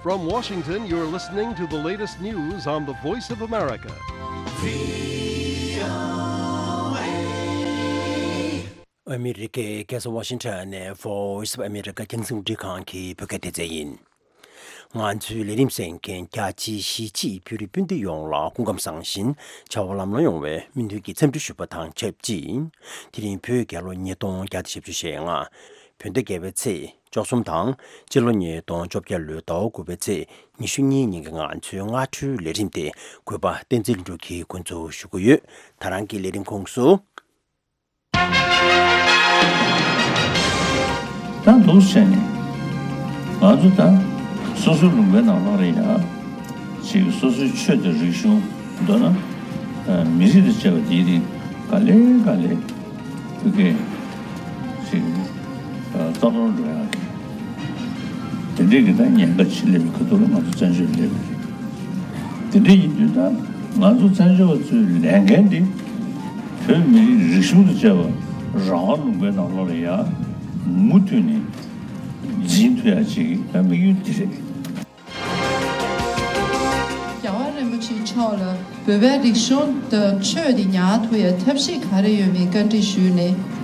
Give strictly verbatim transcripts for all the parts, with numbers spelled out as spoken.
From Washington, you're listening to the latest news on the Voice of America. ཨ་མི་རི་ཀའི་རྒྱལ་ས་ཝ་ཤིང་ཊོན་ནས་Voice of America་རྒྱང་སྲིང་རླུང་འཕྲིན་ཁང་གི་བོད་སྐད་སྡེ་ཚན་ཡིན། ང་ཚོའི་ལས་རིམ་གསན་མཁན་རྒྱ་ཆེའི་གཞིས་བྱེས་བོད་རིགས་སྤུན་ཟླ་ཡོངས་ལ་སྐུ་ཁམས་བཟང་ཞིང་བྱ་བ་ལམ་ལྷོང་ཡོང་བའི་སྨོན་འདུན་གྱི་འཚམས་འདྲི་ཞུ་བ་དང་ཆབས་ཅིག་དེ་རིང་བོད་རྒྱལ་ལོ་ཉིས་སྟོང་བརྒྱ་དང་བཞི་བཅུ་ཞེ་ལྔ། བོད་ཟླ་བརྒྱད་པའི་ཚེས་བཅུ་གསུམ་དང་སྤྱི་ལོ་ཉིས་སྟོང་བཅོ་བརྒྱད་ལོའི་ཟླ་བ་དགུ་པའི་ཚེས་ཉི་ཤུ་གཉིས་ཉིན་གྱི་ང་ཚོའི་སྔ་དྲོའི་ལས་རིམ་དེ་གུས་པ་བསྟན་འཛིན་ལྷུན་གྲུབ་ཀྱིས་འགོ་འཛུགས་ཞུ་གི་ཡོད། ད་རང་གི་ལས་རིམ་ཁོངས་སུ། ད་འདུག་བྱས་ནས་ང་ཚོ་ད་སོ་སོའི་ལུང་པའི་ནང་ལོགས་རེད་ཡ། ཅིག་སོ་སོའི་ཆོས་དང་རིག་གཞུང་མདོར་ན་ཨ་མི་རིགས་དང་བཅས་པ་དེའི་རིགས་ག་ལེ་ག་ལེ་བོད་སྐད་ཅིག་ཨ་རྩ་གཏོར་འགྲོ་ཡག་གི་དེ་འདྲའི་གི་ད་ཉེན་ཁ་ཆེ་སླེབས་པའི་ཁ་ཐུག་ལ་ང་ཚོ་བཙན་བྱོལ་སླེབས་པ་རེད། དེ་འདྲ་ཡིན་དུས་ད་ང་ཚོ་བཙན་བྱོལ་བ་ཚོའི་ལས་འགན་འདི་བོད་མི་རིགས་རིག་གཞུང་དང་བཅས་པ་རང་དབང་ལུང་པའི་ནང་ལོགས་ལ་ཡ་མུ་མཐུད་ནས་འཛིན་ཐུབ་ཡ་ཅིག་ད་དམིགས་ཡུལ་འདི་རེད། རྒྱལ་བ་རིན་པོ་ཆེ་མཆོག་ལ་བོད་པའི་རིག་གཞུང་དང་ཆོས་དེ་ཉར་ཐུབ་ཡ་ཐབས་ཤེས་ག་རེ་ཡོད་མེད་བཀའ་འདྲི་ཞུས་ནས།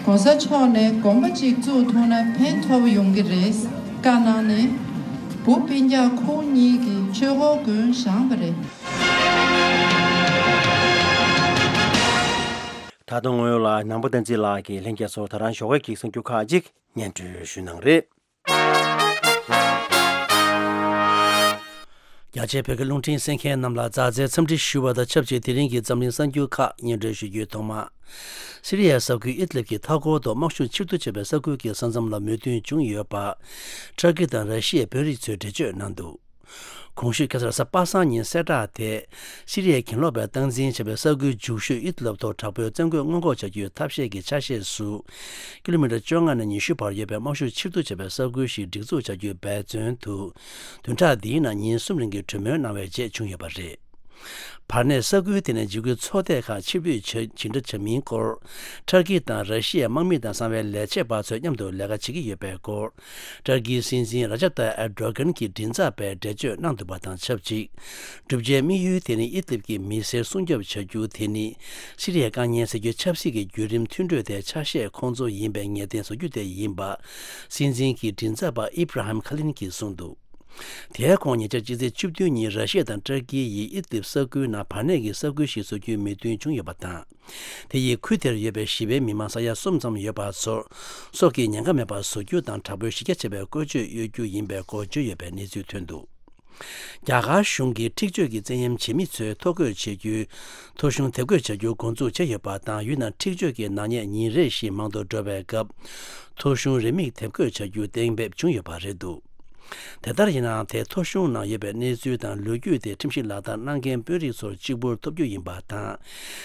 ༸གོང་ས་མཆོག་ནས་དགོན་པ་གཅིག་བཙུགས་ཐུབ་ན་ཕན་ཐོགས་ཡོང་གི་རེད་བཀའ་གནང་ནས། བུ་སྤུན་ཀྱག་ཁོང་གཉིས་ཀྱིས་ཆོས་འཁོར་དགོན་བཞེངས་པ་རེད། ད་དུང་ངོས་ལ་ནང་པ་བསྟན་འཛིན་ལགས་ཀྱིས་ལྷན་རྒྱས་ཚོར་ད་རང་ཞོགས་ཀས་ཀྱི་གསར་འགྱུར་ཁག་ཅིག་སྙན་སྒྲོན་ཞུ་གནང་རེད། རྒྱ་ཆེའི་བོད་སྐད་རླུང་འཕྲིན་གསན་མཁན་རྣམས་ལ་མཛའ་བརྩེའི་འཚམས་འདྲི་ཞུ་བ་དང་ཆབས་ཅིག་དེ་རིང་གི་འཛམ་གླིང་གསར་འགྱུར་ཁག་སྙན་སྒྲོན་ཞུ་རྒྱུའི་ཐོག་མ། སི་རི་ཡའི་ས་ཁུལ་ཨིད་ལིབ་ཀྱི་མཐའ་འཁོར་དུ་དམག་ཤུགས་ཕྱིར་བསྡུ་བྱས་པའི་ས་ཁུལ་གྱི་ས་མཚམས་ལ་མོས་མཐུན་བྱུང་ཡོད་པ། ཏུར་ཀི་དང་ར་ཤི་ཡའི་དཔོན་རིགས་ཚོས་འགྲེལ་བརྗོད་གནང་འདུག་གོང་ཞུས་ཁ་སང་རེས་གཟའ་པ་སངས་ཉིན་གསལ་བསྒྲགས་དེ། སི་རི་ཡའི་གྱེན་ལོག་པས་སྟངས་འཛིན་བྱས་པའི་ས་ཁུལ་འཇུག་ཤོས་ཨིད་ལབ་ཐོག་དྲག་པོའི་བཙན་རྒོལ་སྔོན་འགོག་བྱ་རྒྱུའི་ཐབས་ཤེས་ཀྱི་ཆ་ཤས་སུ། ཀི་ལོ་མི་ཊར་བཅོ་ལྔ་ནས་ཉི་ཤུ་བར་ཡོད་པའི་དམག་ཤུགས་ཕྱིར་བསྡུ་བྱས་པའི་ས་ཁུལ་ཞིག་སྒྲིག་འཛུགས་བྱ་རྒྱུའི་འབད་བརྩོན་དུ། བདུན་ཕྲག་འདིའི་ནང་ཉིན་གསུམ་རིང་གི་གྲོས་མོལ་གནང་བའི་རྗེས་བྱུང་ཡོད་པ་རེད། བར་གནས་ས་ཁུལ་དེ་ནས་འཇིགས་སྐུལ་ཚོགས་སྡེ་ཁག་ཕྱིར་འབུད་བྱ་ཇི་འདྲ་བྱ་མིན་སྐོར། ཏུར་ཀི་དང་ར་ཤི་ཡའི་དམག་མི་དང་གསང་བའི་ལས་བྱེད་པ་ཚོས་མཉམ་དུ་ལས་ཀ་བྱེད་ཀྱི་ཡོད་པའི་སྐོར། ཏུར་ཀིའི་སྲིད་འཛིན་ར་ཇབ་ཏཱ་ཨེར་ཌོ་གྷན་གྱི་མགྲིན་ཚབ་པས་འགྲེལ་བརྗོད་གནང་འདུག་པ་དང་ཆབས་ཅིག་བསྒྲུབ་བྱའི་དམིགས་ཡུལ་དེ་ནི་ཨི་དིབ་ཀྱི་མི་སེར་སྲུང་སྐྱོབ་བྱ་རྒྱུ་དེ་ནི་སི་རི་ཡའི་དཀའ་ངལ་སེལ་རྒྱུའི་ཆབ་སྲིད་ཀྱི་བརྒྱུད་རིམ་མཐུན་གྲོས་དེ་ཆ་ཤས་ཁོང་ཚོ་ཡིན་པའི་ངེས་གཏན་བཟོ་རྒྱུ་དེ་ཡིན་པ། སྲིད་འཛིན་གྱི་མགྲིན་ཚབ་པ་ཨི་བྷ་ར་ཧིམ་ཁ་ལིན་གྱིས་གསུངས་འདུག་དེའི་ཁོངས་ཉེ་ཆར་སྤྱི་ཚེས་བཅུ་བདུན་ཉིན་ར་ཤི་ཡ་དང་ཏུར་ཀི་ཡིས་ཨི་དིབ་ས་ཁུལ་ནང་བར་གནས་ཀྱི་ས་ཁུལ་ཞིག་བཟོ་རྒྱུའི་མོས་མཐུན་བྱུང་ཡོད་པ་དང་། དེ་ཡིས་ཁུལ་དེར་ཡོད་པའི་ཞི་བའི་མི་མང་ས་ཡ་གསུམ་ཙམ་ཡོད་པ་ཚོར་སྲོག་གི་ཉེན་ཁ་མེད་པར་བཟོ་རྒྱུ་དང་དྲག་པོའི་གཞི་རྒྱ་ཆེ་བའི་བཀོལ་སྤྱོད་གཡོལ་རྒྱུ་ཡིན་པའི་སྐོར་བརྗོད་ཡོད་པའི་གནས་ཚུལ་ཐོན་འདུག་རྒྱ་གར་གཞུང་གིས་འཁྲིག་སྤྱོད་ཀྱི་བཙན་གཡེམ་བྱེད་མི་ཚོའི་ཐོ་འགོད་བྱེད་རྒྱུའི་ཐོ་གཞུང་དེབ་འགོད་བྱ་རྒྱུ་འགོ་འཛུགས་བྱས་ཡོད་པ་དང་། ཡུལ་ནང་འཁྲིག་སྤྱོད་ཀྱི་ནག་ཉེས་ཉིན་རེ་བཞིན་མང་དུ་འགྲོ་བའི་སྐབས། ཐོ་གཞུང་རེའུ་མིག་དེབ་འགོད་བྱ་རྒྱུ་གཏན་འབེབས་བྱུང་ཡོད་པ་རེད་འདུག་དེ་ལྟར་ཡིན་ནའང་། དེ་ཐོ་གཞུང་ནང་ཡོད་པའི་གནས་ཚུལ་དང་ལོ་རྒྱུས་དེ་ཁྲིམས་གཞི་ལག་བསྟར་གནང་མཁན་དཔོན་རིགས་ཚོར་གཅིག་པུར་ཐོབ་རྒྱུ་ཡིན་པ་དང་།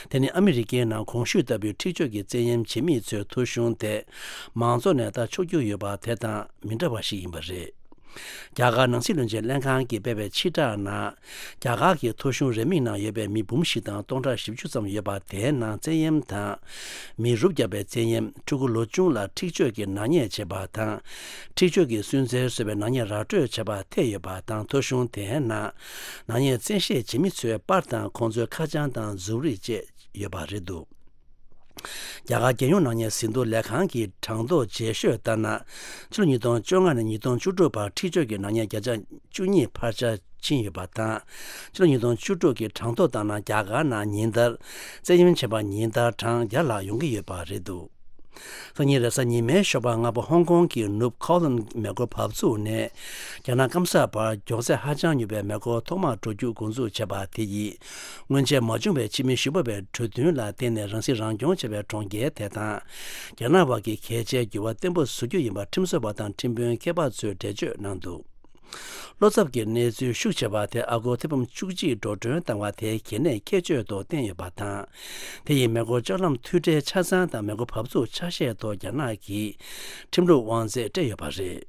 དེ་ནི་ཨ་མི་རི་ཀའི་ནང་གོང་ཞུས་ལྟ་བུའི་འཁྲིག་སྤྱོད་ཀྱི་བཙན་གཡེམ་བྱེད་མི་ཚོའི་ཐོ་གཞུང་དེ་མང་ཚོགས་ནས་ལྟ་ཆོག་རྒྱུ་ཡོད་པ་དེ་དང་མི་འདྲ་བ་ཞིག་ཡིན་པ་རེད། རྒྱ་གར་ནང་སྲིད་བློན་ཆེན་ལྷན་ཁང་གིས་སྤེལ་བའི་ཕྱིར་བསྒྲགས་ནང་། རྒྱ་གར་གྱི་ཐོ་གཞུང་རེའུ་མིག་ནང་ཡོད་པའི་མི་འབུམ་བཞི་དང་སྟོང་ཕྲག་བཞི་བཅུ་ཙམ་ཡོད་པ། དེའི་ནང་བཙན་གཡེམ་དང་། མི་རུབ་བརྒྱབ་པའི་བཙན་གཡེམ། ཕྲུ་གུ་ལོ་ཆུང་ལ་འཁྲིག་སྤྱོད་ཀྱི་ནག་ཉེས་བྱེད་པ་དང་། འཁྲིག་སྤྱོད་ཀྱི་སུན་གཙེར་བཟོ་བའི་ནག་ཉེས་ར་སྤྲོད་བྱས་པ་ཐེ་ཡོད་པ་དང་། ཐོ་གཞུང་དེའི་ནང་ནག་ཉེས་བཙན་ཤེད་བྱེད་མི་ཚོའི་པར་དང་ཁོང་ཚོའི་ཁ་བྱང་དང་གཟུགས་རིས་བཅས་ཡོད་པ་རེད་འདུག་རྒྱ་གར་རྒྱལ་ཡོངས་ནག་ཉེས་ཟིན་ཐོ་ལས་ཁང་གི་གྲངས་ཐོ་རྗེས་ཤོས་ལྟར་ན། ཕྱི་ལོ་ཉིས་སྟོང་བཅོ་ལྔ་ནས་ཉིས་སྟོང་བཅུ་དྲུག་བར་འཁྲིག་སྤྱོད་ཀྱི་ནག་ཉེས་བརྒྱ་ཆ་བཅུ་གཉིས་འཕར་ཆ་ཕྱིན་ཡོད་པ་དང་། ཕྱི་ལོ་ཉིས་སྟོང་བཅུ་དྲུག་གི་གྲངས་ཐོ་ལྟར་ན། རྒྱ་གར་ནང་ཉིན་ལྟར་བཙན་གཡེམ་བྱས་པ་ཉིན་ལྟར་གྲངས་བརྒྱ་ལྷག་ཡོང་གི་ཡོད་པ་རེད་འདུག་སང་ཉིན་རེས་གཟའ་ཉི་མའི་ཞོགས་པ་སྔ་པོ་ཧོང་ཀོང་གི་ནུབ་ཁའོ་ལན་མེ་འཁོར་བབས་ཚུགས་ནས་རྒྱ་ནག་སྐམ་ས་བར་མགྱོགས་ཚད་ཧ་ཅང་ཉུང་བའི་མེ་འཁོར་ཐོག་མར་འགྲོ་རྒྱུ་འགོ་འཛུགས་བྱས་པ་དེ་ཡིས། སྔོན་ཆད་མ་བྱུང་བའི་ཕྱི་མི་ཞིབ་པ་བའི་གྲོས་མཐུན་ལ་བརྟེན་ནས་རང་སྲིད་རང་སྐྱོང་བྱས་པའི་གྲོང་ཁྱེར་དེ་དང་། རྒྱ་ནག་བར་གྱི་གལ་ཆེའི་འགྱུར་བ་བརྟན་པོ་བཟོ་རྒྱུ་ཡིན་པ་ཁྲིམས་བཟོ་བ་དང་ཁྲིམས་དཔོན་མཁས་པ་ཚོས་འགྲེལ་བརྗོད་གནང་འདུག་བློ་འཚབ་ཀྱི་གནས་ཚུལ་ཤུགས་ཆེ་བ་དེ་ཨ་སྒོར་ཐེར་འབུམ་བཅུ་གཅིག་འགྲོ་གྲོན་བཏང་བ་དེ་གལ་གནད་ཁྱད་ཆོས་ཐོག་བསྟན་ཡོད་པ་དང་། དེ་ཡིས་མེ་འཁོར་ལྕགས་ལམ་མཐུད་སྦྲེལ་ཆ་ཚང་དང་མེ་འཁོར་བབས་ཚུགས་ཆ་ཤས་ཐོག་རྒྱ་ནག་གི་ཁྲིམས་ལུགས་དབང་ཚད་སྤྲད་ཡོད་པ་རེད།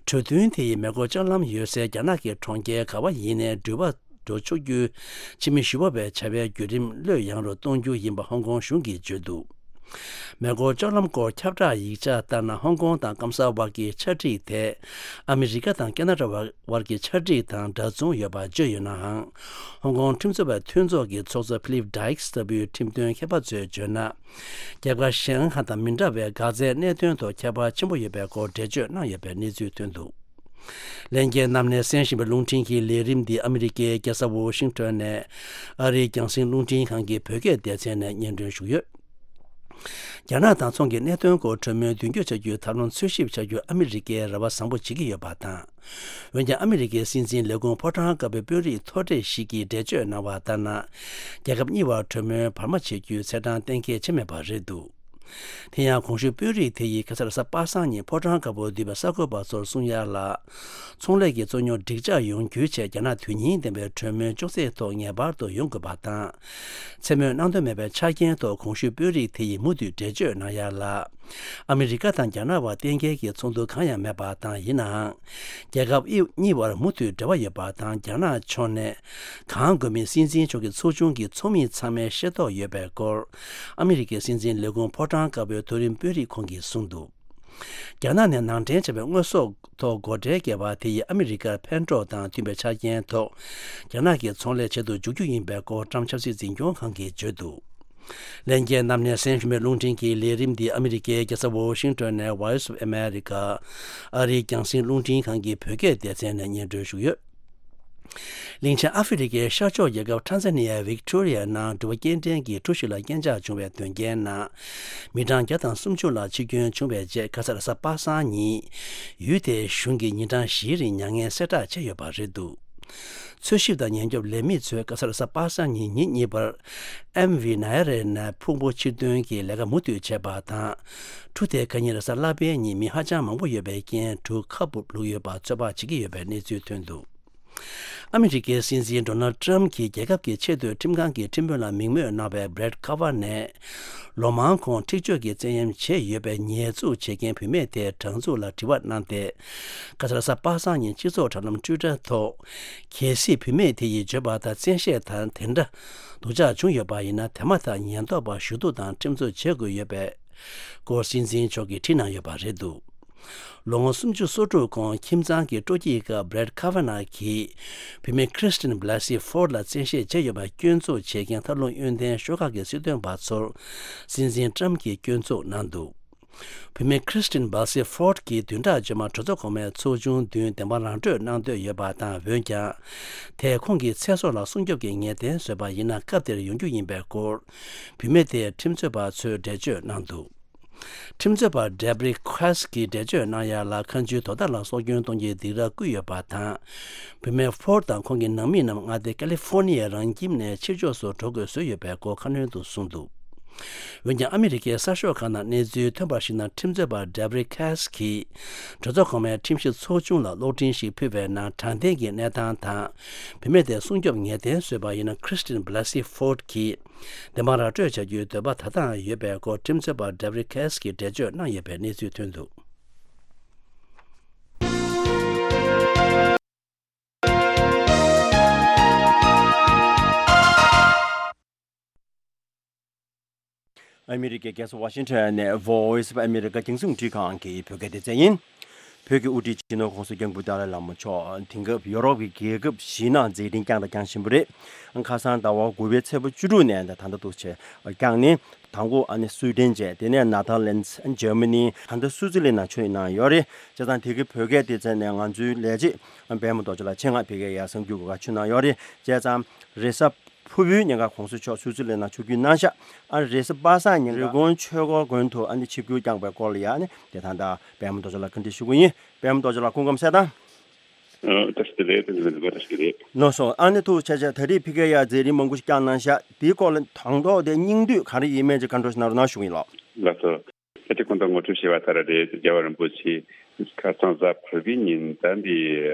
གྲོས་མཐུན་དེ་ཡིས་མེ་འཁོར་ལྕགས་ལམ་ཡོད་སའི་རྒྱ་ནག་གི་གྲོང་ཁྱེར་ག་བ་ཡིན་ནའི་འགྲུལ་པ་འགྲོ་ཆོག་རྒྱུའི་ཕྱི་མི་ཞུ་བ་བའི་བྱ་བའི་བརྒྱུད་རིམ་བློས་ཡངས་རུ་གཏོང་རྒྱུ་ཡིན་པ་ཧོང་ཀོང་གཞུང་གིས་བརྗོད་འདུག་མེ་འཁོར་སྤྱོད་ལམ་སྐོར་ཁྱབ་བསྒྲགས་ཡིག་ཆ་ལྟར་ན། ཧོང་ཀོང་དང་སྐམ་ས་བར་གྱི་ཆ་སྒྲིག་དེ་ཨ་མི་རི་ཀ་དང་ཁེ་ན་ཌ་བར་གྱི་ཆ་སྒྲིག་དང་འདྲ་མཚུངས་ཡོད་པ་བརྗོད་ཡོད་ནའང་། ཧོང་ཀོང་ཁྲིམས་རྩོད་པའི་མཐུན་ཚོགས་ཀྱི་ཚོགས་གཙོ་ཕི་ལིབ་ཌའིགས་ལྟ་བུའི་ཁྲིམས་དོན་མཁས་པ་ཚོས་བརྗོད་ན། རྒྱལ་ཁབ་གཞན་ཁག་དང་མི་འདྲ་བའི་འགག་རྩའི་གནད་དོན་ཐོག་ཁྱད་པར་ཆེན་པོ་ཡོད་པའི་སྐོར་འགྲེལ་བརྗོད་གནང་ཡོད་པའི་གནས་ཚུལ་ཐོན་འདུག། ལྷན་རྒྱས་རྣམས་ནས་གསན་བཞིན་པའི་རླུང་འཕྲིན་གྱི་ལས་རིམ་འདི་ཨ་མི་རི་ཀའི་རྒྱལ་ས་ཝོ་ཤིང་ཏོན་ནས་ཨ་རིའི་རྒྱང་སྲིང་རླུང་འཕྲིན་ཁང་གི་བོད་སྐད་སྡེ་ཚན་ནས་སྙན་སྒྲོན་ཞུས་ཡོད། རྒྱ་ནག་དང་ཚོང་གི་གནད་དོན་སྐོར་གྲོས་མོལ་མདུན་སྐྱོད་བྱ་རྒྱུའི་ཐབས་ལམ་འཚོལ་ཞིབ་བྱ་རྒྱུར་ཨ་མི་རི་ཀས་རེ་བ་བཟང་པོ་བྱེད་ཀྱི་ཡོད་པ་དང་། འོན་ཀྱང་ཨ་མི་རི་ཀའི་སྲིད་འཛིན་ལས་ཁུངས་ཕོ་བྲང་དཀར་པོའི་དཔོན་རིགས་མཐོ་གྲས་ཤིག་གིས་འགྲེལ་བརྗོད་གནང་བ་ལྟར་ན། རྒྱལ་ཁབ་གཉིས་བར་གྲོས་མོལ་བར་མ་བྱེད་རྒྱུའི་ཚེས་གྲངས་གཏན་འཁེལ་བྱས་མེད་པ་རེད་འདུག། དེ་ཡང་གོང་ཞུས་དཔོན་རིགས་དེ་ཡིས་ཁ་སང་རེས་གཟའ་པ་སངས་ཉིན་ཕོ་བྲང་དཀར་པོར་འདུས་པའི་གསར་འགོད་པ་ཚོར་གསུང་ཡ་ལ། ཚོང་ལས་ཀྱི་རྩོད་རྙོག་འགྲིག་འཇགས་ཡོང་རྒྱུའི་ཆེད་རྒྱ་ནག་དོན་སྙིང་ལྡན་པའི་གྲོས་མོལ་ཅུང་ཟད་ཐོག་ངེས་པར་དུ་ཡོང་དགོས་པ་དང་། མཚན་སྨོས་གནང་འདོད་མེད་པའི་ཆ་རྐྱེན་ཐོག་གོང་ཞུས་དཔོན་རིགས་དེ་ཡིས་མུ་མཐུད་འགྲེལ་བརྗོད་གནང་ཡ་ལ། ཨ་མི་རི་ཀ་དང་རྒྱ་ནག་བར་གཏན་འཁེལ་གྱི་ཚོགས་འདུ་གང་ཡང་མེད་པ་དང་། ཡིན་ནའང་། རྒྱལ་ཁབ་གཉིས་བར་མུ་མཐུད་འབྲེལ་བ་ཡོད་པ་དང་། རྒྱ་ནག་ཕྱོགས་ནས་གང་དགོས་མིན་སྲིད་འཛིན་མཆོག་གི་ཚོགས་ཆུང་གི་ཚོགས་མི་ཚང་མས་ཤེས་རྟོགས་ཡོད་པའི་སྐོར། ཨ་མི་རི་ཀའི་སྲིད་འཛིན་ལས་ཁུངས་ཕོ་བྲང་དཀར་པོའི་མཐོ་རིམ་དཔོན་རིགས་ཁོང་གིས་གསུངས་འདུག། རྒྱ་ནག་ནས་ནང་འདྲེན་བྱས་པའི་དངོས་ཟོག་ཐོག་སྒོ་ཁྲལ་བཀལ་བ་དེ་ཡིས་ཨ་མི་རི་ཀར་ཕན་གྲོགས་དང་མཐུན་པའི་ཆ་རྐྱེན་ཐོག་རྒྱ་ནག་གི་ཚོང་ལས་བྱེད་དུ་འཇུག་རྒྱུ་ཡིན་པའི་སྐོར་ཊམ་ཆབ་སྲིད་འཛིན་སྐྱོང་ཁང་གིས་བརྗོད་འདུག། ལྷན་རྒྱས་རྣམས་ནས་གསན་བཞིན་པའི་རླུང་འཕྲིན་གྱི་ལས་རིམ་འདི་ཨ་མི་རི་ཀའི་རྒྱལ་ས་ཝོ་ཤིང་ཏོན་ནས་Voice of America ཨ་རིའི་རྒྱང་སྲིང་རླུང་འཕྲིན་ཁང་གི་བོད་སྐད་སྡེ་ཚན་ནས་སྙན་སྒྲོན་ཞུས་ཡོད། གླིང་ཆེན་ཨ་ཧྥེ་རི་ཀའི་ཤར་ཕྱོགས་རྒྱལ་ཁབ་ཊན་ཟ་ནི་ཡའི་ཝིག་ཏོ་རི་ཡའི་ནང་འགྲུལ་པ་སྐྱེལ་འདྲེན་གྱི་གྲུ་ཞིག་ལ་རྐྱེན་ཆག་བྱུང་བའི་དོན་རྐྱེན་ནང་། མི་གྲངས་བརྒྱ་དང་སུམ་ཅུ་ལ་འཆི་སྐྱོན་བྱུང་བའི་རྗེས། ཁ་སང་རེས་གཟའ་པ་སངས་ཉིན། ཡུལ་དེའི་གཞུང་གིས་ཉིན་གྲངས་བཞིའི་རིང་མྱ་ངན་གསལ་བསྒྲགས་བྱས་ཡོད་པ་རེད་འདུག། འཚོལ་ཞིབ་དང་ཉེན་སྐྱོབ་ལས་མི་ཚོས་ཁ་སང་རེས་གཟའ་པ་སངས་ཉིན་ཉིན་གཉིས་པར། ཨེམ་ཝི་ནཱ་ཡ་རེ་ནས་ཕུང་པོ་ཕྱིར་འདོན་གྱི་ལས་ཀ་མུ་མཐུད་བྱས་པ་དང་། གྲུ་དེ་ཁ་ཉིན་རེས་གཟའ་ལྷག་པའི་ཉིན་མི་ཧ་ཅང་མང་པོ་ཡོད་པའི་རྐྱེན། གྲུ་ཁ་སྦུབ་བླུགས་ཡོད་པ་ཚོད་དཔག་བྱེད་ཀྱི་ཡོད་པའི་གནས་ཚུལ་ཐོན་འདུག། ཨ་མི་རི་ཀའི་སྲིད་འཛིན་ཌོ་ནལ་ཏྲམ་གྱིས་རྒྱལ་ཁབ་ཀྱི་ཆེས་མཐོའི་ཁྲིམས་ཁང་གི་ཁྲིམས་དཔོན་ལ་མིང་སྨོས་གནང་བའི་བྷི་རེད་ཁ་ཝར་ནས། ལོ་མང་གོང་འཁྲིག་སྤྱོད་ཀྱི་བཙན་གཡེམ་བྱས་ཡོད་པའི་ཉེས་འཛུགས་བྱེད་མཁན་བུད་མེད་དེའི་སྦྲང་འཛུགས་ལ་དྲི་བ་གནང་སྟེ། ཁ་སང་རེས་གཟའ་པ་སངས་ཉིན་སྤྱི་ཚོགས་དྲ་ལམ་ཊུའི་ཊར་ཐོག། གལ་སྲིད་བུད་མེད་དེ་ཡིས་བརྗོད་པ་ལྟར་བཙན་ཤེད་དང་དེ་འདྲ་སྡུག་ཅག་བྱུང་ཡོད་པ་ཡིན་ན། དེ་མ་ཐག་ཉེན་རྟོག་པར་ཞུ་གཏུག་དང་ཁྲིམས་རྩོད་བྱེད་དགོས་ཡོད་པའི་སྐོར་སྲིད་འཛིན་མཆོག་གིས་བྲིས་གནང་ཡོད་པ་རེད་འདུག། ལོ་ངོ་སུམ་ཅུ་སོ་དྲུག་གོང་ཁྱིམ་ཚང་གི་སྤྲོ་སྐྱིད་སྐབས་བྷི་རེད་ཁ་ཝར་ནག་གིས་བུད་མེད་ཁྲི་སྟིན་བྷ་ལ་སི་ཧྥོར་ལ་བཙན་ཤེད་བྱས་ཡོད་པར་སྐྱོན་འཛུགས་བྱེད་མཁན་ཐབས་ལམ་གཡོན་ལྡན་ཤོག་ཁག་གི་སྲིད་དོན་པ་ཚོར་སྲིད་འཛིན་ཏྲམ་གྱིས་སྐྱོན་འཛུགས་གནང་འདུག། བུད་མེད་ཁྲི་སྟིན་བྷ་ལ་སི་ཧྥོར་གྱིས་བདུན་ཕྲག་རྗེས་མར་གྲོས་ཚོགས་གོང་མའི་ཚོགས་ཆུང་མདུན་བདེན་དཔང་རང་སྤྲོད་གནང་འདོད་ཡོད་པ་དང་། འོན་ཀྱང་། དེས་ཁོང་གི་ཚེ་སྲོག་ལ་སྲུང་སྐྱོབ་ཀྱི་ངེས་གཏན་བཟོས་པ་ཡིན་ན། སྐབས་དེར་ཡོང་རྒྱུ་ཡིན་པའི་སྐོར། བུད་མེད་དེའི་ཁྲིམས་རྩོད་པ་ཚོས་འགྲེལ་བརྗོད་གནང་འདུག། ཁྲིམས་རྩོད་པ་ཌེབ་རི་ཁེ་སི་གིས་འགྲེལ་བརྗོད་གནང་ཡ་ལ། ཁ་མཆུའི་དོ་ཟླ་ལ་སྲོག་སྐྱོན་གཏོང་རྒྱུའི་སྡིགས་ར་བསྐུལ་ཡོད་པ་དང་། བུད་མེད་ཧྥོར་དང་ཁོང་གི་ནང་མི་རྣམས་མངའ་སྡེ་ཀ་ལི་ཧྥོར་ནི་ཡའི་རང་ཁྱིམ་ནས་ཕྱིར་ཕྱོགས་སུ་འགྲོ་དགོས་བཟོས་ཡོད་པའི་སྐོར་ཁ་སྣོན་དུ་གསུངས་འདུག། འོན་ཀྱང་། ཨ་མི་རི་ཀའི་གསར་ཤོག་ཁག་ནང་གནས་ཚུལ་ཐོན་པར་གཞིགས་ན། ཁྲིམས་རྩོད་པ་ཌེབ་རི་ཁེ་སི་གིས་གྲོས་ཚོགས་གོང་མའི་ཁྲིམས་ཞིབ་ཚོགས་ཆུང་ལ་གློག་འཕྲིན་ཞིག་ཕུལ་བའི་ནང་། དྲང་བདེན་གྱི་གནས་སྟངས་དང་། བུད་མེད་དེ་སྲུང་སྐྱོབ་ངེས་གཏན་བཟོས་པ་ཡིན་ན། ཁྲི་སྟིན་བྷ་ལ་སི་ཧྥོར་གྱིས་བདེན་དཔང་ར་སྤྲོད་བྱ་རྒྱུའི་འདོད་པ་ད་ལྟའང་ཡོད་པའི་སྐོར། ཁྲིམས་རྩོད་པ་ཌེབ་རི་ཁེ་སི་གིས་འགྲེལ་བརྗོད་གནང་ཡོད་པའི་གནས་ཚུལ་ཐོན་འདུག། ཨ་མི་རི་ཀའི་རྒྱལ་ས་ཝ་ཤིང་ཊོན་ནས་Voice of America རྒྱང་སྲིང་རླུང་འཕྲིན་ཁང་གི་བོད་སྐད་སྡེ་ཚན་ཡིན། བོད་ཀྱི་དབུ་ཁྲིད་སྤྱི་ནོར་༸གོང་ས་༸སྐྱབས་མགོན་ཏཱ་ལའི་བླ་མ་མཆོག་དེང་སྐབས་ཡོ་རོབ་ཀྱི་རྒྱལ་ཁབ་བཞིའི་ནང་མཛད་འཕྲིན་བསྐྱངས་དང་བསྐྱང་བཞིན་པ་རེད། ཁ་སང་ཟླ་བ་དགུ་པའི་ཚེས་པ་བཅུ་དྲུག་ནས་ད་ལྟ་འདུག་བྱས་བསྐྱངས་ནས། དང་པོ་ཨ་ནི་སུའི་ཌེན་བྱས། དེ་ནས་ནེ་ཐར་ལེན་ཌི། ཇར་མ་ནི། ད་ལྟ་སུའུ་ཙི་ལན་ནང་ཆོས་གནང་ཡོད་རེད། བྱས་ཙང་དེ་གའི་བོད་སྐད་སྡེ་ཚན་ནས་ང་ཚོའི་ལས་བྱེད་པད་མ་རྡོ་རྗེ་ལགས་ཆེད་མངགས་ཕ་གིར་ཡར་གསར་འགྱུར་འགོད་གར་ཕྱིན་གནང་ཡོད་རེད། བྱས་ཙང་རེས་གཟའ་ཕུར་བུའི་ཉིན་ཀ་༸གོང་ས་མཆོག་སུའུ་ཙི་ལན་ནང་ཆིབས་བསྒྱུར་གནང་ཤག། ཨ་རེས་གཟའ་པ་སངས་ཉིན་རི་ཀོན་ཆོས་འཁོར་དགོན་དུ་ཨ་ནི་ཆིབས་བསྒྱུར་བསྐྱངས་པའི་སྐོར་ལ་ཡ་ཨ་ནི་དེ་ད་ལྟ་པད་མ་རྡོ་རྗེ་ལགས་བཀའ་འདྲི་ཞུ་གི་ཡིན། པད་མ་རྡོ་རྗེ་ལགས་སྐུ་ཁམས་བཟང་། ཨ། བཀྲ་ཤིས་བདེ་ལེགས། ཐུགས་རྗེ་ཆེ། བཀྲ་ཤིས་བདེ་ལེགས། ལགས་སོ། ཨ་ནི་ཐུགས་རྗེ་ཆེ། ད་རེས་ཕ་གིར་ཡ་མཛད་རིམ་མང་པོ་ཞིག་བསྐྱངས་གནང་ཤག། དེའི་སྐོར་ལ་དང་ཐོག་དེ་སྙིང་བསྡུས་ག་རེ་ཡིན་མིན་ཅིག་བཀའ་འདྲི་ཞིག་གནང་རོགས་གནང་ཞུ་གི་ཡིན་ལགས། ལགས་སོ། ད་ལྟ་གོང་དུ་ངོ་སྤྲོད་བྱས་པ་ལྟར་རེད། རྒྱལ་བ་རིན་པོ་ཆེ་ཁ་སང་གཟའ་ཕུར་བུའི་ཉིན་ད་འདི་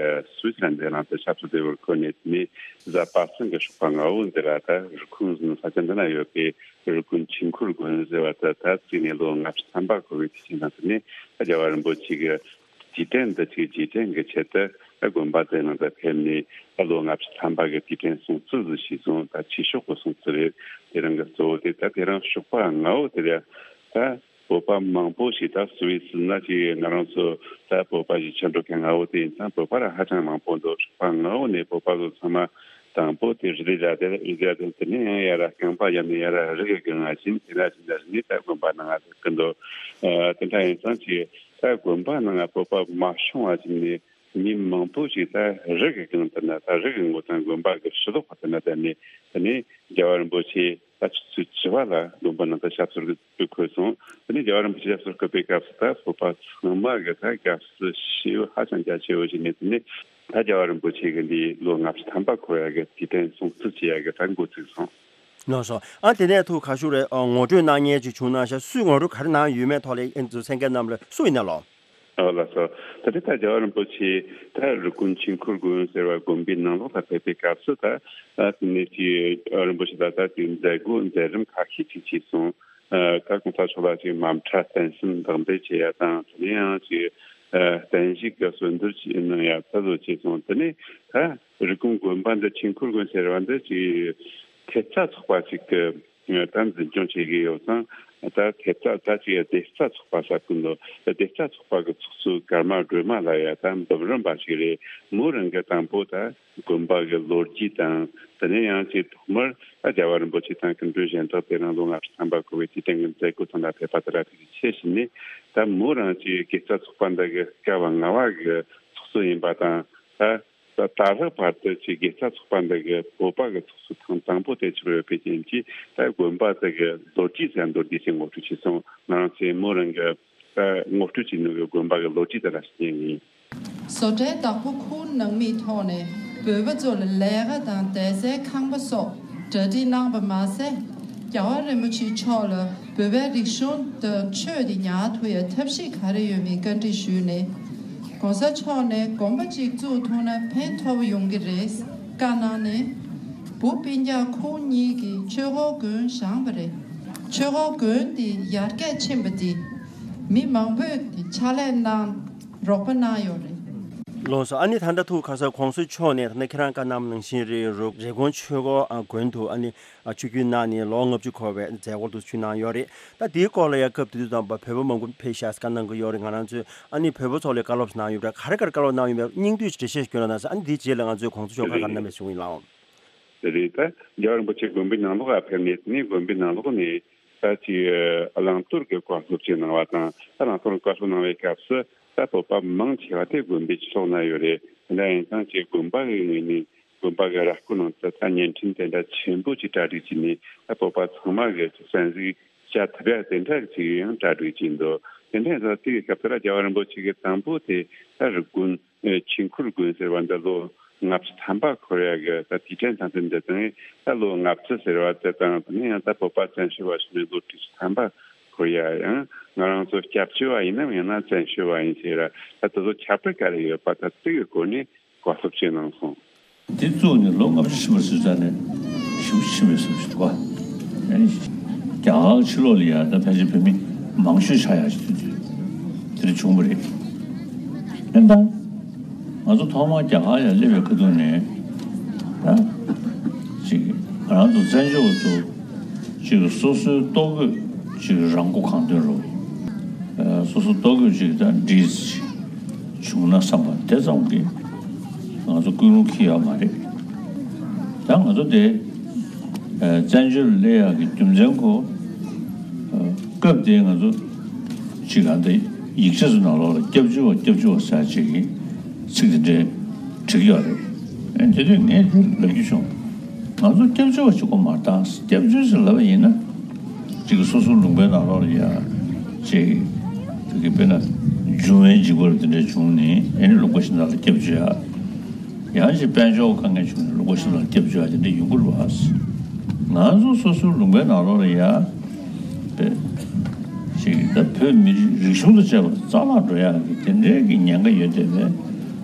སུའུ་ཙི་ལན་དེ་ལ་དུ་ཆབ་སྲིད་དེ་བར་འཁོད་ནས། དེ་ནས་གཟའ་པ་སངས་ཀྱི་ཞོགས་པ་སྔ་པོ་འདི་ལ་ད་རི་ཁུང་ས་ཆ་འདི་ན་ཡོད་པའི་རི་ཀོན་ཆོས་འཁོར་དགོན་ཟེར་བ་ད་ད་བརྩིས་ནས་ལོ་ལྔ་བཅུ་ཐམ་པ་འཁོར་བའི་དུས་ཆེན་དང་། དེ་ནས་རྒྱལ་བ་རིན་པོ་ཆེ་གི་རྗེས་དྲན་འདི་ཆེ་རྗེས་དྲན་གྱི་ཆེད་དུ་དགོན་པ་དེ་ནང་དུ་ཕེབས་ནས། ད་ལོ་ལྔ་བཅུ་ཐམ་པ་གི་དུས་དྲན་སྲུང་བརྩི་ཟིག་ཞུས་སོང་། ད་ཆོས་ཕྱོགས་ཀྱི་སྲུང་བརྩི་རེད། དེ་རིང་གི་གཙོ་བོ་དེ་ད་དེ་རིང་ཞོགས་པ་སྔ་པོ་དེ་རེད། ད་བོད་པ་མང་པོ་ཞིག་ད་སུད་སི་ན་ཅིག་ང་རང་ཚོ་ད་བོད་པ་ཞིག་ཕྱིར་འགྲོ་མཁན་ལྔ་བོ་དེ་ཡིན་ཙང་བོད་པ་ར་ཧ་ཅང་མང་པོ་འདུག་ཧྲག་པ་ལྔ་བོ་ནས་བོད་པ་ཚོ་ཚང་མ་དང་པོ་དེ་རི་ལི་ར་དེ་རི་ལི་ར་དེ་དེ་ནས་ཡང་ཡ་ར་རྐང་པ་ཡར་ནས་ཡ་ར་རི་གི་སྒང་ང་ཕྱིན། དེ་ན་ཕྱིན་ད་རི་ནས་ད་དགོན་པ་ནང་ང་ཟེར་གི་འདུག་ཨ་དེ་འདྲ་ཡིན་ཙང་ཅིག་ད་དགོན་པ་ནང་ང་བོད་པ་མ་ཤོང་བ་ཅིག་ནས། མི་མང་པོ་ཞིག་ད་རི་གི་སྒང་དེ་ན་ད་རི་གི་ངོ་ཚ་དགོན་པ་གི་ཕྱི་ལོགས་པ་དེ་ན་བསྡད་ནས་དེ་ནས་རྒྱལ་བ་རིན་པོ་ཆེ་ད་ཆུ་ཚོད་བཅུ་པ་ལ་དགོན་པ་ནང་དུ་ཞབས་སོར་བསྐོས་སོང་། དེ་ནས་རྒྱལ་བ་རིན་པོ་ཆེ་ཞབས་སོར་བསྐོས་པའི་སྐབས་སུ་ད་བོད་པ་ཚང་མ་གི་ད་དགའ་བསུ་ཞེ་པོ་ཧ་ཅང་རྒྱ་ཆེ་བོ་ཞིག་ནས་དེ་ནས་ད་རྒྱལ་བ་རིན་པོ་ཆེ་གི་འདི་ལོ་ལྔ་བཅུ་ཐམ་པ་འཁོར་ཡ་གི་དུས་དྲན་སྲུང་བརྩི་བྱེད་ཡ་གི་ད་འགོ་ཚུགས་སོང་། ལགས་སོ། ཨ་དེ་ནས་ཐུགས་ཁ་ཤུགས་རེད། ཨ་ངོ་སྤྲོད་གནང་མཁན་ཅིག་བྱུང་ན་ཤག་སུས་ངོ་སྤྲོད་ག་རེ་གནང་ཡོད་མེད་ཐོག་ལ་ཨེ་ཚོ་གསན་མཁན་རྣམས་ལ་སུ་ཡིན་ན་ལོ། ཨོ་ལགས་སོ། ད་ལྟ་ད་རྒྱལ་བ་རིན་པོ་ཆེ་ད་རི་ཀོན་ཆོས་འཁོར་དགོན་ཟེར་བ་དགོན་པའི་ནང་ལོགས་ལ་ཕེབས་པའི་སྐབས་སུ་ད་ཨ་དེ་ནས་ཀྱི་རིན་པོ་ཆེ་ད་ལྟ་དེ་མཛད་སྒོ་མཛད་རིམ་ཁ་ཤས་ཅིག་བྱས་སོང་། ཨ་ད་གོང་ས་མཆོག་ལ་ཅིག་དམ་གྲྭ་བརྟན་གསུམ་བདག་འབུལ་བྱེད་ཡ་དང་དེ་ནས་ཡང་ཅིག་ཨ་བརྟན་བཞུགས་ཀྱི་གསོལ་འདེབས་ཅིག་གནང་ཡ་ད་བཟོ་བྱས་སོང་། དེ་ནས་ད་རི་ཀོན་དགོན་པ་འདི་ཆོས་འཁོར་དགོན་ཟེར་བ་འདི་ཅིག་ཐེབས་རྩ་ཚོགས་པ་ཅིག་གི་ད་འཛིན་སྐྱོང་བྱེད་ཀྱི་ཡོད་ཙང་། ད་ཐེབས་རྩ་ད་ཅིག་སྡེར་རྩ་ཚོགས་པ་ཟེར་གི་འདུག་སྡེར་རྩ་ཚོགས་པ་གི་ཚོགས་གཙོ་ཀརྨ་སྒྲོལ་མ་ལགས་ཡ་ད་འབུམ་རམས་པ་ཞིག་རེད། མོ་རང་གི་དང་པོ་ད་དགོན་པ་གི་ལོ་རྒྱུས་དང་། དེ་ནས་ཡང་ཅིག་ཐོག་མར་ད་རྒྱལ་བ་རིན་པོ་ཆེ་དང་སྐུ་མགྲོན་གཞན་དག་དེ་རིང་ལོ་ལྔ་བཅུ་ཐམ་པ་འཁོར་བའི་དུས་དྲན་གྱི་མཛད་སྒོ་ཐོག་ལ་ཕེབས་པ་དེ་ལ་ཐུགས་རྗེ་ཆེ་ཞུས་ནས། ད་མོ་རང་ཅིག་དགེ་རྩ་ཚོགས་པ་འདི་གི་སྐབས་ལྔ་པ་གི་ཚོགས་གཙོ་ཡིན་པ་དང་། ད་ད་ད་ལྟ་བར་དུ་ཅིག་དགེ་རྩ་ཚོགས་པ་འདི་གི་བོད་པ་གི་ཚོགས་གཙོ་ཐེངས་དང་པོ་དེ་ཆགས་ཡོད་པའི་རྐྱེན་གྱིས། ད་དགོན་པ་དེ་གི་ལོ་རྒྱུས་ཟེར་མདོར་བསྡུས་ཤིག་ངོ་སྤྲོད་བྱས་སོང་། ང་རང་ཚོས་མོ་རང་གི་ད་ངོ་སྤྲོད་བྱས་ནོ་གི་དགོན་པ་གི་ལོ་རྒྱུས་དེ་ལ་བརྟེན་ནས། བཟོ་གྲྭའི་བདག་པོ་ཁོང་ནང་མིའི་ཐོག་ནས་བོད་པ་ཚོ་ལ་ལས་ཀ་དང་བསྡད་སའི་ཁང་པ་སོགས་གྲ་སྒྲིག་གནང་བ་མ་ཟད། རྒྱལ་བ་རིན་པོ་ཆེ་མཆོག་ལ་བོད་པའི་རིག་གཞུང་དང་ཆོས་དེ་ཉར་ཐུབ་ཡ་ཐབས་ཤེས་ག་རེ་ཡོད་མེད་བཀའ་འདྲི་ཞུས་ནས། ༸གོང་ས་མཆོག་ནས་དགོན་པ་གཅིག་བཙུགས་ཐུབ་ན་ཕན་ཐོགས་ཡོང་གི་རེད་བཀའ་གནང་ནས། བུ་སྤུན་ཀྱག་ཁོང་གཉིས་ཀྱིས་ཆོས་འཁོར་དགོན་བཞེངས་པ་རེད། ཆོས་འཁོར་དགོན་དེ་ཡར་རྒྱས་ཕྱིན་པ་དེ་མི་མང་པོས་དེ་ཕྱག་ལས་གནང་རོགས་པ་གནང་ཡོད་རེད། ལགས་སོ། ཨ་ནི་ད་ལྟ་ཐུགས་ཁ་ས་༸གོང་ས་མཆོག་ནས་ད་ལྟ་ཁྱེད་རང་བཀའ་གནང་ནང་བཞིན་རེད། རུ་རི་ཀོན་ཆོས་འཁོར་ཨ་དགོན་དུ་ཨ་ནི་ཨ་ཆིབས་བསྒྱུར་གནང་ནས་ལོ་ལྔ་བཅུ་འཁོར་བའི་མཛད་སྒོ་དུ་ཞུས་གནང་ཡོད་རེད། ད་དེའི་སྐོར་ལ་ཡང་སྐབས་དེ་དུས་དང་པ་བོད་པ་མང་པོ་ཕེབས་ཤག་བཀའ་གནང་གི་ཡོད་རེད། ང་རང་ཚོས་ཨ་ནི་བོད་པ་ཚོ་ལ་བཀའ་སློབ་གནང་ཡོད་པ་ག་རེ་ག་རེ་བཀའ་སློབ་གནང་ཡོད་པའི་སྙིང་བསྡུས་འགྲེལ་བཤད་ཞིག་སྐྱོན་རོགས་གནང་ཟེར། ཨ་ནི་དེའི་རྗེས་ལ་ང་ཚོས་༸གོང་ས་མཆོག་བཀའ་ག་རེ་གནང་མེད་གསུང་གི་ཡིན་ལགས། དེ་རེད། ད་རྒྱལ་བ་རིན་པོ་ཆེ་དགོན་པའི་ནང་ལོགས་ལ་ཕེབས་ནས་དེ་ནས་དགོན་པའི་ནང་ལོགས་ནས་ད་ཅིག་བླང་དོར་གྱི་བཀའ་སློབ་ཅིག་གནང་བ་དང་། ད་བླང་དོར་གྱི་བཀའ་སློབ་གནང་བའི་སྐབས་སུ་ད་བོད་པ་མང་ཆེ་བ་དེ་དགོན་པའི་ཕྱོགས་ན་ཡོད་རེད། དེ་འདྲ་ཡིན་ཙང་ཅིག་དགོན་པ་གི་ངོས་ནས་དགོན་པ་གི་ར་སྐོར་ནང་དུ་ད་བརྙན་འཕྲིན་དེ་འདྲ་ཆེན་པོ་ཅིག་གྲ་སྒྲིག་བྱས་ནས། ད་བོད་པ་ཚང་མ་གི་ཅིག་གསན་གཟིགས་བྱ་ཐུབ་ཡ་དེ་འདྲ་ཅིག་ཡང་གྲ་སྒྲིག་བྱས་འདུག་དེ་འདྲ་ཡིན་ཙང་དེ་གི་སྐབས་དེ་ལ་རྒྱལ་བ་རིན་པོ་ཆེ་གི་དང་པོ་དེ་ད་རི་ཀོན་ཨེ་ཆོས་འཁོར་དགོན་ཟེར་བ་འདི་ལོ་ལྔ་བཅུ་ཐམ་པ་འཁོར་ཡ་གི་ད་དུས་དྲན་དང་དེ་འདི་དང་། ད་ལོ་ལྔ་བཅུ་ཟེར་བ་དེ་དང་། དེ་ནས་ཡང་ད་བོད་པ་བཙན་བྱོལ་བ་ཞིག་ནས་ལོ་དྲུག་ཅུ་ཐམ་པ་འཁོར་ཡ། ཡང་ང་རང་ཚོ་སྐྱབས་བཅོལ་བ་ཡིན་ནམ་ཡང་ན་བཙན་བྱོལ་བ་ཡིན་ཟེར་ར། ད་དེ་ཚོ་ཁྱད་པར་ག་རེ་ཡོད་པ་ད་དེ་གི་སྐོར་ནས་བཀའ་སློབ་ཅིག་གནང་སོང་། དེ་བཙུགས་ནས་ལོ་ལྔ་བཅུ་ཕྱིན་པ་ཟེར་ཙང་ནས་ཞེ་པོ་ཕྱིན་པའི་བསམ་ཞིག་འདུག་ག་རྒྱ་གར་ཕྱི་ལོགས་ལ་ཡ་ད་ཕལ་ཆེར་བོད་མི་མང་ཤོས་ཆགས་ཡག་ཅིག་དུས་ཚོད་དེ་འདྲ་བྱུང་བ་རེད། ཨེ་ད། ང་ཚོ་ཐོག་མར་རྒྱ་གར་ཡར་སླེབས་པའི་ཁ་ཐུག་ནས་ད་ཅིག་ང་རང་ཚོ་བཙན་བྱོལ་བ་ཚོ་ཅིག་སོ་སོའི་ལྟོ་གོས་ཅིག་རང་མགོ་གང་ཐོན་རུ། ཨ་སོ་སོ་ལྟོ་གོས་ཅིག་ད་འདྲིས་ཅིག་བྱུང་ན་བསམ་པ་དེ་ཙམ་གྱིས་ང་ཚོ་ཀུན་སློང་འཁྱེར་ཡོད་མ་རེད། ད་ང་ཚོ་དེ་ཨ་བཙན་བྱོལ་སླེབས་ཡག་གི་རྒྱུ་མཚན་ཁོ། ཨ་སྐབས་དེ་ང་ཚོ་ཅིག་ག་འདི་ཡིག་ཆ་ཚོ་ནང་ལོགས་ལ་སྐྱབས་བཅོལ་བ་སྐྱབས་བཅོལ་བ་ཟེར་ཅིག་གི་ཚིག་དེ་འདྲའི་བྲིས་ཡོད་རེད། ཨེ་དེ་དུས་ངས་དེ་ལབ་རྒྱུ་བྱུང་། ང་ཚོ་སྐྱབས་བཅོལ་བ་ཅིག་གོ་མ་བཏང་། སྐྱབས་བཅོལ་ཟེར་ལབ་པ་ཡིན་ན་ཅིག་སོ་སོ་ལུང་པའི་ནང་ལོགས་ལ་ཡ་ཅིག་དེ་གི་དཔེར་ན་འབྱུང་བའི་འཇིགས་པ་དེ་འདྲ་བྱུང་ནས་ཨེ་ནི་ལུང་པ་ཞིག་ནང་ལ་སྐྱབས་བཅོལ་ཡ། ཡང་ཅིག་དཔལ་འབྱོར་དཀའ་ངལ་བྱུང་ནས་ལུང་པ་ཞིག་ལ་སྐྱབས་བཅོལ་ཡ་དེ་འདྲ་ཡོང་གི་རེད་བ། ང་ཚོ་སོ་སོའི་ལུང་པའི་ནང་ལོགས་ལ་ཡ་དཔེ་ཞིག་ད་བོད་མི་རིགས་རིག་གཞུང་དང་བཅས་པ་རྩ་བརླག་འགྲོ་ཡག་གི་དེ་འདྲའི་གི་ཉེན་ཁ་ཡོད་བསྡད་པའི་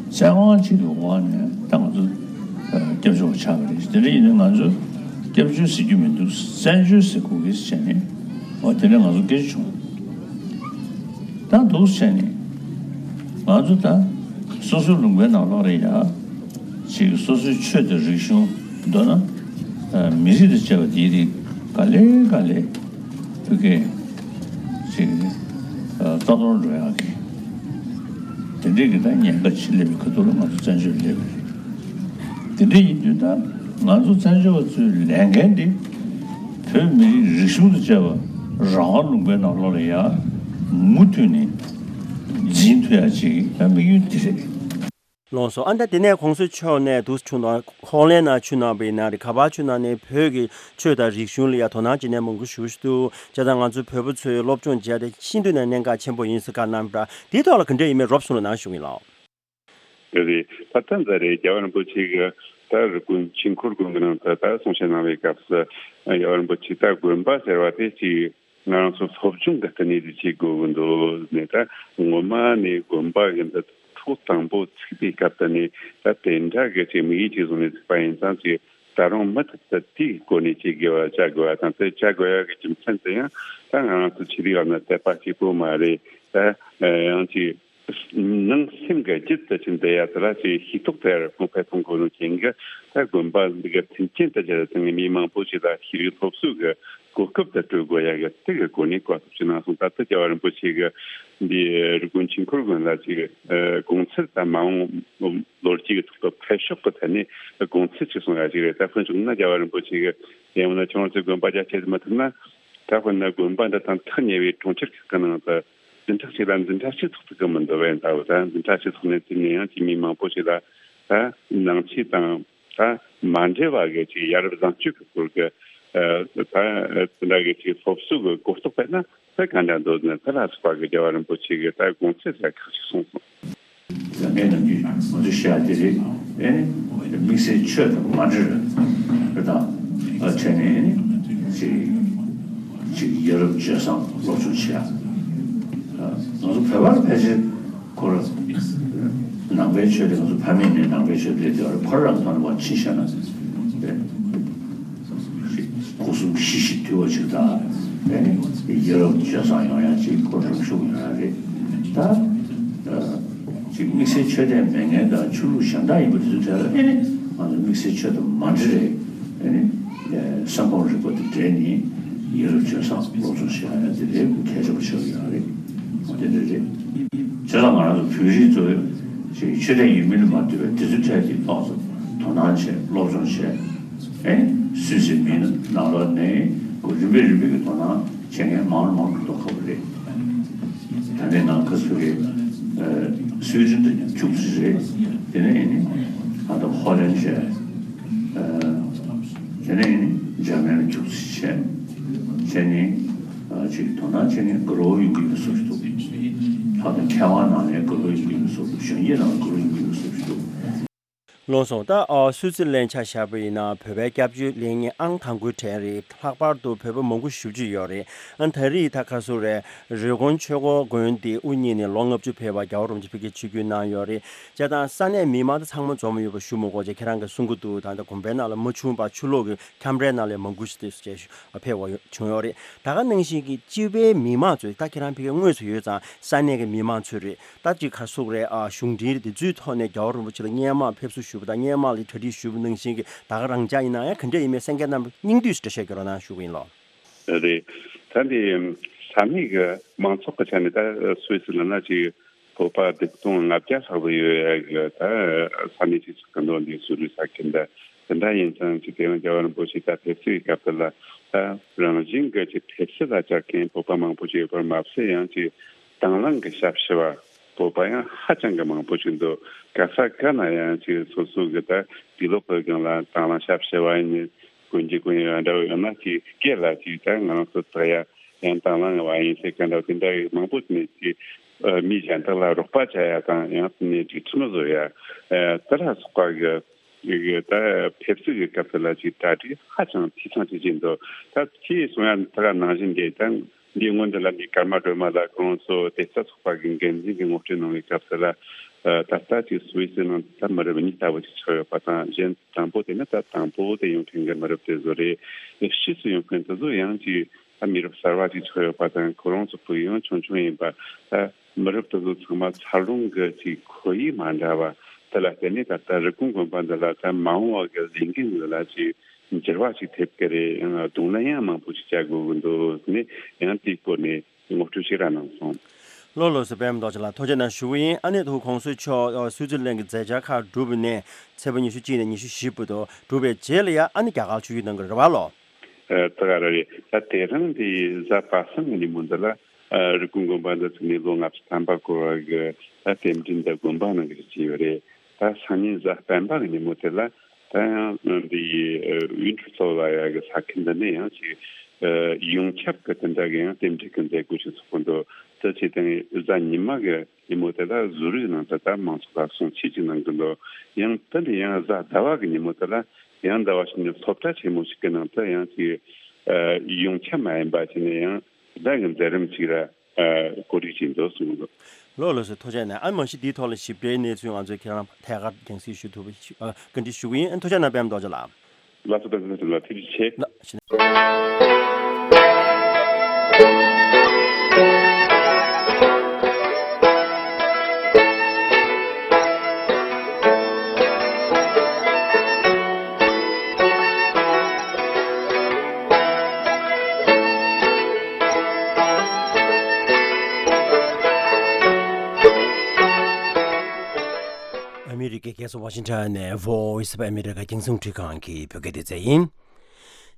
བཙན་དབང་ཅིག་གི་འོག་ནས་ད་ང་ཚོ་སྐྱབས་བཅོལ་བ་ཆགས་པ་རེད། དེ་འདྲ་ཡིན་ན་ང་ཚོ་སྐྱབས་བཅོལ་ཟེར་རྒྱུ་མི་འདུག་བཙན་བྱོལ་ཟེར་དགོས་ཀྱི་ཟེར་ནས་འོ་དེ་འདྲ་ང་ཚོ་སྐད་ཆ་བྱུང་། ད་འདུག་བྱས་ནས་ང་ཚོ་ད་སོ་སོའི་ལུང་པའི་ནང་ལོགས་ལ་ཡ་ཅིག་སོ་སོའི་ཆོས་དང་རིག་གཞུང་མདོར་ན་ཨ་མི་རིགས་དང་བཅས་པ་འདིའི་རིགས་ག་ལེ་ག་ལེ་བོད་སྐད་ རྩ་གཏོར་འགྲོ་ཡག་གི་དེ་འདྲའི་གི་ད་ཉེན་ཁ་ཆེ་སླེབས་པའི་ཁ་ཐུག་ལ་ང་ཚོ་བཙན་བྱོལ་སླེབས་པ་རེད། དེ་འདྲ་ཡིན་དུས་ད་ང་ཚོ་བཙན་བྱོལ་བ་ཚོའི་ལས་འགན་དེ་བོད་མི་རིགས་རིག་གཞུང་དང་བཅས་པ་རང་དབང་ལུང་པའི་ནང་ལོགས་ལ་ཡང་མུ་མཐུད་ནས་འཛིན་ཐུབ་ཡག་ཅིག་ད་དམིགས་ཡུལ་དེ་རེད། ལགས་སོ། ཨ་ནི་ད་དེ་ནས་༸གོང་ས་མཆོག་ནས་འདུག་བྱུང་དང་ཧོ་ལན་ནང་ཆུ་ནང་པའི་ནང་རེད། ག་པར་ཆུ་ནང་ནས་བོད་ཀྱི་ཆོས་དང་རིག་གཞུང་ལ་ཡ་དོ་སྣང་བྱེད་མཁན་མང་པོ་ཞེ་པོ་ཞིག་འདུག་བྱས་ཙང་ང་ཚོ་བོད་པ་ཚོས་སློབ་སྦྱོང་བྱས་ཏེ་ཤིན་ཏུ་ནས་གནད་འགག་ཆེན་པོ་ཡིན་ཟེར་བཀའ་གནང་པ་འདྲ། དེའི་ཐོག་ལ་ག་འདྲ་ཡིན་མིན་རོབ་གསུང་རོགས་གནང་ཞུ་གི་ཡིན་ལགས། རེད། ད་ལྟ་འདི་རེད། རྒྱལ་བ་རིན་པོ་ཆེ་གི་ད་རི་ཀོན་ཆོས་འཁོར་དགོན་གི་ནང་དུ་ད་གསུང་བཤད་གནང་བའི་སྐབས་སུ་རྒྱལ་བ་རིན་པོ་ཆེ་ད་དགོན་པ་ཟེར་བ་དེ་ཅིག་ང་རང་ཚོ་སློབ་སྦྱོང་གི་ལྟེ་གནས་དེ་བྱེད་དགོས་ཀྱི་འདུག་ནས། ད་སྔོན་མ་ནས་དགོན་པ་གི་འདི་ཐོག་དང་པོ་ཚུགས་པའི་སྐབས་དེ་ནས་ད་དེ་འདྲ་གི་ཅིག་དམིགས་ཡུལ་ཅིག་བཟུང་ནས་ཚུགས་པ་ཡིན་ཙང་ཅིག་ད་རུང་མུ་མཐུད་དུ་དེའི་སྒོ་ནས་བྱེད་དགོས་པ་བྱ་དགོས་པ་དང་། དེ་བྱ་དགོས་ཡ་གི་རྒྱུ་མཚན་དེ་ཡང་ད་ང་རང་ཚོ་ཆོས་ལུགས་ལ་ནི་དད་པ་གཅིག་པོ་མ་རེད། ད་ཡང་ཅིག་ནང་སེམས་ཀྱི་རྒྱུད་དུ་ཕྱིན་བསྡད་ཡ་དེ་ལ་ཅིག་ཤེས་རྟོགས་དེ་གོང་འཕེལ་གཏོང་དགོས་ནོ་རྐྱེན་གྱིས་ད་དགོན་པ་འདི་ག་མཐུན་རྐྱེན་དུ་གྱུར་ཏེ་མི་མང་པོ་ཞིག་ལ་ཤེས་རིག་སློབ་གསོ་གི་གོ་སྐབས་དེ་སྤྲོད་དགོས་ཡ་གི་དེ་གི་སྒོ་ནས་བཀའ་སློབ་ཅིག་གནང་སོང་། ད་ལྟ་རྒྱལ་བ་རིན་པོ་ཆེ་གི་འདི་རི་ཀོན་ཆོས་འཁོར་དགོན་ལ་ཅིག་དགོང་ཚུལ་དང་མ་འོངས་ལོ་རྒྱུས་ཀྱི་ཐོག་ཏུ་འཕེལ་ཕྱོགས་ཀྱི་ཐད་ནས་དགོང་ཚུལ་ཅིག་གསུང་ཡ་ཅིག་རེད། ད་དཔེར་བཞག་ན་རྒྱལ་བ་རིན་པོ་ཆེ་གི་ཡང་ན་ཁྱོད་རང་ཚོའི་དགོན་པ་རྒྱ་ཆེ་མི་ཐུབ་ན། ད་དཔེར་ན་དགོན་པ་འདི་དང་ཐག་ཉེ་བའི་གྲོང་ཁྱེར་ཁག་གི་ནང་དུ་འཛིན་གྲྭ་གཅིག་ལ་འཛིན་གྲྭ་གཅིག་ཐོག་ཏུ་གི་མི་འདུག་པས། ད་འོ་ད་འཛིན་གྲྭ་གཅིག་ཐོག་ནས་བརྩིས་ནས་ཡང་ཅིག་མི་མང་པོ་ཞིག་ལ་ད་ནང་ཆོས་དང་ད་མ་འབྲེལ་བ་གི་ཅིག་ཡ་རབས་བཟང་སྤྱོད་ཀྱི་སྐོར་གྱི་ད་དེ་འདྲ་གི་ཅིག་སློབ་གསོ་གི་གོ་རྟོགས་སྤེལ་ན་ད་ག་འདྲ་འདུག་ནས། དེ་ལ་སོགས་པ་གི་རྒྱལ་བ་རིན་པོ་ཆེ་གི་ད་དགོངས་ཚུལ་ཟེར་ཁག་ཅིག་གསུངས་སོང་། ད་ངས་ནམ་རྒྱུན་ང་ཚོ་བཤད་དེ་རེད། ཨེ་ནི་དམིགས་བསལ་ཆོས་དང་མ་འབྲེལ་བ་དང་ཨ་བྱས་ནས་ཨེ་ནི་ཅིག་ཅིག་ཡ་རབས་སྤྱོད་བཟང་སློབ་སྦྱོང་བྱེད་ཡ། ང་ཚོ་བོད་པར་ཕལ་ཆེར་ཁོ་རང་ནང་པའི་ཆོས་དེ་ང་ཚོ་ཕ་མེས་ནས་ནང་པའི་ཆོས་སྤེལ་དེ་བར་ཁོ་རང་ཐོག་ནས་མར་ཕྱིན་བཞག་ན་རེད། སྐུ་གསུམ་ཞི་ཞིང་དུལ་བ་ཞིག་དང་། ཨེ་ནི་ཡ་རབས་སྤྱོད་བཟང་ཡོང་ཡ་ཅིག་ཁོ་རང་ཤུགས་ཡོང་ཡ་རེད། ད་ཅིག་དམིགས་བསལ་ཆོས་དད་མེད་མཁན་དང་ཆོས་ལུགས་གཞན་དག་ཡིན་པ་དེ་ཚོའི་གྲས་ལ་ཨེ་ནི་ང་ཚོ་དམིགས་བསལ་ཆོས་དང་མ་འབྲེལ་རེད། ཨེ་ནི་སེམས་ཁམས་རིག་པ་དང་འབྲེལ་ནས་ཡ་རབས་སྤྱོད་བཟང་སློབ་སྦྱོང་བྱེད་ཡ་དེ་ལས་གལ་ཆེན་པོ་ཆགས་ཀྱི་ཡོད་རེད། འོ་དེ་འདྲ་རེད། བྱས་ཙང་ང་རང་ཚོ་བོད་རིགས་ཚོ་ཅིག་ཆོས་དད་ཡིན་མིན་ལ་མ་ལྟོས་པའི་དེ་ཚོའི་གྲས་ཀྱི་ཐོག་ཏུ་དོ་སྣང་བྱས་སློབ་སྦྱོང་བྱས། ཨེ་སུད་སི་མི་ནང་ལོགས་ནས་ཁོ་རིམ་པས་རིམ་པས་ཀྱི་དོ་སྣང་བྱེད་མཁན་མང་རུ་མང་རུ་འགྲོ་ཁག་པོ་རེད། ད་ལྟའི་ནང་ཁ་སུ་རེད། སུད་སི་དུ་ཁྱུག་ཙམ་རེད། དེ་ནས་ཨེ་ནི་ད་ལྟ་ཧོ་ལན་བྱས། དེ་ནས་ཨེ་ནི་འཇར་མན་ལ་ཁྱུག་ཙམ་བྱས། བྱས་ནས་ཅིག་དོ་སྣང་བྱེད་མཁན་དགའ་རབ་ཡོང་གི་ཡོད་བཟོ་ཞིག་འདུག་ད་ལྟ་མཁས་དབང་ནང་ནས་དགའ་རབ་ཡོང་གི་ཡོད་བཟོ། གཞོན་སྐྱེས་ནང་ལ་དགའ་རབ་ཡོང་གི་ཡོད་བཟོ་ཞིག་འདུག་ལགས་སོ། ད་ཨ་སུད་སི་ལན་ཆ་བཞག་པ་ཡིན་ན་བོད་པའི་སྐྱབས་བཅོལ་ལས་གཉེར་ཨང་དང་པོའི་གྲས་རེད། ལྷག་པར་དུ་བོད་པ་མང་པོ་ཞེ་པོ་ཅིག་ཡོད་རེད། ཨ་ད་རེས་ད་ག་ཚོད་རེད། རི་ཀོན་ཆོས་འཁོར་དགོན་དེ་དབུ་བརྙེས་ནས་ལོ་ལྔ་བཅུ་ཕེབས་པ་རྒྱལ་བ་རིན་པོ་ཆེ་ཕ་གིར་ཆིབས་བསྒྱུར་གནང་ཡོད་རེད། བྱས་ཙང་ས་གནས་མི་མང་དེ་ཚང་མ་འཛོམས་ཡོད་པ་ཞུ་མི་དགོས་བྱས། ཁྱེད་རང་གིས་གསུང་གི་འདུག་ད་ལྟ་དགོན་པའི་ནང་ལ་མ་བྱུང་བར་ཕྱི་ལོགས་ཀྱི་ཁྱམས་རའི་ནང་ལ་མང་པོ་ཞིག་དེ་བྱས་ཕེབས་པ་བྱུང་ཡོད་རེད། ད་ག་ནང་བཞིན་གྱི་སྤྱི་པའི་མི་མང་ཚོས་ད་ཁྱེད་རང་ཕ་གིར་དངོས་སུ་ཡོད་ཙང་ས་གནས་ཀྱི་མི་མང་ཚོས་རེད། ད་ཅིག་ག་རེ་ཟེར་དགོས་རེད། ཨ་གཞུང་འབྲེལ་དེ་ཚོའི་ཐོག་ནས་རྒྱལ་བ་རིན་པོ་ཆེ་ལ་སྔོན་མ་ཕེབས་བསུ་ཞུས་པ་དང་སྔོན་མ་ལ་གྲ་སྒྲིག་ཞུས་པ་ནང་བཞིན་གྱི་ད་ག་རང་འཇགས་ཡིན་ན་ཡང་ག་འདྲ་ཡིན་མིན་གསན་མཁན་རྣམས་སྙིང་བསྡུས་སུ་འགྲེལ་བཤད་རྒྱག་རོགས་གནང་ཞུ་གི་ཡིན་ལགས། རེད། ད་འདི་ས་གནས་ཀྱི་མང་ཚོགས་ཀྱི་ཆ་ནས་ད་སུད་སི་ལ་ན་ཅིག་བོད་པ་བདུན་སྟོང་ལྔ་བརྒྱ་ལྷག་ཙམ་ཡོད་ཡ་གི་ད་ས་གནས་ཅིག་ཆགས་ཀྱི་འདུག་འདི་སུད་སི་ས་ཁུལ་འདི། དེ་འདྲ་ཡིན་ཙང་ཅིག་དེ་རིང་རྒྱལ་བ་རིན་པོ་ཆེ་ད་ཕེབས་བསུའི་སྐབས་དེ་ལ་ད་རང་བཞིན་གྱི་ཅིག་ཕེབས་བསུ་ལ་བཅར་མཁན་བོད་པ་མང་པོ་ཅིག་ཡོད་པར་མ་ཟད། ཡང་ཅིག་དང་བླངས་ཀྱི་ཞབས་ཞུ་བ་བོད་པ་ཡང་ཧ་ཅང་གི་མང་པོ་ཞིག་འདུག་ག་ས་ག་ན་ཡང་ཅིག་སོ་སོ་གི་ད་དུས་ལོག་གི་སྒང་ལ་དང་བླངས་ཞབས་ཞུ་བ་ཡིན་ནི་དགོན་གྱི་དགོན་ཡོད་འདྲ་བོ་ཡོད་ན་ཅིག་སྐད་ལ་ཅིག་ད་ང་རང་ཚོ་དག་ཡ་ཡང་དང་བླངས་བ་ཡིན་ཟེར་ག་འདྲ་བོ་དེ་འདྲ་ཡི་མང་པོ་ནས་ཅིག་མི་གཞན་དག་ལ་རོགས་པ་བྱ་ཡ་དང་ཡང་ནས་ཅིག་ཁྲིམས་བཟོ་ཡ་དེ་ལ་སོགས་པ་གི་ཡི་གེ་ད་ཕེབས་བསུ་གི་སྐབས་སུ་ལ་ཅིག་གྲ་སྒྲིག་ཧ་ཅང་འཐུས་ཚང་ཅིག་བྱས་འདུག་ད་ཁྱེད་གསུང་ཡ་ད་ག་ནང་བཞིན་དེ་ད་འདི་སྔོན་དུ་ལ་འདི་ཀརྨ་སྒྲོལ་མ་ལགས་ཁོང་ཚོ་དེ་ལྟ་ཚོགས་པ་གི་འགན་འཛིན་གྱི་ངོ་སྤྲོད་གནང་བའི་སྐབས་སུ་ལ། ད་ལྟ་ཅིག་སུད་སི་ནང་ད་མི་རབས་གཉིས་ལྟ་བུ་ཅིག་ཆགས་ཡོད་པ་དང་། གཞན་དང་པོ་དེ་ནི་ད་དང་པོ་དེ་ཡོང་མཁན་གྱི་མི་རབས་དེ་ཚོ་རེད། དེ་ཕྱིས་སུ་ཡོང་མཁན་དེ་ཚོ་ཡང་ཅིག་ད་མི་རབས་གསར་བ་ཅིག་ཆགས་ཡོད་པ་དང་། ཁོ་རང་ཚོ་ཕ་གི་ཡང་ཆུང་ཆུང་ཡིན་པ། ད་མི་རབས་དེ་ཚོ་ཚང་མ་འཚར་ལོངས་ཀྱི་ཅིག་ཁོར་ཡུག་མ་འདྲ་བ་དེ་ལ་བརྟེན་ནས་ད་ལྟ་རི་ཀོན་དགོན་པ་འདི་ལ་ད་མ་འོངས་པ་གི་ལས་འགན་འདི་ལ་ཅིག་འགྱུར་བ་ཅིག་ཐེབས་ཀྱི་རེད། ཡང་གདོང་ལེན་ཡང་མང་པོ་ཅིག་བྱ་དགོས་ཀྱི་འདུག་ནས་ཡང་དེའི་སྐོར་ནས་ངོ་སྤྲོད་ཅིག་ར་གནང་སོང་། ལགས་ལགས་སོ། པད་མ་རྡོ་རྗེ་ལགས་ཐུགས་རྗེ་གནང་ཞུ་གི་ཡིན། ཨ་ནི་ད་གོང་ས་མཆོག་ཨ་སུའི་ཙི་ལན་གྱི་མཛད་འཆར་ཁག་གྲུབ་པ་ནས་ཚེས་པ་ཉི་ཤུ་གཅིག་ནས་ཉི་ཤུ་བཞི་བར་དུ་གྲུབ་པའི་རྗེས་ལ་ཡང་ཨ་ནི་རྒྱ་གར་ཆིབས་བསྒྱུར་གནང་གི་རེད་པ་ལགས། ཨ་ད་ག་རེ་རེད། ད་དེ་རིང་འདི་གཟའ་པ་སངས་ཀྱི་ཉིན་མོ་འདི་ལ་ཨ་རི་ཀོན་དགོན་པ་འདི་ཚུགས་ནས་ལོ་ལྔ་བཅུ་ཐམ་པ་འཁོར་བ་གི་ད་རྟེན་འབྲེལ་འདི་དགོན་པ་ནང་གི་བྱས་ཡོད་རེད། ད་སང་ཉིན་གཟའ་སྤེན་པ་གི་ཉིན་མོ་དེ་ལ་ད་ཡང་འདི་ཡི་ཨ་ཝིན་ཊར་ཚོ་ལ་ཡ་གི་ས་ཁུལ་འདི་ནས་ཡང་ཅིག་ཨ་ཡོངས་ཁྱབ་གི་དེ་འདྲ་གི་ཡང་རྟེན་འབྲེལ་གི་མཛད་སྒོ་ཞིག་ཚོགས་གི་འདུག་དེ་བྱས་ཏེ་གཟའ་ཉི་མ་གི་ཉིན་མོ་དེ་ལ་ཟུར་རིགས་ནང་དུ་ད་མང་ཚོགས་ལ་གསུང་ཆོས་ཅིག་གནང་གི་འདུག་ཡང་དེ་ནས་ཡང་གཟའ་ཟླ་བ་གི་ཉིན་མོ་དེ་ལ་ཡང་ཟླ་བ་ཞིག་ནས་སློབ་གྲྭ་ཆེན་མོ་ཞིག་གི་ནང་དུ་ཡང་ཅིག་ཨ་ཡོངས་ཁྱབ་མ་ཡིན་པ་ཅིག་ནས་ཡང་གཟའ་གི་མཛད་རིམ་ཅིག་ལ་ཨ་གོ་སྒྲིག་བྱས་འདུག་གསུངས་འདུག་ལགས་ལགས་སོ། ཐུགས་རྗེ་གནང་། ཨ་མ་གཞི་འདིའི་ཐོག་ལ་ཞིབ་ཕྲའི་གནས་ཚུལ་ང་ཚོས་ཁྱེད་རང་ཐད་ཀར་རྒྱང་སྲིང་ཞུ་ཐུབ་པ་ཞུ་ཨ་བཀའ་འདྲི་ཞུ་གི་ཡིན། ཨ་ཐུགས་རྗེ་གནང་པད་མ་རྡོ་རྗེ་ལགས། ལགས་སོ། པད་མ་རྡོ་རྗེ་ལགས་ཐུགས་རྗེ་ཆེ། ལགས་ཞེ་ནས། ཨ་མི་རི་ཀའི་རྒྱལ་ས་ཝ་ཤིང་ཊོན་ནས་Voice of America རྒྱང་སྲིང་རླུང་འཕྲིན་ཁང་གི་བོད་སྐད་སྡེ་ཚན་ཡིན།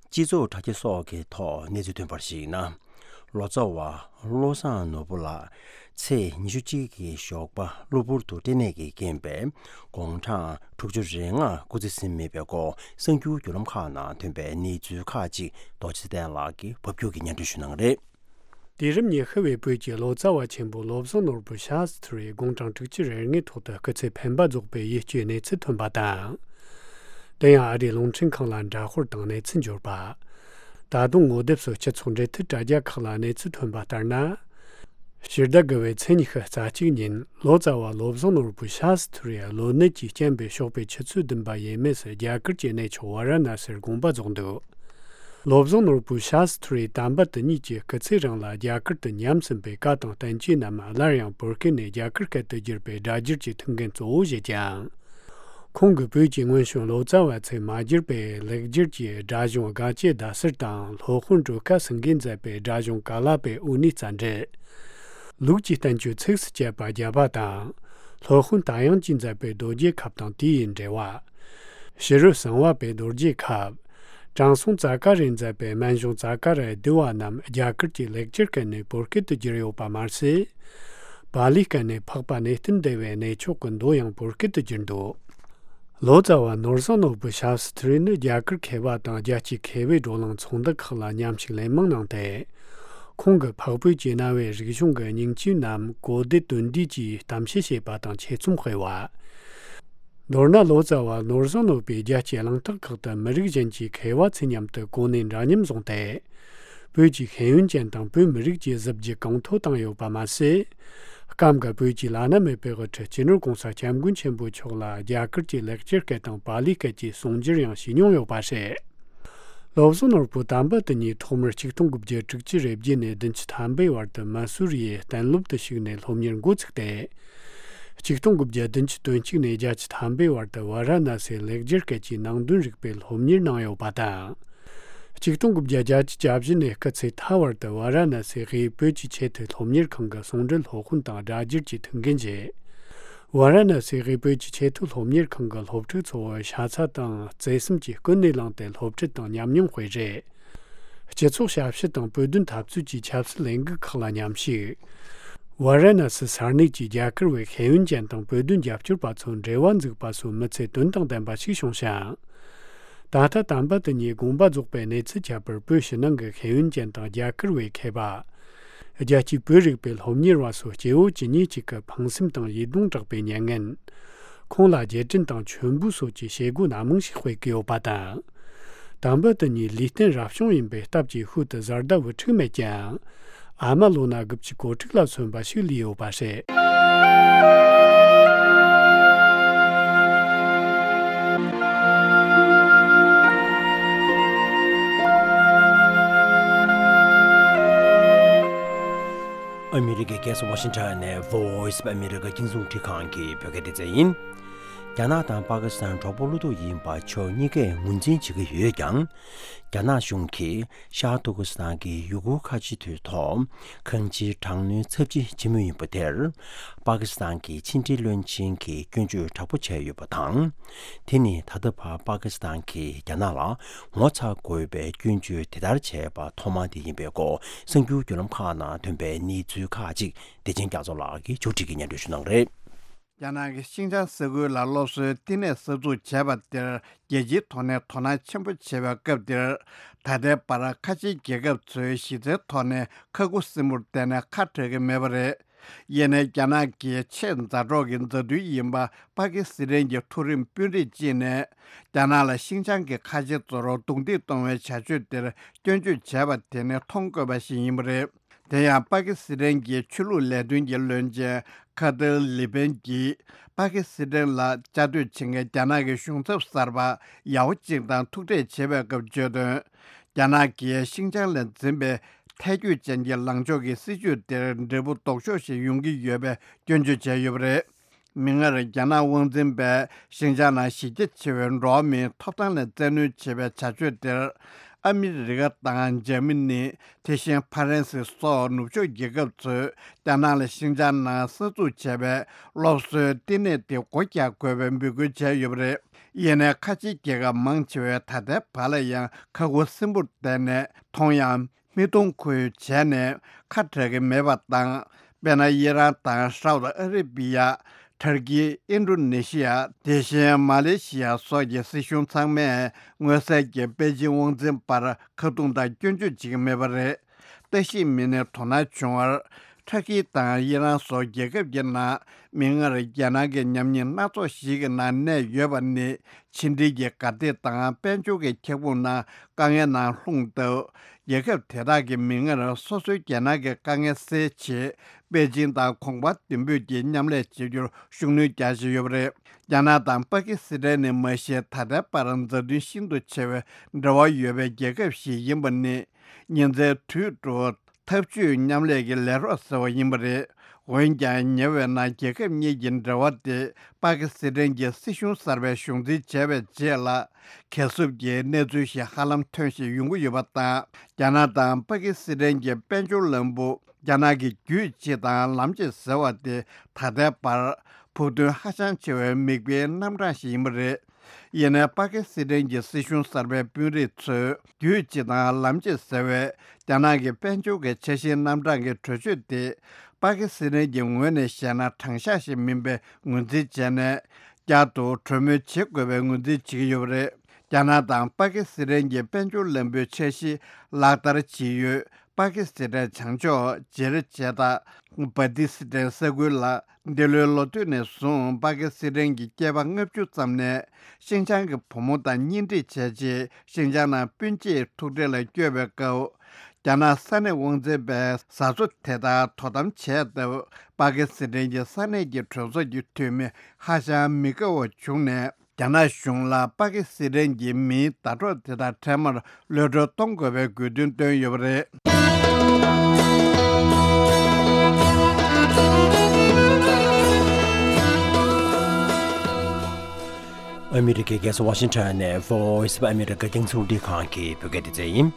སྤྱི་ཚོགས་དྲ་རྒྱ་སོགས་ཀྱི་ཐོག་གནས་ཚུལ་ཐོན་པར་གཞིགས་ན། ལོ་ཙཱ་བ་བློ་བཟང་ནོར་བུ་ལགས་ཚེས་ཉི་ཤུ་གཅིག་གི་ཞོགས་པ་གློ་བུར་དུ་སྐྲན་ནད་ཀྱི་རྐྱེན་པས་དགུང་གྲངས་དྲུག་ཅུ་རེ་ལྔ་སྐུ་ཚེ་ཟིན་མེད་པའི་སྐོར་གསར་འགྱུར་བརྒྱུད་ལམ་ཁག་ནང་ཐོན་པའི་གནས་ཚུལ་ཁག་ཅིག་རྡོ་རྗེ་ཚེ་བརྟན་ལགས་ཀྱིས་བབ་བསྒྱུར་གྱིས་སྙན་སྒྲོན་ཞུ་གནང་གི་རེད། དུས་རབས་ཉི་ཤུ་བའི་བོད་ཀྱི་ལོ་ཙཱ་བ་ཆེན་པོ་བློ་བཟང་ནོར་བུ་ཤཱ་སི་ཐུ་རི་དགུང་གྲངས་དྲུག་ཅུ་རེ་ལྔའི་ཐོག་ཏུ་སྐུ་ཚེ་འཕེན་པ་རྫོགས་པའི་ཡིད་སྐྱོའི་གནས་ཚུལ་ཐོན་པ་དང་། དེ་ཡང་ཨ་རིའི་རླུང་འཕྲིན་ཁང་ལ་འདྲ་དཔར་དང་གནས་ཚུལ་འབྱོར་པ། ད་དུང་ངོ་དེབ་སོགས་སྤྱི་ཚོགས་འབྲེལ་མཐུད་དྲ་རྒྱ་ཁག་ལ་གནས་ཚུལ་ཐོན་པ་ལྟར་ན། ཕྱི་ཟླ་དགུ་བའི་ཚེས་ཉི་ཤུ་རྩ་གཅིག་ཉིན་ལོ་ཙཱ་བ་བློ་བཟང་ནོར་བུ་ཤཱ་སི་ཐུ་རི་གློ་ནད་ཀྱི་རྐྱེན་པས་ཞོགས་པའི་ཆུ་ཚོད་བདུན་པ་ཡས་མས་སུ་རྒྱ་གར་གྱི་གནས་མཆོག་ཝཱ་ར་ཎ་སིར་དགོངས་པ་རྫོགས་འདུག་བློ་བཟང་ནོར་བུ་ཤཱ་སི་ཐུ་རི་དམ་པ་དེ་ཉིད་ཀྱི་སྐུ་ཚེ་རིང་ལ་རྒྱ་གར་དུ་ཉམས་ཟིན་པའི་བཀའ་དང་བསྟན་བཅོས་རྣམས་སླར་ཡང་བོད་སྐད་ནས་རྒྱ་གར་སྐད་དུ་བསྒྱུར་བའི་སྒྲ་སྒྱུར་གྱི་ཐུགས་འགན་གཙོ་བོ་བཞེས་ཀྱང་། ཁོང་གིས་བོད་ཀྱི་སྔོན་བྱོན་ལོ་ཙཱ་བ་ཚོས་མ་བསྒྱུར་བའི་ལེགས་སྒྱུར་གྱི་སྒྲ་གཞུང་སྒ་སྐྱེ་བརྡ་གསར་དང་སློབ་དཔོན་སྒྲོལ་དཀར་སེང་གེས་མཛད་པའི་སྒྲ་གཞུང་ཀ་ལཱ་པའི་དབུ་ནུས་རྩ་འགྲེལ། ལུགས་ཀྱི་བསྟན་བཅོས་ཚིགས་སུ་བཅད་པ་བརྒྱ་པ་དང་། སློབ་དཔོན་རྟ་དབྱངས་ཀྱིས་མཛད་པའི་རྡོ་རྗེ་ཁབ་དང་དེ་ཡི་འགྲེལ་བ། ཕྱི་རོལ་གསང་བ་པའི་རྡོ་རྗེ་ཁབ། དྲང་སྲོང་ཙཱ་ཀ་རས་མཛད་པའི་སྨན་གཞུང་ཙཱ་ཀ་ར་ཡ་བསྡུས་པ་རྣམས་རྒྱ་གར་གྱི་ལེགས་སྦྱར་སྐད་ནས་བོད་སྐད་དུ་བསྒྱུར་ཡོད་པ་མ་ཟད། པཱ་ལིའི་སྐད་ནས་འཕགས་པ་གནས་བརྟན་སྡེ་བའི་གནས་མཆོག་གི་མདོ་ཡང་བོད་སྐད་དུ་བསྒྱུར་འདུག་ལོ་ཙཱ་བ་ནོར་བཟང་ནོར་བུ་ཞབས་སུ་ཐུར་ནི་རྒྱ་གར་མཁས་པ་དང་རྒྱལ་སྤྱིའི་མཁས་པའི་བགྲོ་གླེང་ཚོགས་འདུ་ཁག་ལ་མཉམ་ཞུགས་ལན་མང་གནང་སྟེ། ཁོང་གིས་འཕགས་བོད་ཀྱི་གནའ་བོའི་རིག་གཞུང་གི་སྙིང་བཅུད་རྣམས་གོ་བདེ་དོན་བདེ་གྱིས་གཏམ་བཤད་བྱས་པ་དང་ཆེད་རྩོམ་སྤེལ་བ། མདོར་ན་ལོ་ཙཱ་བ་ནོར་བཟང་ནོར་བུས་རྒྱལ་སྤྱིའི་གླེང་སྟེགས་ཁག་ཏུ་མི་རིགས་གཞན་གྱི་མཁས་པ་ཚོའི་མཉམ་དུ་གོ་གནས་འདྲ་མཉམ་བཟུང་སྟེ། བོད་ཀྱི་ཤེས་ཡོན་ཅན་དང་བོད་མི་རིགས་ཀྱི་གཟི་བརྗིད་གོང་མཐོར་བཏང་ཡོད་པ་མ་ཟད། སྐབས་འགའ་བོད་ཀྱི་བླ་ན་མེད་པའི་དབུ་ཁྲིད་སྤྱི་ནོར་༸གོང་ས་༸སྐྱབས་མགོན་ཆེན་པོ་མཆོག་ལ་རྒྱ་གར་གྱི་ལེགས་སྦྱར་སྐད་དང་པཱ་ལིའི་སྐད་ཀྱི་གསུང་སྒྱུར་ཡང་བྱས་མྱོང་ཡོད་པ་རེད། བློ་བཟང་ནོར་བུ་དམ་པ་དེ་ཉིད་ཐོག་མར་ཆིག་སྟོང་དགུ་བརྒྱ་དྲུག་ཅུ་རེ་བརྒྱད་ནས་བདུན་ཅུ་ཐམ་པའི་བར་དུ་མ་སུ་རི་ཡི་གཏན་སློབ་ཏུ་ཞུགས་ནས་སློབ་གཉེར་འགོ་ཚུགས་ཏེ། ཆིག་སྟོང་དགུ་བརྒྱ་བདུན་ཅུ་དོན་གཅིག་ནས་བརྒྱད་ཅུ་ཐམ་པའི་བར་དུ་ཝཱ་ར་ཎ་སིའི་ལེགས་སྦྱར་སྐད་ཀྱི་ནང་དོན་རིག་པའི་སློབ་གཉེར་གནང་ཡོད་པ་དང་། ཆིག་སྟོང་དགུ་བརྒྱ་བརྒྱད་ཅུ་གྱ་བཞི་ནས་སྐུ་ཚེ་མཐའ་བར་དུ་ཝཱ་ར་ཎ་སིའི་དབུས་བོད་ཀྱི་ཆེས་མཐོའི་སློབ་གཉེར་ཁང་གི་ཟུང་འབྲེལ་སློབ་དཔོན་དང་སྒྲ་སྒྱུར་གྱི་ཐུགས་འགན་བཞེས། ཝཱ་ར་ཎ་སིའི་དབུས་བོད་ཀྱི་ཆེས་མཐོའི་སློབ་གཉེར་ཁང་གི་སློབ་ཕྲུག་ཚོ་བོ་ཤ་ཚ་དང་བརྩེ་སེམས་ཀྱིས་ཀུན་ནས་བསླངས་ཏེ་སློབ་ཁྲིད་དང་ཉམས་མྱོང་སྤེལ་རེས། སྤྱི་ཚོགས་ཞབས་ཞུ་དང་བོད་དོན་འཐབ་རྩོད་ཀྱི་ཆབ་སྲིད་ལས་འགུལ་ཁག་ལ་མཉམ་ཞུགས། ཝཱ་ར་ཎ་སི་ས་གནས་ཀྱི་རྒྱ་གར་བའི་ཤེས་ཡོན་ཅན་དང་བོད་དོན་རྒྱབ་སྐྱོར་པ་ཚོ་འབྲེལ་བ་འཛུགས་པ་སོགས་མི་ཚེ་དོན་དང་ལྡན་པ་ཞིག་བྱུང་ཞིང་། ད་ལྟ་དམ་པ་དེ་ཉིད་དགོངས་པ་རྫོགས་པའི་གནས་ཚུལ་ཁྱད་པར་བོད་ཕྱི་ནང་གི་ཤེས་ཡོན་ཅན་དང་རྒྱ་གར་བའི་མཁས་པ། རྒྱལ་སྤྱིའི་བོད་རིག་པའི་སློབ་གཉེར་བ་སོགས་སྐྱེ་བོ་ཇི་སྙེད་ཅིག་གི་ཕངས་སེམས་དང་ཡིད་གདུང་དྲག་པའི་མྱ་ངན། ཁོང་ལ་རྗེས་དྲན་དང་མཆོད་འབུལ་སོགས་ཀྱི་བྱེད་སྒོ་སྣ་མང་ཞིག་སྤེལ་གྱི་ཡོད་པ་དང་། དམ་པ་དེ་ཉིད་ལུས་རྟེན་རབ་བྱུང་ཡིན་པའི་སྟབས་ཀྱིས་ཤུལ་དུ་བཟའ་ཟླ་བུ་ཕྲུག་མེད་ཀྱང་། ཨ་མ་ལོ་ན་དགུ་བཅུ་གོ་དྲུག་ལ་སོན་པ་ཞིག་ལུས་ཡོད་པ་རེད། ཨ་མི་རི་ཀའི་རྒྱལ་ས་ཝ་ཤིང་ཊོན་ནས་Voice of America རྒྱང་སྲིང་རླུང་འཕྲིན་ཁང་གི་བོད་སྐད་སྡེ་ཚན་ཡིན། རྒྱ་ནག་དང་པ་ཀི་སི་ཐན་གྲོགས་པོ་བློ་ཐུག་ཡིན་པ་ཕྱོགས་གཉིས་ཀས་ངོས་འཛིན་བྱེད་ཀྱི་ཡོད་ཀྱང་། རྒྱ་ནག་གཞུང་གིས་ཤར་ཏུར་ཀི་སི་ཐན་གྱི་ཡུ་གུར་ཁ་ཆེ་མདོའི་ཐོག་གང་ཅིའི་དྲག་གནོན་ཚབས་ཆེ་བྱེད་མུས་ཡིན་པ་དེར། པ་ཀི་སི་ཐན་གྱི་ཕྱི་འབྲེལ་བློན་ཆེན་གྱིས་སྐྱོན་བརྗོད་དྲག་པོ་བྱས་ཡོད་པ་དང་། དེ་ནི་ད་ལྟ་བར་པ་ཀི་སི་ཐན་གྱིས་རྒྱ་ནག་ལ་ངོ་ཚ་དགོས་པའི་སྐྱོན་བརྗོད་དེ་ལྟར་བྱས་པ་ཐོག་མ་དེ་ཡིན་པའི་སྐོར། གསར་འགྱུར་བརྒྱུད་ལམ་ཁག་ནང་ཐོན་པའི་གནས་ཚུལ་ཁག་ཅིག་བདེ་ཆེན་རྒྱ་མཚོ་ལགས་ཀྱིས་ཕྱོགས་སྒྲིག་གིས་སྙན་སྒྲོན་ཞུ་གནང་གི་རེད། རྒྱ་ནག་གི་ཤིན་ཅང་ས་ཁུལ་ལ་སློབ་གསོའི་བསྟི་གནས་གསར་འཛུགས་བྱས་པ་དེར། རྒྱལ་སྤྱིའི་ཐོག་ནས་དོ་སྣང་ཆེན་པོ་བྱེད་པའི་སྐབས་འདིར། ད་ལྟའི་བར་ཁ་ཆེའི་རྒྱལ་ཁབ་ཚོས་གཞི་རྩའི་ཐོག་ནས་ཁ་ཁུ་སིམ་པོར་བསྡད་ནས་ཁ་བྲལ་གྱི་མེད་པ་རེད། ཡིན་ནའི་རྒྱ་ནག་གི་ཆེས་མཛའ་གྲོགས་ཀྱི་མཛའ་མཐུན་ཡིན་པ་པ་ཀི་སི་ཐན་གྱི་མཐོ་རིམ་དཔོན་རིགས་གཅིག་ནས། རྒྱ་ནག་ལ་ཤིན་ཅང་གི་ཁ་ཆེ་ཚོར་རྡུང་རྡེག་གཏོང་བའི་བྱ་སྤྱོད་དེར་སྐྱོན་བརྗོད་བྱས་པ་དེ་ནི་མཐོང་དཀོན་པ་ཞིག་ཡིན་པ་རེད། དེ་ཡང་པ་ཀི་སི་ཐན་གྱི་ཆོས་ལུགས་ལས་དོན་གྱི་བློན་ཆེན་ཁ་ཏར་ལི་པན་གྱིས། པ་ཀི་སི་ཐན་ལ་བཅའ་སྡོད་བྱེད་མཁན་རྒྱ་ནག་གི་གཞུང་ཚབ་གསར་པ་ཡག་པོ་གཅིག་དང་ཐུག་འཕྲད་བྱེད་པའི་སྐབས་བརྗོད་དོན། རྒྱ་ནག་གིས་ཤིན་ཅང་ལ་འཛིན་པའི་ཐལ་འགྱུར་ཅན་གྱི་ལངས་ཕྱོགས་ཀྱི་སྲིད་བྱུས་དེར་འབྲས་བུ་ལྡོག་ཕྱོགས་ཤིག་ཡོང་གི་ཡོད་པའི་སྐྱོན་བརྗོད་བྱས་ཡོད་པ་རེད། མིག་སྔར་རྒྱ་ནག་དབང་འཛིན་པས་ཤིན་ཅང་ནང་གཞི་རྒྱ་ཆེ་བའི་འགྲོ་བ་མིའི་ཐོབ་ཐང་ལ་བཙན་གནོན་བྱེད་པའི་བྱ་སྤྱོད་དེར། ཨ་མི་རི་ཀ་དང་འཇར་མ་ནི། དེ་བཞིན་ཕ་རན་སི་སོགས་ནུབ་ཕྱོགས་རྒྱལ་ཁབ་ཚོས་རྒྱ་ནག་ལ་ཤིན་ཅང་ནང་གསར་འཛུགས་བྱས་པའི་སློབ་གསོའི་བསྟི་གནས་དེ་སྒོ་རྒྱག་དགོས་པའི་འབོད་སྐུལ་བྱས་ཡོད་པ་རེད། ཡིན་ནའི་ཁ་ཆེའི་རྒྱལ་ཁབ་མང་ཆེ་བས་ད་ལྟའི་བར་ལ་ཡང་ཁ་ཁུ་སིམ་པོར་བསྡད་ནས་མཐོང་ཡང་། མིག་མཐོང་ཁུལ་བྱས་ནས་ཁ་བྲལ་གྱི་མེད་པ་དང་། དཔེར་ན། ཨི་རན་དང་སའུ་ཏི་ཨ་རི་བི་ཡ། ཏུར་ཀི། ཨིན་ཌོ་ནེ་ཤི་ཡ། དེ་བཞིན་མ་ལེ་ཤི་ཡ་སོགས་ཀྱི་སྲིད་གཞུང་ཚང་མས་མངོན་གསལ་གྱིས་པེ་ཅིང་དབང་འཛིན་པར་ཁ་རྡུང་དང་སྐྱོན་བརྗོད་བྱེད་ཀྱི་མེད་པ་རེད། ལྟ་ཞིབ་མི་སྣས་དོ་སྣང་བྱུང་བར། ཏུར་ཀི་དང་ཨི་རན་སོགས་རྒྱལ་ཁབ་ཀྱི་ནང་། མིག་སྔར་རྒྱ་ནག་གི་ཉམས་ཉེས་སྣ་ཚོགས་ཤིག་གི་ནང་གནས་ཡོད་པ་ནི། ཕྱི་འབྲེལ་གྱི་གར་སྟེགས་དང་དཔལ་འབྱོར་གྱི་ཁྱབ་ཁོངས་ནང་དཀའ་ངལ་ནང་ལྷུང་སྟབས། རྒྱལ་ཁབ་དེ་དག་གིས་མིག་སྔར་སོ་སོའི་རྒྱལ་ནང་གི་དཀའ་ངལ་སེལ་ཆེད། པེ་ཅིང་དང་གོང་འཕེལ་མདུན་སྤོས་ཀྱིས་མཉམ་ལས་བྱེད་རྒྱུར་ཤུགས་སྣོན་རྒྱག་བཞིན་ཡོད་པ་རེད། རྒྱ་ནག་དང་པ་ཀི་སི་ཐན་ནི་མ་གཞི་ད་ལྟའི་བར་མཛའ་མཐུན་ཤིན་ཏུ་ཆེ་བའི་འབྲེལ་བ་ཡོད་པའི་རྒྱལ་ཁབ་ཞིག་ཡིན་པ་ནི། ཉིན་མཚན་དུས་དྲུག་འཐབ་ཇུས་མཉམ་ལས་ཀྱི་ལས་རོགས་ཟེར་བ་ཡིན་པ་རེད། འོན་ཀྱང་ཉེ་བའི་ནང་རྒྱལ་ཁབ་གཉིས་ཀྱི་འབྲེལ་བ་དེ་པ་ཀི་སི་ཐན་གྱི་སྲིད་གཞུང་གསར་པས་གཞུང་འཛིན་བྱས་པའི་རྗེས་ལ། གས་སྲུབས་ཀྱི་གནས་ཚུལ་ཞིག་ཧ་ལམ་ཐོན་བཞིན་ཡོང་གི་ཡོད་པ་དང་། རྒྱ་ནག་དང་པ་ཀི་སི་ཐན་གྱི་དཔལ་འབྱོར་ལམ་བུ། རྒྱ་ནག་གི་རྒྱུད་གཅིག་དང་ལམ་གཅིག་ཟེར་བ་དེ་ད་ལྟའི་བར་ཕུགས་འདུན་ཧ་ཅང་ཆེ་བའི་མིག་དཔེའི་རྣམ་གྲངས་ཤིག་ཡིན་པ་རེད། ཡིན་ནའི་པ་ཀི་སི་ཐན་གྱི་སྲིད་གཞུང་གསར་པའི་དཔོན་རིགས་ཚོས་རྒྱུད་གཅིག་དང་ལམ་གཅིག་ཟེར་བའི་རྒྱ་ནག་གི་དཔལ་འབྱོར་གྱི་འཆར་གཞིའི་རྣམ་གྲངས་ཀྱི་གྲོས་ཆོད་དེ། པ་ཀི་སི་ཐན་གྱི་ངོས་ནས་བཤད་ན་དྲང་གཞག་ཞིག་མིན་པའི་ངོས་འཛིན་བྱས་ནས། བསྐྱར་དུ་གྲོས་མོལ་བྱེད་དགོས་པའི་ངོས་འཛིན་བྱེད་ཀྱི་ཡོད་པ་རེད། རྒྱ་ནག་དང་པ་ཀི་སི་ཐན་གྱི་དཔལ་འབྱོར་ལམ་བུའི་འཆར་གཞི་ལག་བསྟར་བྱེད་ཡུལ། པ་ཀི་སི་ཐན་བྱང་ཕྱོགས་ཇེར་ཇེ་ཏ། བྷ་ཏི་སི་ཐན་ས་ཁུལ་ལ། འདི་ལོའི་ལོ་སྟོད་ནས་བཟུང་པ་ཀི་སི་ཐན་གྱི་སྐྱེས་པ་ལྔ་བཅུ་ཙམ་ནས་ཤིན་ཅང་གི་བུ་མོ་དང་གཉེན་སྒྲིག་བྱས་རྗེས། ཤིན་ཅང་ནང་སྤུན་མཆེད་ཐུག་འཕྲད་ལ་བསྐྱོད་པའི་སྐབས། རྒྱ་ནག་ས་གནས་དབང་འཛིན་པས་བཟའ་ཚོ་དེ་དག་དོ་དམ་བྱས་སྟབས། པ་ཀི་སི་ཐན་གྱི་ས་གནས་ཀྱི་གྲོས་ཚོགས་ཀྱི་འཐུས་མི་ཧ་ཅང་མི་དགའ་བ་བྱུང་ནས། རྒྱ་ནག་གཞུང་ལ་པ་ཀི་སི་ཐན་གྱི་མིའི་ཟླ་གྲོགས་དེ་དག་འཕྲལ་མར་གློད་གྲོལ་གཏོང་དགོས་པའི་དགོས་འདུན་བཏོན་ཡོད་པ་རེད། ཨ་མི་རི་ཀའི་རྒྱལ་ས་ཝ་ཤིང་ཊོན་ནས་Voice of America རྒྱང་སྲིང་རླུང་འཕྲིན་ཁང་གི་བོད་སྐད་སྡེ་ཚན་ཡིན།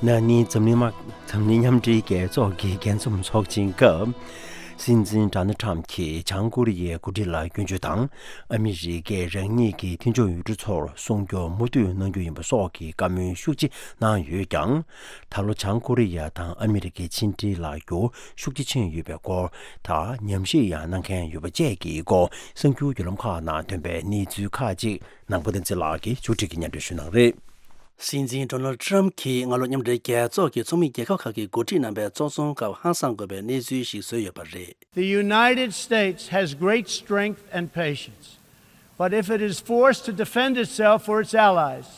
ན་ནིང་འཛམ་གླིང་དམག་འཛམ་གླིང་མཉམ་འབྲེལ་རྒྱལ་ཚོགས་ཀྱི་རྒྱས་འཛོམས་ཚོགས་ཆེན་སྐབས། སྲིད་འཛིན་ཌོ་ནལ་ཊམ་གྱིས་བྱང་ཀོ་རི་ཡའི་འགོ་ཁྲིད་ལ་སྐྱོན་བརྗོད་དང་། ཨ་མི་རི་ཀས་རང་ཉིད་ཀྱི་མཐུན་ཕྱོགས་ཡུལ་གྲུ་ཚོར་སྲུང་སྐྱོབ་མུ་མཐུད་གནང་རྒྱུ་ཡིན་པ་སོགས་ཀྱི་བཀའ་མོལ་ཤུགས་ཆེ་གནང་ཡོད་ཀྱང་། ད་ལོ་བྱང་ཀོ་རི་ཡ་དང་ཨ་མི་རི་ཀའི་ཕྱི་འབྲེལ་ལ་འགྱུར་ཤུགས་ཆེ་ཕྱིན་ཡོད་པའི་སྐོར་དང་། ཉམས་ཞིབ་ཡང་གནང་མཁན་ཡོད་པ་བཅས་ཀྱི་སྐོར། གསར་འགྱུར་བརྒྱུད་ལམ་ཁག་ནང་ཐོན་པའི་གནས་ཚུལ་ཁག་ཅིག་ནང་པ་བསྟན་འཛིན་ལགས་ཀྱིས་ཕྱོགས་སྒྲིག་གིས་སྙན་སྒྲོན་ཞུ་གནང་རེད། སྲིད་འཛིན་ཌོ་ནལ་ཊམ་གྱིས་སྔ་ལོ་མཉམ་འབྲེལ་རྒྱལ་ཚོགས་ཀྱི་ཚོགས་མི་རྒྱལ་ཁབ་ཁག་གི་འགོ་ཁྲིད་རྣམ་པའི་ཚོགས་ཚོམ་སྐབས་ཧང་སངས་དགོས་པའི་གནས་ཚུལ་ཞིག་བཟོས་ཡོད་པ་རེད། The United States has great strength and patience, but if it is forced to defend itself or its allies,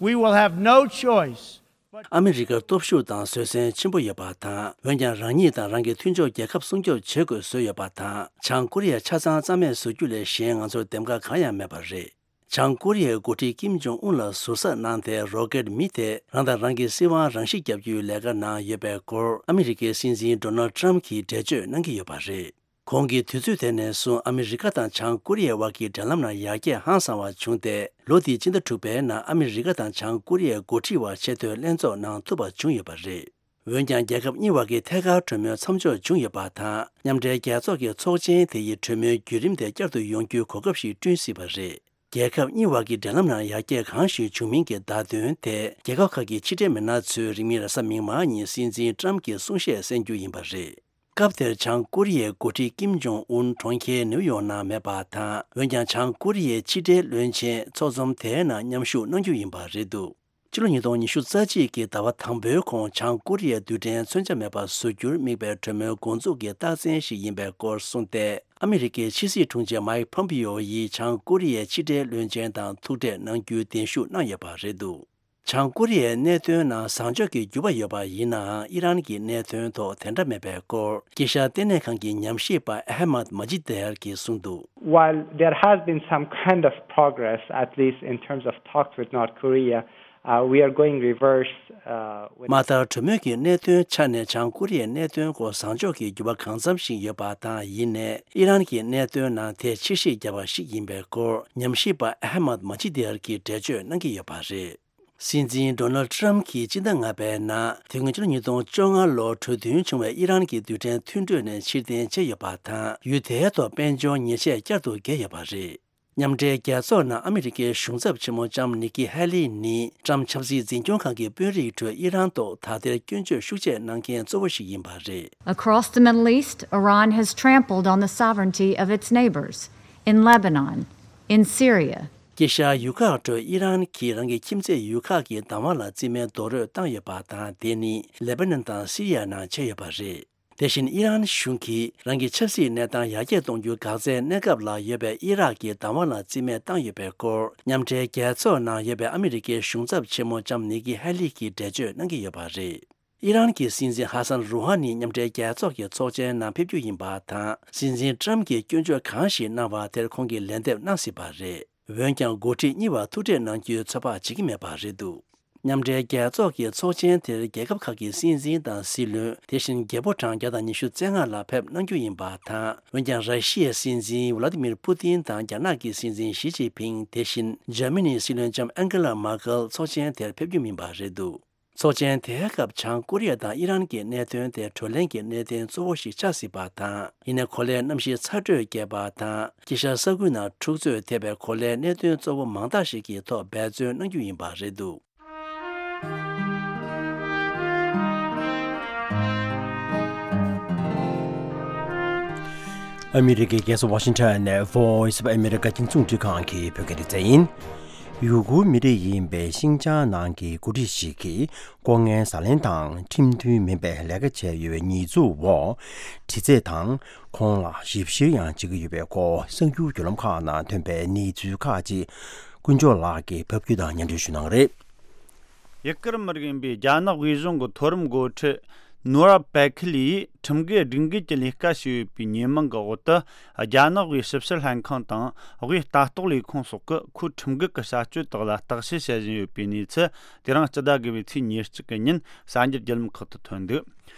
we will have no choice. ཨ་མི་རི་ཀར་སྟོབས་ཤུགས་དང་བཟོད་བསྲན་ཆེན་པོ་ཡོད་པ་དང་། འོན་ཀྱང་རང་ཉིད་དང་རང་གི་མཐུན་ཕྱོགས་རྒྱལ་ཁབ་སྲུང་སྐྱོབ་བྱེད་དགོས་བཟོས་ཡོད་པ་དང་། བྱང་ཀོ་རི་ཡ་ཆ་ཚང་རྩ་མེད་བཟོ་རྒྱུ་ལས་གཞན་ང་ཚོར་འདེམས་ཀ་གང་ཡང་མེད་པ་རེད། བྱང་ཀོ་རི་ཡའི་འགོ་ཁྲིད་ཀིམ་ཇོང་ཨུན་ལ་ཟུར་ཟ་གནང་སྟེ། རོ་ཀེད་མི་དེ་རང་དང་རང་གི་སྲིད་དབང་རང་ཞིག་བརྒྱབ་རྒྱུའི་ལས་ཀ་ནང་ཡོད་པའི་སྐོར། ཨ་མི་རི་ཀའི་སྲིད་འཛིན་ཌོ་ནལ་ཊམ་གྱིས་འགྲེལ་བརྗོད་གནང་གི་ཡོད་པ་རེད། གོང་གི་དུས་ཚོད་དེ་ནས་བཟུང་ཨ་མི་རི་ཀ་དང་བྱང་ཀོ་རི་ཡའི་དབར་གྱི་འབྲེལ་ལམ་ནང་ཡར་རྒྱས་ཧང་སང་བ་བྱུང་སྟེ། ལོ་འདིའི་སྤྱི་ཟླ་དྲུག་པའི་ནང་ཨ་མི་རི་ཀ་དང་བྱང་ཀོ་རི་ཡའི་འགོ་ཁྲིད་དབར་ཆེས་མཐོའི་ལྷན་ཚོགས་གནང་ཐུབ་པ་བྱུང་ཡོད་པ་རེད། འོན་ཀྱང་། རྒྱལ་ཁབ་གཉིས་བར་གྱི་ཐད་ཀར་གྲོས་མོལ་མཚམས་འཇོག་བྱུང་ཡོད་པ་དང་། མཉམ་འབྲེལ་རྒྱལ་ཚོགས་ཀྱི་ཚོགས་ཆེན་དེ་ཡི་གྲོས་མོལ་བརྒྱུད་རིམ་དེ་བསྐྱར་དུ་ཡོང་རྒྱུའི་གོ་སྐབས་ཤིག་བསྐྲུན་སྲིད་པ་རེད། རྒྱལ་ཁབ་གཉིས་བར་གྱི་འབྲེལ་ལམ་ནང་ཡར་རྒྱས་གང་ཞིག་བྱུང་མིན་གྱི་བརྡ་དོན་དེ། རྒྱལ་ཁབ་ཁག་གི་ཕྱི་འབྲེལ་མི་སྣ་ཚོས་རིང་མིན་རེས་གཟའ་མིག་དམར་ཉིན་སྲིད་འཛིན་ཏྲམ་གྱི་གསུང་བཤད་གསན་རྒྱུ་ཡིན་པ་རེད། སྐབས་དེར་བྱང་ཀོ་རི་ཡའི་འགོ་ཁྲིད་ཀིམ་ཇོང་ཨུན་གྲོང་ཁྱེར་ནེའུ་ཡོག་ནང་མེད་པ་དང་། འོན་ཀྱང་། བྱང་ཀོ་རི་ཡའི་ཕྱི་འབྲེལ་བློན་ཆེན་ཚོགས་འཛོམས་དེའི་ནང་མཉམ་ཞུགས་གནང་རྒྱུ་ཡིན་པ་རེད་འདུག་ཕྱི་ལོ་ཉིས་སྟོང་ཉི་ཤུ་རྩ་གཅིག་གི་ཟླ་བ་དང་པོའི་གོང་བྱང་ཀོ་རི་ཡའི་རྡུལ་ཕྲན་མཚོན་ཆ་མེད་པ་བཟོ་རྒྱུར་དམིགས་པའི་གྲོས་མོལ་འགོ་འཛུགས་ཀྱི་རྟགས་མཚན་ཞིག་ཡིན་པའི་སྐོར་གསུངས་ཏེ། ཨ་མི་རི་ཀའི་ཕྱི་སྲིད་དྲུང་ཆེ་མཱིག་ཕོམ་པིའོ་ཡིས་བྱང་ཀོ་རི་ཡའི་ཕྱི་འབྲེལ་བློན་ཆེན་དང་ཐུག་འཕྲད་གནང་རྒྱུའི་གདན་ཞུ་གནང་ཡོད་པ་རེད་འདུག་བྱང་ཀོ་རི་ཡའི་གནད་དོན་ནང་བཟང་ཕྱོགས་ཀྱི་འགྱུར་བ་ཡོད་པ་ཡིན་ནའང་། ཨི་རན་གྱི་གནད་དོན་ཐོག་དེ་འདྲ་མེད་པའི་སྐོར། དཀྱིལ་ཤར་ལྟེ་གནས་ཁང་གི་ཉམས་ཞིབ་པ་ཨ་ཧ་མད་མ་ཇི་དེར་གྱིས་གསུངས་འདུག While there has been some kind of progress, at least in terms of talks with North Korea, uh, we are going reverse, uh, with མ་མཐར། གྲོས་མོལ་གྱི་གནད་དོན་ཆ་ནས་བྱང་ཀོ་རི་ཡའི་གནད་དོན་སྐོར་བཟང་ཕྱོགས་ཀྱི་འགྱུར་བ་གང་འཚམ་ཞིག་ཡོད་པ་དང་། ཡིན་ནའི་ཨི་རན་གྱི་གནད་དོན་ནང་དེ་ཕྱིར་བཤིག་བརྒྱབ་པ་ཞིག་ཡིན་པའི་སྐོར། ཉམས་ཞིབ་པ་ཨ་ཧ་མད་མ་ཇི་དེར་གྱིས་འགྲེལ་བརྗོད་གནང་གི་ཡོད་པ་རེད། སྲིད་འཛིན་ཌོ་ནལ་ཊམ་གྱིས་སྤྱི་ཟླ་ལྔ་པའི་ནང་། དེ་སྔོན་ཕྱི་ལོ་ཉིས་སྟོང་བཅོ་ལྔ་ལོར་གྲོས་མཐུན་བྱུང་བའི་ཨི་རན་གྱི་རྡུལ་ཕྲན་མཐུན་གྲོས་ནས་ཕྱིར་འཐེན་བྱས་ཡོད་པ་དང་། ཡུལ་དེའི་ཐོག་དཔལ་འབྱོར་ཉེས་ཆད་བསྐྱར་དུ་བཀལ་ཡོད་པ་རེད། མཉམ་འབྲེལ་རྒྱལ་ཚོགས་ནང་ཨ་མི་རི་ཀའི་གཞུང་ཚབ་ཆེན་མོ་ལྕམ་ནི་ཀི་ཧེ་ལི་ནི། ཊམ་ཆབ་སྲིད་འཛིན་སྐྱོང་ཁང་གི་དཔོན་རིགས་ཁྲོད་ཨི་རན་ཐོག་ད་ལྟའི་སྐྱོན་བརྗོད་ཤུགས་ཆེ་གནང་མཁན་གཙོ་བོ་ཞིག་ཡིན་པ་རེད། Across the Middle East, Iran has trampled on the sovereignty of its neighbors in Lebanon, in Syria, དཀྱིལ་ཤར་ཡུལ་ཁག་ཁྲོད་ཨི་རན་གྱིས་རང་གི་ཁྱིམ་མཚེས་ཡུལ་ཁག་གི་བདག་དབང་ལ་རྩིས་མེད་རྡོག་རོལ་བཏང་ཡོད་པ་དང་། དེ་ནི་ལེ་པ་ནན་དང་སི་རི་ཡ་ནང་བྱས་ཡོད་པ་རེད། དེ་བཞིན་ཨི་རན་གཞུང་གིས་རང་གི་ཆབ་སྲིད་གནས་སྟངས་ཡར་རྒྱས་གཏོང་རྒྱུའི་འགག་རྩའི་གནས་སྐབས་ལ་ཡོད་པའི་ཨི་རག་གི་བདག་དབང་ལ་རྩིས་མེད་བཏང་ཡོད་པའི་སྐོར། མཉམ་འབྲེལ་རྒྱལ་ཚོགས་ནང་ཡོད་པའི་ཨ་མི་རི་ཀའི་གཞུང་ཚབ་ཆེན་མོ་ལྕམ་ནི་ཀི་ཧེ་ལི་གིས་འགྲེལ་བརྗོད་གནང་གི་ཡོད་པ་རེད། ཨི་རན་གྱི་སྲིད་འཛིན་ཧ་སན་རུ་ཧ་ནི་མཉམ་འབྲེལ་རྒྱལ་ཚོགས་ཀྱི་ཚོགས་ཆེན་ནང་ཕེབས་རྒྱུ་ཡིན་པ་དང་། སྲིད་འཛིན་ཊམ་གྱིས་སྐྱོན་བརྗོད་གང་ཞིག་གནང་བ་དེར་ཁོང་གིས་ལན་འདེབས་གནང་སྲིད་པ་རེད། འོན་ཀྱང་། འགོ་ཁྲིད་གཉིས་བར་ཐུག་འཕྲད་གནང་རྒྱུའི་ཚོད་དཔག་བྱེད་ཀྱི་མེད་པ་རེད་འདུག་མཉམ་འབྲེལ་རྒྱལ་ཚོགས་ཀྱི་ཚོགས་ཆེན་དེར་རྒྱལ་ཁབ་ཁག་གི་སྲིད་འཛིན་དང་སྲིད་བློན། དེ་བཞིན་རྒྱལ་པོ་གྲངས་བརྒྱ་དང་ཉི་ཤུ་རྩ་ལྔ་ལ་ཕེབས་གནང་རྒྱུ་ཡིན་པ་དང་། འོན་ཀྱང་། ར་ཤི་ཡའི་སྲིད་འཛིན་ཝ་ལ་ཏི་མིར་པུ་ཏིན་དང་། རྒྱ་ནག་གི་སྲིད་འཛིན་ཞི་ཅིན་ཕིང་། དེ་བཞིན་འཇར་མ་ནིའི་སྲིད་བློན་ལྕམ་ཨན་ཀེ་ལ་མར་ཀེལ་ཚོགས་ཆེན་དེར་ཕེབས་རྒྱུ་མིན་པ་རེད་འདུག་ཚོགས་ཆེན་དེའི་སྐབས་བྱང་ཀོ་རི་ཡ་དང་ཨི་རན་གྱི་གནད་དོན་དེ་བགྲོ་གླེང་གི་གནད་དོན་གཙོ་བོ་ཞིག་ཆགས་སྲིད་པ་དང་། ཡིན་ནའི་གོ་ལའི་གནམ་གཤིས་ཚ་དྲོད་རྒྱས་པ་དང་། དཀྱིལ་ཤར་ས་ཁུལ་ནང་འཁྲུག་རྩོད་ཐེབས་པའི་གོ་ལའི་གནད་དོན་གཙོ་བོ་མང་དག་ཞིག་གི་ཐོག་འབད་བརྩོན་གནང་རྒྱུ་ཡིན་པ་རེད་འདུག་ཨ་མི་རི་ཀའི་རྒྱལ་ས་ཝ་ཤིང་ཊོན་ནས་Voice of America་རྒྱང་སྲིང་རླུང་འཕྲིན་ཁང་གི་བོད་སྐད་སྡེ་ཚན་ཡིན། ཡུ་གུར་མི་རིགས་ཡིན་པའི་ཤིན་ཅང་ནང་གི་འགོ་ཁྲིད་ཞིག་གིས་ལྐོག་རྔན་ཟ་ལེན་དང་ཁྲིམས་མཐུན་མིན་པའི་ལས་ཀ་བྱས་ཡོད་པའི་ཉེས་འཛུགས་འོག་དྲི་རྩད་དང་ཁོང་ལ་ཞིབ་བཤེར་ཡང་བྱེད་ཀྱི་ཡོད་པའི་སྐོར་གསར་འགྱུར་བརྒྱུད་ལམ་ཁག་ནང་ཐོན་པའི་གནས་ཚུལ་ཁག་ཅིག་ཀུན་མཆོག་ལགས་ཀྱིས་ཕབ་སྒྱུར་དང་སྙན་སྒྲོན་ཞུ་གནང་གི་རེད། ཡུ་གུར་མི་རིགས་ཡིན་པའི་རྒྱ་ནག་དབུས་གཞུང་གི་མཐོ་རིམ་འགོ་ཁྲིད་ནོར་བ་པེ་ཁི་ལི་ཡིས་ཁྲིམས་འགལ་སྒྲིག་འགལ་གྱི་ལས་ཀ་བྱས་ཡོད་པའི་ཉེས་མིང་གི་འོག་ཏུ། རྒྱ་ནག་དབུས་ཞིབ་བཤེར་ལྷན་ཁང་དང་དབུས་ལྟ་རྟོག་ལས་ཁུངས་སོགས་ཀྱིས་ཁོའི་ཁྲིམས་འགལ་གྱི་བྱ་སྤྱོད་དག་ལ་བརྟག་དཔྱད་བྱེད་བཞིན་ཡོད་པའི་གནས་ཚུལ། དེ་རིང་སྤྱི་ཟླ་དགུ་པའི་ཚེས་ཉེར་གཅིག་གི་ཉིན་གསར་འགྱུར་བརྒྱུད་ལམ་ཁག་ཏུ་ཐོན་འདུག་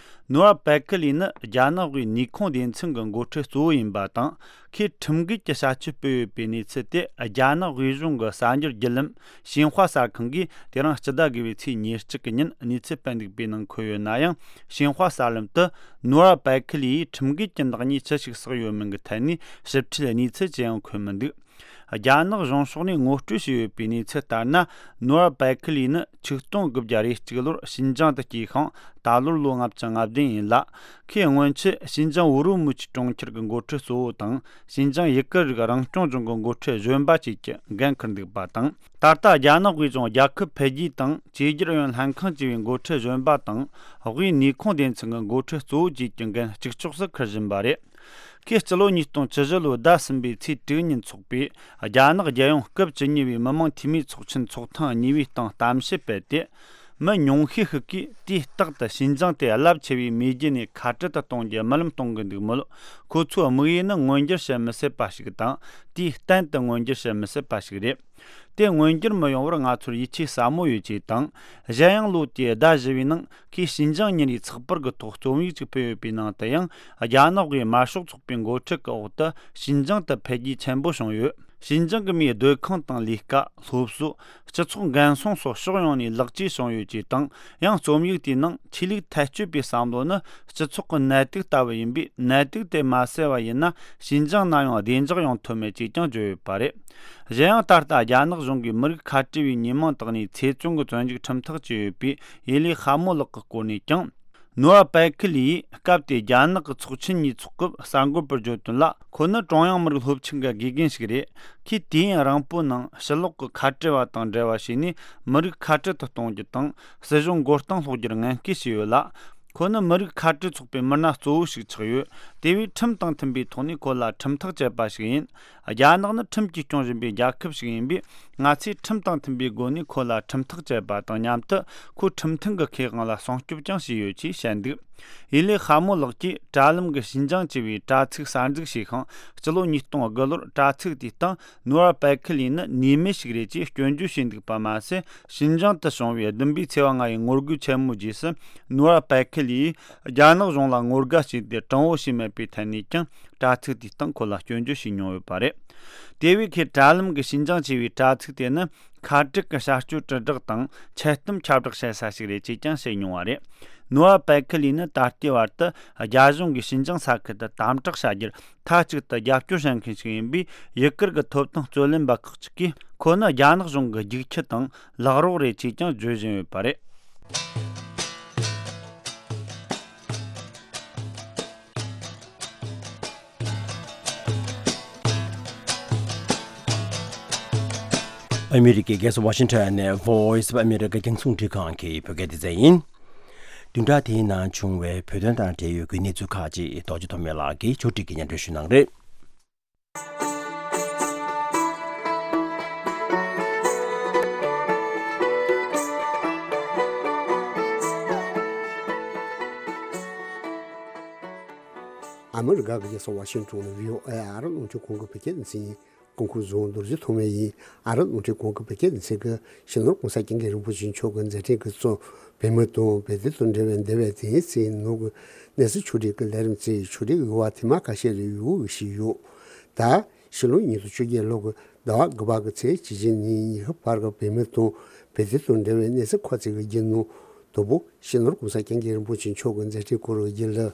ནོར་བ་པེ་ཁི་ལི་ནི་རྒྱ་ནག་དབུས་ནུས་ཁུངས་སྡེ་ཚན་གྱི་འགོ་ཁྲིད་གཙོ་བོ་ཡིན་པ་དང་། ཁོས་ཁྲིམས་འགལ་གྱི་བྱ་སྤྱོད་སྤེལ་ཡོད་པའི་གནས་ཚུལ་དེ་རྒྱ་ནག་དབུས་གཞུང་གི་གསར་འགྱུར་བརྒྱུད་ལམ་ཤིན་ཧྭ་གསར་ཁང་གིས་དེ་རིང་སྤྱི་ཟླ་དགུ་པའི་ཚེས་ཉེར་གཅིག་གི་ཉིན་གནས་ཚུལ་སྤེལ་འདུག་པའི་ནང་འཁོད་ཡོད་ན་ཡང་། ཤིན་ཧྭ་གསར་ལམ་དུ་ནོར་བ་པེ་ཁི་ལི་ཡིས་ཁྲིམས་འགལ་གྱི་ནག་ཉེས་ཅི་ཞིག་བསགས་ཡོད་མིན་གྱི་ཐད་ནས་ཞིབ་ཕྲའི་གནས་ཚུལ་ཅི་ཡང་འཁོད་མི་འདུག་རྒྱ་ནག་གཞུང་ཕྱོགས་ནས་ངོ་སྤྲོད་བྱས་ཡོད་པའི་གནས་ཚུལ་ལྟར་ན། ནོར་བ་པེ་ཁི་ལི་ནི་ཆིག་སྟོང་དགུ་བརྒྱ་རེ་གཅིག་ལོར་ཞིན་ཅང་དུ་སྐྱེས་ཤིང་། ད་ལོར་ལོ་ལྔ་བཅུ་ང་བདུན་ཡིན་ལ། ཁོས་སྔོན་ཆད་ཞིན་ཅང་ཝུ་རུ་མུ་ཆི་གྲོང་ཁྱེར་གྱི་འགོ་ཁྲིད་གཙོ་བོ་དང་། ཞིན་ཅང་ཡུ་གུར་རིགས་རང་སྐྱོང་ལྗོངས་ཀྱི་འགོ་ཁྲིད་གཞོན་པ་བཅས་ཀྱི་འགན་འཁུར་འདུག་པ་དང་། ད་ལྟ་རྒྱ་ནག་དབུས་གཞུང་རྒྱལ་ཁབ་འཕེལ་རྒྱས་དང་བཅོས་བསྒྱུར་ཨུ་ཡོན་ལྷན་ཁང་བཅས་པའི་འགོ་ཁྲིད་གཞོན་པ་དང་། དབུས་ནུས་ཁུངས་སྡེ་ཚན་གྱི་འགོ་ཁྲིད་གཙོ་བོ་བཅས་ཀྱི་འགན་གཅིག་ལྕོགས་སུ་འཁུར་བཞིན་པ་རེད། ཁོས་སྤྱི་ལོ་ཉིས་སྟོང་བཅུ་བཞི་ལོའི་ཟླ་གསུམ་པའི་ཚེས་དྲུག་ཉིན་འཚོགས་པའི་རྒྱ་ནག་རྒྱལ་ཡོངས་སྐབས་བཅུ་གཉིས་པའི་མི་དམངས་འཐུས་མིའི་ཚོགས་ཆེན་ཚོགས་ཐེངས་གཉིས་པའི་སྟེང་གཏམ་བཤད་སྤེལ་ཏེ། མི་ཉུང་ཤས་ཤིག་གིས་དུས་རྟག་ཏུ་ཞིན་ཅང་དེ་རླབས་ཆེ་བའི་མེས་རྒྱལ་ནས་ཁ་བྲལ་དུ་གཏོང་རྒྱུ་རྨི་ལམ་གཏོང་གི་འདུག་མོད། ཁོ་ཚོའི་དམིགས་ཡུལ་ནི་མངོན་འགྱུར་བྱེད་མི་སྲིད་པ་ཞིག་དང་། དུས་གཏན་དུ་མངོན་འགྱུར་བྱེད་མི་སྲིད་པ་ཞིག་རེད། དེ་མངོན་འགྱུར་མི་ཡོང་བར་ང་ཚོར་ཡིད་ཆེས་ཟབ་མོ་ཡོད་ཅེས་དང་། གཞན་ཡང་ལོ་དེའི་ཟླ་བཞི་བའི་ནང་ཁོས་ཞིན་ཅང་ཉིན་རེའི་ཚགས་པར་གྱི་ཐོག་རྩོམ་ཡིག་ཅིག་སྤེལ་ཡོད་པའི་ནང་དུ་ཡང་། རྒྱ་ནག་གི་དམར་ཤོག་ཚོགས་པའི་འགོ་ཁྲིད་ཀྱི་འོག་ཏུ་ཞིན་ཅང་དུ་འཕེལ་རྒྱས་ཆེན་པོ་བྱུང་ཡོད། ཞིན་ཅང་གི་མིའི་སྡོད་ཁང་དང་ལས་ཀ། སློབ་གསོ། སྤྱི་ཚོགས་འགན་སྲུང་སོགས་ཕྱོགས་ཡོངས་ནས་ལེགས་བཅོས་བྱུང་ཡོད་ཅེས་དང་། ཡང་རྩོམ་ཡིག་དེའི་ནང་ཆོས་ལུགས་ཐལ་སྤྱོད་པའི་བསམ་བློ་ནི་སྤྱི་ཚོགས་ཀྱི་ནད་དུག་ལྟ་བུ་ཡིན་པས། ནད་དུག་དེ་མ་སེལ་བ་ཡིན་ན། ཞིན་ཅང་ན་ཡང་བདེ་འཇགས་ཡོང་ཐུབ་མེད་ཅེས་ཀྱང་བརྗོད་ཡོད་པ་རེད། གཞན་ཡང་། ད་ལྟ་རྒྱ་ནག་གཞུང་གིས་མི་རིགས་ཁ་བྲལ་བའི་ཉེས་མིང་བཏགས་ནས་ཚེ་བཙོན་གྱི་བཙོན་འཇུག་ཁྲིམས་ཐག་བཅད་ཡོད་པའི་ཡེ་ལི་ཧ་མོ་ལགས་ཀྱི་སྐོར་ནས་ཀྱང་། ནོ་ཨ་པེ་ཁི་ལིས་སྐབས་དེའི་རྒྱ་ནག་གི་ཚོགས་ཆེན་ཉིས་ཚོགས་སྐབས་གསར་འགོད་པར་བརྗོད་དོན་ལ། ཁོ་ནི་ཀྲུང་དབྱང་མི་རིགས་སློབ་ཆེན་གྱི་དགེ་རྒན་ཞིག་རེད། ཁོས་དུས་ཡུན་རིང་པོའི་ནང་ཕྱི་ལོགས་ཀྱི་ཁ་བྲལ་བ་དང་འབྲེལ་བ་བྱས་ནས། མི་རིགས་ཁ་བྲལ་དུ་གཏོང་རྒྱུ་དང་། སྲིད་གཞུང་མགོ་རྟིང་སློག་རྒྱུར་ངན་སྐུལ་བྱས་ཡོད་ལ། ཁོ་ནི་མི་རིགས་ཁ་བྲལ་ཚོགས་པའི་མི་སྣ་གཙོ་བོ་ཞིག་ཆགས་ཡོད། དེ་བས་ཁྲིམས་དང་མཐུན་པའི་ཐོག་ནས་ཁོ་ལ་ཁྲིམས་ཐག་བཅད་པ་ཞིག་ཡིན། རྒྱ་ནག་ནི་ཁྲིམས་ཀྱིས་སྐྱོང་བཞིན་པའི་རྒྱལ་ཁབ་ཞིག་ཡིན་པས། ང་ཚོས་ཁྲིམས་དང་མཐུན་པའི་སྒོ་ནས་ཁོ་ལ་ཁྲིམས་ཐག་བཅད་པ་དང་མཉམ་དུ། ཁོའི་ཁྲིམས་མཐུན་གྱི་ཁེ་དབང་ལ་སྲུང་སྐྱོབ་ཀྱང་བྱས་ཡོད་ཅེས་བཤད་འདུག་ཡེ་ལི་ཧ་མོ་ལགས་ཀྱིས་དྲ་ལམ་གྱི་ཞིན་ཅང་ཅེས་པའི་དྲ་ཚིགས་གསར་འཛུགས་བྱས་ཤིང་། སྤྱི་ལོ་ཉིས་སྟོང་དགུ་ལོར་དྲ་ཚིགས་དེའི་སྟེང་ནུ་ཨར་པེ་ཁི་ལི་ནི་ཉེས་མེད་ཞིག་རེད་ཅེས་སྐྱོན་བརྗོད་བྱས་འདུག་པ་མ་ཟད། ཞིན་ཅང་དུ་བྱུང་བའི་བདུན་པའི་ཚེས་པ་ལྔ་ཡི་ངོ་རྒོལ་ཆེན་མོའི་རྗེས་སུ། ནུ་ཨར་པེ་ཁི་ལིས་རྒྱ་ནག་གཞུང་ལ་ངོ་དགའ་བྱས་ཏེ་དྲང་བོ་བྱས་མེད་པའི་ཐད་ནས་ཀྱང་། དྲ་ཚིགས་དེའི་སྟེང་ཁོ་ལ་སྐྱོན་བརྗོད་བྱས་མྱོང་ཡོད་པ་རེད། དེ་བས་ཁོས་དྲ་ལམ་གྱི་ཞིན་ཅང་ཅེས་པའི་དྲ་ཚིགས་དེ་ནི་ཁ་བྲལ་གྱི་བྱ་སྤྱོད་དྲིལ་བསྒྲགས་དང་འཆལ་གཏམ་ཁྱབ་བསྒྲགས་བྱེད་ས་ཞིག་རེད་ཅེས་ཀྱང་བཤད་མྱོང་བ་རེད། ནུ་ཨར་པེ་ཁི་ལི་ནི་ད་ལྟའི་བར་དུ་རྒྱ་གཞུང་གིས་ཞིན་ཅང་ས་ཁུལ་དུ་དམ་དྲག་བྱ་རྒྱུར་མཐའ་གཅིག་ཏུ་རྒྱབ་སྐྱོར་བྱེད་མཁན་ཞིག་ཡིན་པས། ཡུ་གུར་གྱི་ཐོབ་ཐང་རྩོད་ལེན་པ་ཁག་ཅིག་གིས་ཁོ་ནི་རྒྱ་ནག་གཞུང་གི་རྒྱུག་ཁྱི་དང་ལག་རོགས་རེད་ཅེས་ཀྱང་བརྗོད་བཞིན་ཡོད་པ་རེད། ཨ་མི་རི་ཀའི་རྒྱལ་ས་ཝ་ཤིང་ཊོན་ནས་Voice of America རྒྱང་སྲིང་འཕྲིན་ཁང་གི་བོད་སྐད་སྡེ་ཚན་ཡིན། བདུན་ཕྲག་དེའི་ནང་བྱུང་བའི་བོད་དོན་དང་འབྲེལ་ཡོད་ཀྱི་གནས་ཚུལ་ཁག་ཅིག་རྡོ་རྗེ་ཐོགས་མེད་ལགས་ཀྱིས་ཕྱོགས་སྒྲིག་གིས་སྙན་སྒྲོན་ཞུ་གནང་རེད། ཨ་མི་རི་ཀ་གི་རྒྱལ་ས་ཝ་ཤིང་ཊོན་ནས་བྷི་ཨོ་ཨེ་ཨ་རི་རླུང་འཕྲིན་ཁང་གི་བོད་སྐད་སྡེ་ཚན་ཡིན། སྐུ་ཁམས་བཟང་། རྡོ་རྗེ་ཐོགས་མེད་ཡིན། ཨ་རི་རླུང་འཕྲིན་ཁང་གི་བོད་སྐད་སྡེ་ཚན་གྱིས་སྤྱི་ནོར་༸གོང་ས་༸སྐྱབས་མགོན་རིན་པོ་ཆེ་མཆོག་གི་མཛད་འཕྲིན་གྱི་གཙོ། བོད་མི་དང་བོད་དོན་དང་འབྲེལ་བའི་འདས་པའི་དེང་སང་ནང་གི་གནས་ཚུལ་ཕྱོགས་སྒྲིག་གི་ལས་རིམ་བཅས་ཕྱོགས་སྒྲིག་ཡོད་པ་དེ་མ་ཁ་ཤས་རེ་ཡོད་ཞིག་ཡོད། ད་ཕྱི་ལོ་ཉིས་སྟོང་བཅོ་བརྒྱད་ལོ་གི་ཟླ་བ་དགུ་པ་གི་ཚེས་བཅུ་བཞི་ཉིན་ཉི་ཤུ་བར་གྱི་བོད་མི་དང་བོད་དོན་དང་འབྲེལ་བའི་གནས་ཚུལ་ཁག་ཅིག་གི་བརྒྱུད་ནང་དང་པོ་སྤྱི་ནོར་༸གོང་ས་༸སྐྱབས་མགོན་རིན་པོ་ཆེ་མཆོག་གི་མཛད་འཕྲིན་སྐོར་གྱི་བརྒྱུད་ལ།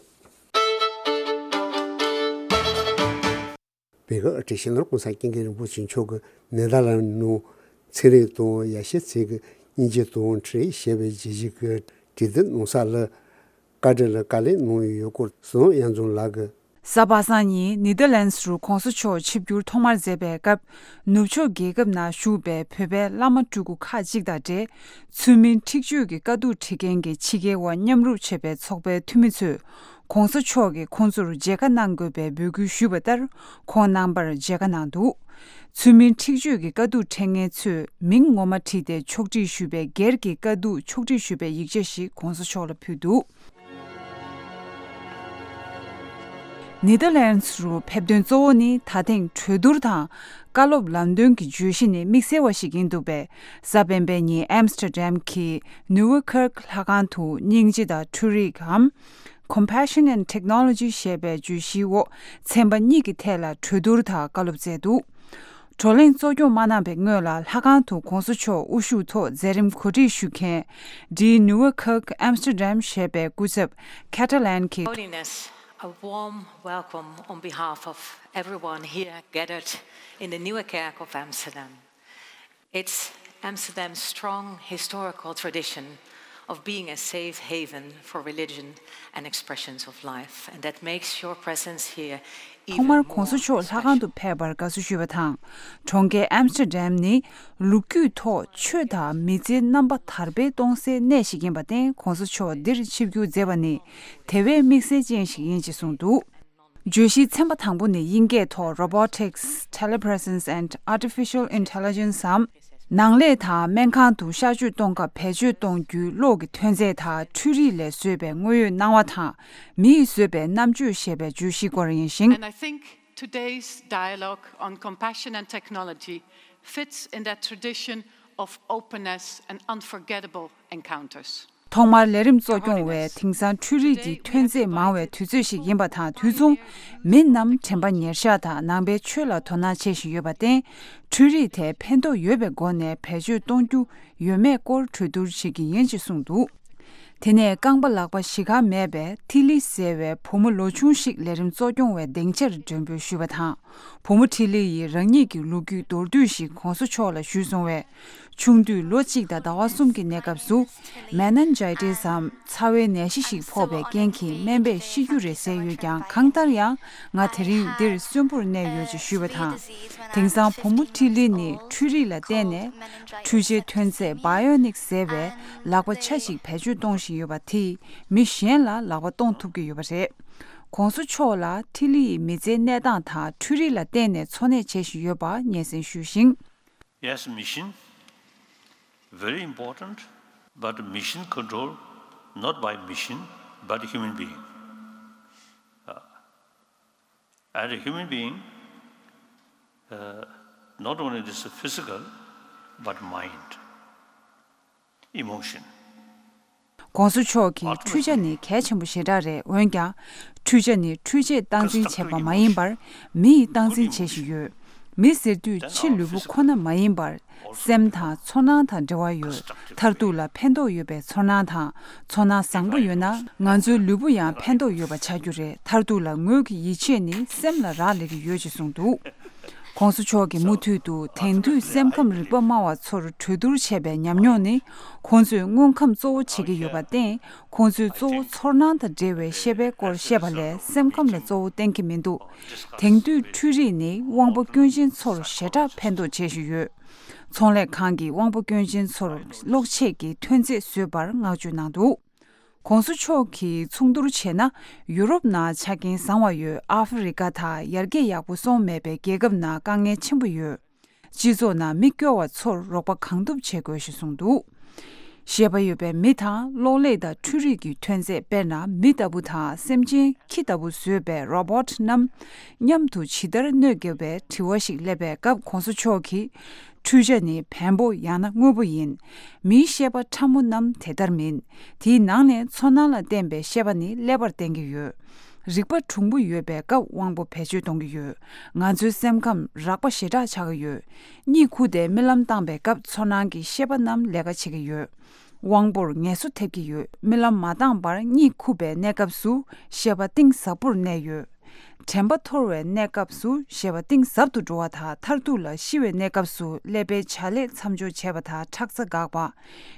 བོད་ཀྱི་སྤྱི་ནོར་༸གོང་ས་༸སྐྱབས་མགོན་རིན་པོ་ཆེ་མཆོག་གིས་ནེ་དར་ལན་ནང་ཚན་རིག་དང་ཡེ་ཤུའི་རྩིས་ཀྱི་སྙིང་རྗེ་དང་འཕྲིན་ཡིག་ཞེས་པའི་བརྗོད་གཞི་གི་བྲིས་དེབ་གནང་ས་ལ་བཀའ་འདྲི་ལ་བཀའ་ལན་གནང་ཡོད་སྐོར་བསོད་ནམས་དབྱངས་འཛོམས་ལགས་ཀྱིས། གཟའ་པ་སངས་ཉིན་ནེ་དར་ལན་སི་རུ་༸གོང་ས་མཆོག་ཆིབས་བསྒྱུར་ཐོག་མར་མཛད་པའི་སྐབས། ནུབ་ཕྱོགས་རྒྱལ་ཁབ་ནང་བཞུགས་པའི་བོད་པའི་བླ་མ་སྤྲུལ་སྐུ་ཁག་ཅིག་དང་འབྲེལ། ཚུལ་མིན་འཁྲིག་སྤྱོད་ཀྱི་དཀའ་སྡུག་འཕྲད་མཁན་གྱི་ཕྱི་རྒྱལ་བ་མཉམ་རུབ་བྱེད་པའི་ཚོགས་པའི་འཐུས་མི་ཚོས། ༸གོང་ས་མཆོག་གིས་ཁོང་ཚོར་མཇལ་ཁ་གནང་དགོས་པའི་འབོད་སྐུལ་ཞུས་པ་ལྟར། ཁོང་རྣམ་པར་མཇལ་ཁ་གནང་འདུག་ཚུལ་མིན་འཁྲིག་སྤྱོད་ཀྱི་དཀའ་སྡུག་འཕྲད་མཁན་ཚོས་མིང་ངོ་མ་བྲིས་ཏེ་ཕྱོགས་སྒྲིག་ཞུས་པའི་སྒེར་གྱི་དཀའ་སྡུག་ཕྱོགས་སྒྲིག་ཞུས་པའི་ཡིག་ཆ་ཞིག་༸གོང་ས་མཆོག་ལ་ཕུལ་འདུག་ནེ་དར་ལན་སི་རུ་ཕེབས་དོན་གཙོ་བོ་ནི་ད་ཐེངས་གྲོས་བསྡུར་དང་བཀའ་སློབ་ལམ་སྟོན་གྱི་བརྗོད་གཞི་ནི་དམིགས་བསལ་བ་ཞིག་ཡིན་འདུག་པས། གཟའ་སྤེན་པའི་ཉིན་ཨེམ་སི་ཊར་ཌམ་གྱི་ནུ་ཝེ་ཁར་ལྷ་ཁང་དུ་སྙིང་རྗེ་དང་འཕྲུལ་རིག་གམ། Compassion and Technology ཞེས་པའི་བརྗོད་གཞིའི་འོག་ཚན་པ་གཉིས་ཀྱི་ཐད་ལ་གྲོས་བསྡུར་དང་བཀའ་སློབ་སྩལ་འདུག་བགྲོ་གླེང་གཙོ་སྐྱོང་མ་གནང་བའི་སྔོན་ལ་ལྷ་ཁང་དུ་གོང་ས་མཆོག་དབུ་བཞུགས་ཐོག་མཛད་རིམ་གོ་སྒྲིག་ཞུ་མཁན་ཌི་ནུ་ཝེ་ཁག་ཨེམ་སི་ཊར་ཌམ་ཞེས་པའི་སྐུ་ཚབ་ཁེ་ཊ་ལན་གྱིས། Holiness, a warm welcome on behalf of everyone here gathered in the Nieuwe Kerk of Amsterdam. It's Amsterdam's strong historical tradition of being a safe haven for religion and expressions of life, and that makes your presence here even more special. ཐོག་མར་གོང་ས་མཆོག་ལྷ་ཁང་དུ་ཕེབས་པར་དགའ་བསུ་ཞུས་པ་དང་། གྲོང་ཁྱེར་ཨེམ་སི་ཊར་ཌམ་ནི་ལོ་རྒྱུས་ཐོག་ཆོས་དང་མི་ཚེའི་རྣམ་པ་དར་སྤེལ་གཏོང་སའི་གནས་ཤིག་ཡིན་པར་བརྟེན། གོང་ས་མཆོག་འདིར་ཆིབས་བསྒྱུར་མཛད་པ་ནི་དེ་བས་དམིགས་བསལ་ཅན་ཞིག་ཡིན་ཅེས་གསུངས་འདུག་བརྗོད་གཞིའི་ཚན་པ་དང་པོ་ནི་དབྱིན་སྐད་ཐོག་Robotics, Telepresence and Artificial Intelligence འམ། ནང་ལས་དང་སྨན་ཁང་དུ་གཤག་བཅོས་གཏོང་སྐབས་བེད་སྤྱོད་གཏོང་རྒྱུའི་གློག་གི་ཐོན་རྫས་དང་འཕྲུལ་རིག་ལས་བཟོས་པའི་དངོས་ཡོད་སྣང་བ་དང་། མི་ཡིས་བཟོས་པའི་རྣམ་དཔྱོད་ཞེས་པའི་བརྗོད་གཞིའི་སྐོར་ཡིན་ཞིང་། And I think today's dialogue on compassion and technology fits in that tradition of openness and unforgettable encounters. ཐོག་མར་ལས་རིམ་གཙོ་སྐྱོང་བས་དེང་སང་འཕྲུལ་རིག་གི་ཐོན་རྫས་མང་བའི་དུས་ཚོད་ཞིག་ཡིན་པ་དང་། དུས་མཚུངས་མི་རྣམས་དྲན་པ་ཉེར་བཞག་དང་ནང་པའི་ཆོས་ལ་དོ་སྣང་བྱེད་བཞིན་ཡོད་པར་བརྟེན། འཕྲུལ་རིག་དེ་ཕན་ཐོགས་ཡོད་པའི་སྒོ་ནས་བེད་སྤྱོད་གཏོང་རྒྱུ་ཡོད་མེད་སྐོར་གྲོས་བསྡུར་བྱེད་ཀྱི་ཡིན་ཅེས་གསུངས་འདུག་དེ་ནས་རྐང་པ་ལག་པ་བཞི་ག་མེད་པའི་ཐི་ལི་ཟེར་བའི་བུ་མོ་ལོ་ཆུང་ཞིག་ལས་རིམ་གཙོ་སྐྱོང་བས་སྡིངས་ཆར་མགྲོན་འབོད་ཞུས་པ་དང་། བུ་མོ་ཁྲི་ལི་ཡིས་རང་ཉིད་ཀྱི་ལོ་རྒྱུས་མདོར་བསྡུས་ཤིག་གོང་ས་མཆོག་ལ་ཞུས་སོང་བས། ཆུང་དུས་ལོ་གཅིག་དང་ཟླ་བ་གསུམ་གྱི་གནས་སྐབས་སུ། མེ་ནན་ཇའི་ཏི་སམ་ཚ་བའི་ནད་གཞི་ཞིག་ཕོག་པའི་རྐྱེན་གྱིས་སྨན་པས་ཤི་རྒྱུ་རེད་ཟེར་ཡོད་ཀྱང་། གང་ལྟར་ཡང་ང་དེ་རིང་འདིར་གསོན་པོར་གནས་ཡོད་ཅེས་ཞུས་པ་དང་། དེང་སང་བུ་མོ་ཁྲི་ལི་ནི་འཕྲུལ་རིག་ལ་བརྟེན་ནས་འཕྲུལ་ཆས་ཐོན་རྫས་བྷ་ཡོ་ནིག་ཟེར་བའི་ལག་པ་ཆ་གཅིག་བེད་སྤྱོད་གཏོང་བཞིན་ཡོད་པ་དེས་མི་གཞན་ལ་ལག་པ་གཏོང་ཐུབ་ཀྱི་ཡོད་པ་རེད། གོང་ས་མཆོག་ལ་ཐི་ལི་ཡི་མི་ཚེའི་གནས་སྟངས་དང་འཕྲུལ་རིག་ལ་བརྟེན་ནས་འཚོ་གནས་བྱེད་བཞིན་ཡོད་པ་སྙན་སེང་ཞུས་ཤིང་། Yes, mission, very important, but mission control not by machine, but human being. Uh, and a human being, uh, not only this physical, but mind, emotion. གོང་ས་མཆོག་གིས་འཕྲུལ་ཆ་ནི་གལ་ཆེན་པོ་ཞེ་དྲག་རེད། འོན་ཀྱང་། འཕྲུལ་ཆ་ནི་འཕྲུལ་ཆས་སྟངས་འཛིན་བྱེད་པ་མ་ཡིན་པར། མི་ཡིས་སྟངས་འཛིན་བྱེད་བཞིན་ཡོད། མི་ཟེར་དུས་ཕྱི་ལུས་པོ་ཁོ་ན་མ་ཡིན་པར། སེམས་དང་ཚོར་སྣང་དང་འབྲེལ་བ་ཡོད། མཐར་ཐུག་ལ་ཕན་ཐོགས་ཡོད་པའི་ཚོར་སྣང་དང་། ཚོར་སྣང་བཟང་པོ་ཡོད་ན། ང་ཚོའི་ལུས་པོ་ཡང་ཕན་ཐོགས་ཡོད་པ་ཆགས་རྒྱུ་རེད། མཐར་ཐུག་ལ་ངོས་ཀྱི་ཡིད་ཆེས་ནི་སེམས་ལ་རག་ལས་ཀྱི་ཡོད་ཅེས་གསུངས་འདུག་གོང་ས་མཆོག་གིས་མུ་མཐུད་དུ་དེང་དུས་སེམས་ཁམས་རིག་པ་སྨྲ་བ་ཚོར་གྲོས་བསྡུར་བྱས་པའི་ཉམས་མྱོང་ནི། ཁོང་ཚོས་དངོས་ཁམས་གཙོ་བོ་བྱེད་ཀྱི་ཡོད་པར་བརྟེན། ཁོང་ཚོས་གཙོ་བོ་ཚོར་སྣང་དང་འབྲེལ་བའི་ཤེས་པའི་སྐོར་བཤད་པ་ལས་སེམས་ཁམས་ལ་གཙོ་བོ་བསྟན་གྱི་མི་འདུག་དེང་དུས་འཕྲུལ་རིག་ནི་དབང་པོ་སྐྱོན་ཅན་ཚོར་ཞེ་དྲག་ཕན་ཐོགས་བྱེད་བཞིན་ཡོད། ཚོང་ལས་ཁང་གིས་དབང་པོ་སྐྱོན་ཅན་ཚོར་གློག་ཆས་ཀྱི་ཐོན་རྫས་བཟོས་པར་བསྔགས་བརྗོད་གནང་འདུག་གོང་ས་མཆོག་གིས་མཚུངས་བསྡུར་བྱས་ན། ཡུ་རོབ་ནང་ཆ་རྐྱེན་བཟང་བ་ཡོད། ཨ་ཧྥེ་རི་ཀ་དང་ཡར་རྒྱས་ཡག་པོ་སོང་མེད་པའི་རྒྱལ་ཁབ་ནང་དཀའ་ངལ་ཆེན་པོ་ཡོད། སྤྱི་ཚོགས་ནང་མི་སྐྱོ་བ་ཚོར་རོགས་པ་གང་ཐུབ་བྱེད་དགོས་ཞེས་གསུངས་འདུག་ཤེས་པ་ཡོད་པའི་མི་དང་གློག་ཀླད་དང་འཕྲུལ་རིག་གི་ཐོན་རྫས། དཔེར་ན་མི་ལྟ་བུ་དང་སེམས་ཅན་ཁྱི་ལྟ་བུ་བཟོས་པའི་རོ་བོ་ཊི་རྣམས་མཉམ་དུ་ཇི་ལྟར་གནོད་དགོས་པའི་དྲི་བ་ཞིག་སླེབས་པའི་སྐབས། གོང་ས་མཆོག་གིས། འཕྲུལ་ཆ་ནི་བེམ་པོ་ཡང་ན་དངོས་པོ་ཡིན། མིའི་ཤེས་པ་ཕྲ་མོ་རྣམས་དེ་ལྟར་མིན། དེའི་ནང་ནས་ཚོར་སྣང་ལ་བརྟེན་པའི་ཤེས་པ་ནི་ཀླད་པར་བརྟེན་གྱི་ཡོད། རིག་པ་གྲུང་པོ་ཡོད་པའི་སྐབས་དབང་པོ་བེད་སྤྱོད་གཏོང་གི་ཡོད། ང་ཚོའི་སེམས་ཁམས་རགས་པ་ཞེ་དྲག་ཆགས་ཀྱི་ཡོད། གཉིད་ཁུག་སྟེ་རྨི་ལམ་བཏང་པའི་སྐབས་ཚོར་སྣང་གི་ཤེས་པ་རྣམས་ལས་ཀ་བྱེད་ཀྱི་ཡོད། དབང་པོར་ངལ་གསོ་ཐེབས་ཀྱི་ཡོད། རྨི་ལམ་མ་བཏང་བར་གཉིད་ཁུག་པའི་གནས་སྐབས་སུ་ཤེས་པ་གཏིང་ཟབ་པོར་གནས་ཡོད། དྲན་པ་འཐོར་བའི་གནས་སྐབས་སུ་ཤེས་པ་གཏིང་ཟབ་ཏུ་འགྲོ་བ་དང་། མཐར་ཐུག་ལ་ཤི་བའི་གནས་སྐབས་སུ་ཀླད་པའི་བྱ་ལས་མཚམས་འཇོག་བྱས་པ་དང་ཁྲག་རྩ་འགག་པ།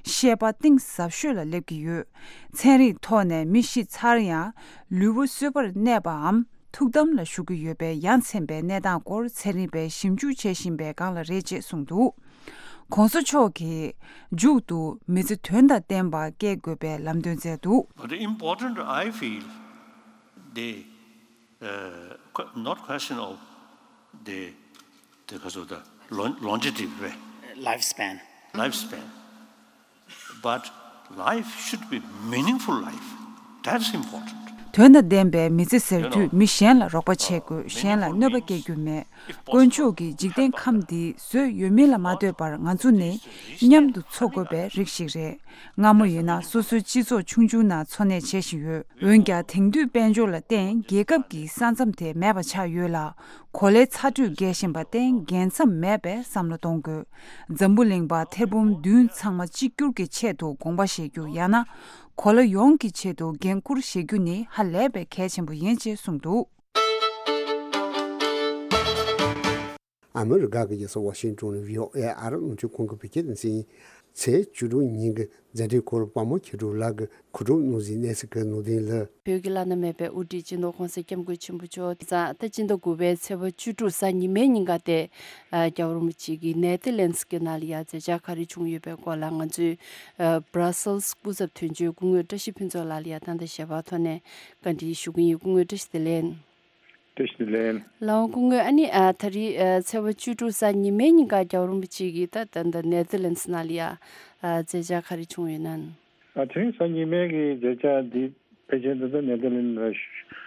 ཤེས་པ་གཏིང་ཟབ་ཤོས་ལ་སླེབས་ཀྱི་ཡོད། ཚན་རིག་ཐོག་ནས་མི་ཤི་ཚར་ཡང་ལུས་པོ་གསོས་པར་གནས་པའམ་ཐུགས་དམ་ལ་བཞུགས་ཀྱི་ཡོད་པའི་ཡ་མཚན་པའི་གནས་སྟངས་སྐོར་ཚན་རིག་པས་ཞིབ་འཇུག་བྱེད་བཞིན་པའི་སྒང་ལ་རེད་ཅེས་གསུངས་འདུག་གོང་ས་མཆོག་གིས་མཇུག་ཏུ་མི་ཚེ་དོན་དང་ལྡན་པ་སྐྱེལ་དགོས་པའི་ལམ་སྟོན་མཛད་འདུག But important, I feel, the uh, que- not question of the, the, the lon- longevity, right? Lifespan. Lifespan. But life should be meaningful life. That's important. དོན་དང་ལྡན་པའི་མི་ཚེ་ཟེར་དུས་མི་གཞན་ལ་རོགས་པ་བྱེད་དགོས། གཞན་ལ་གནོད་པ་སྐྱེལ་རྒྱུ་མེད། དཀོན་མཆོག་གིས་འཇིག་རྟེན་ཁམས་འདི་བཟོས་ཡོད་མིན་ལ་མ་ལྟོས་པར་ང་ཚོ་ནི་མཉམ་དུ་འཚོ་དགོས་པའི་རིགས་ཤིག་རེད། སྔ་མོ་ཡིན་ན་སོ་སོའི་སྤྱི་ཚོགས་ཆུང་ཆུང་ནང་འཚོ་གནས་བྱེད་བཞིན་ཡོད། འོན་ཀྱང་དེང་དུས་དཔལ་འབྱོར་ལ་བརྟེན་རྒྱལ་ཁབ་ཀྱི་ས་མཚམས་དེ་མེད་པ་ཆགས་ཡོད་ལ། གོ་ལའི་ཚ་དྲོད་རྒྱས་བཞིན་པར་བརྟེན་རྒྱལ་མཚམས་མེད་པའི་བསམ་བློ་གཏོང་དགོས། འཛམ་བུ་གླིང་པ་ཐེར་འབུམ་བདུན་ཚང་མ་གཅིག་གྱུར་གྱི་ཆེད་དུ་དགོངས་པ་བཞེས་རྒྱུ་ཡང་ན། གོ་ལ་ཡོངས་ཀྱི་ཆེད་དུ་འགན་འཁུར་བཞེས་རྒྱུ་ནི་ཧ་ལས་པའི་གལ་ཆེན་པོ་ཡིན་ཅེས་གསུངས་འདུག་ཨ་མི་རི་ཀ་གི་རྒྱལ་ས་ཝ་ཤིང་ཏོན་ནས་བྷི་ཨོ་ཨེ་ཨ་རི་རླུང་འཕྲིན་ཁང་གི་བོད་སྐད་སྡེ་ཚན་ཡིན། ཚེས་བཅུ་དྲུག་ཉིན་གྱི་མཛད་འཕྲིན་སྐོར་དཔའ་མོ་མཁས་གྲུབ་ལགས་ཀྱིས་གོ་སྒྲིག་གནང་ཟིན་གནས་ཚུལ་གྱི་ནང་དོན་ལ། བོད་ཀྱི་བླ་ན་མེད་པའི་དབུ་ཁྲིད་སྤྱི་ནོར་༸གོང་ས་༸སྐྱབས་མགོན་ཆེན་པོ་མཆོག་དེ་ཙང་ད་སྤྱི་ཟླ་དགུ་པའི་ཚེས་པ་བཅུ་དྲུག་གཟའ་ཉི་མའི་ཉིན་ཀ་དེ་རྒྱལ་བ་རིན་པོ་ཆེ་གིས་ནེ་ཐར་ལན་སི་གི་ནང་ལ་ཡ་མཛད་འཆར་ག་རེ་བྱུང་ཡོད་པའི་སྐོར་ལ་ང་ཚོའི་Brussels་སྐུ་ཚབ་དོན་གཅོད་སྐུ་ངོ་བཀྲ་ཤིས་ཕུན་ཚོགས་ལགས་ལ་ཡ་ད་ལྟ་ཞལ་པར་ཐོག་ནས་བཀའ་འདྲི་ཞུ་གི་ཡིན། སྐུ་ངོ་བཀྲ་ཤིས་བདེ་ལེགས། བཀྲ་ཤིས་བདེ་ལེགས། ལགས་འོང་སྐུ་ངོ། ཨ་ནི་ཨ་ད་རེས་ཨ་ཚེས་པ་བཅུ་དྲུག་གཟའ་ཉི་མའི་ཉིན་ཀ་རྒྱལ་བ་རིན་པོ་ཆེ་གིས་ད་ད་ད་ནེ་ཐར་ལན་སི་ནང་ལ་ཡ་ཨ་མཛད་འཆར་ག་རེ་བྱུང་ཡོད་ན། ཨ་དེ་རིང་གཟའ་ཉི་མའི་གི་མཛད་འཆར་འདི་ཕལ་ཆེར་ད་ལྟ་ནེ་ཐར་ལན་སི་ལ་བཞུགས་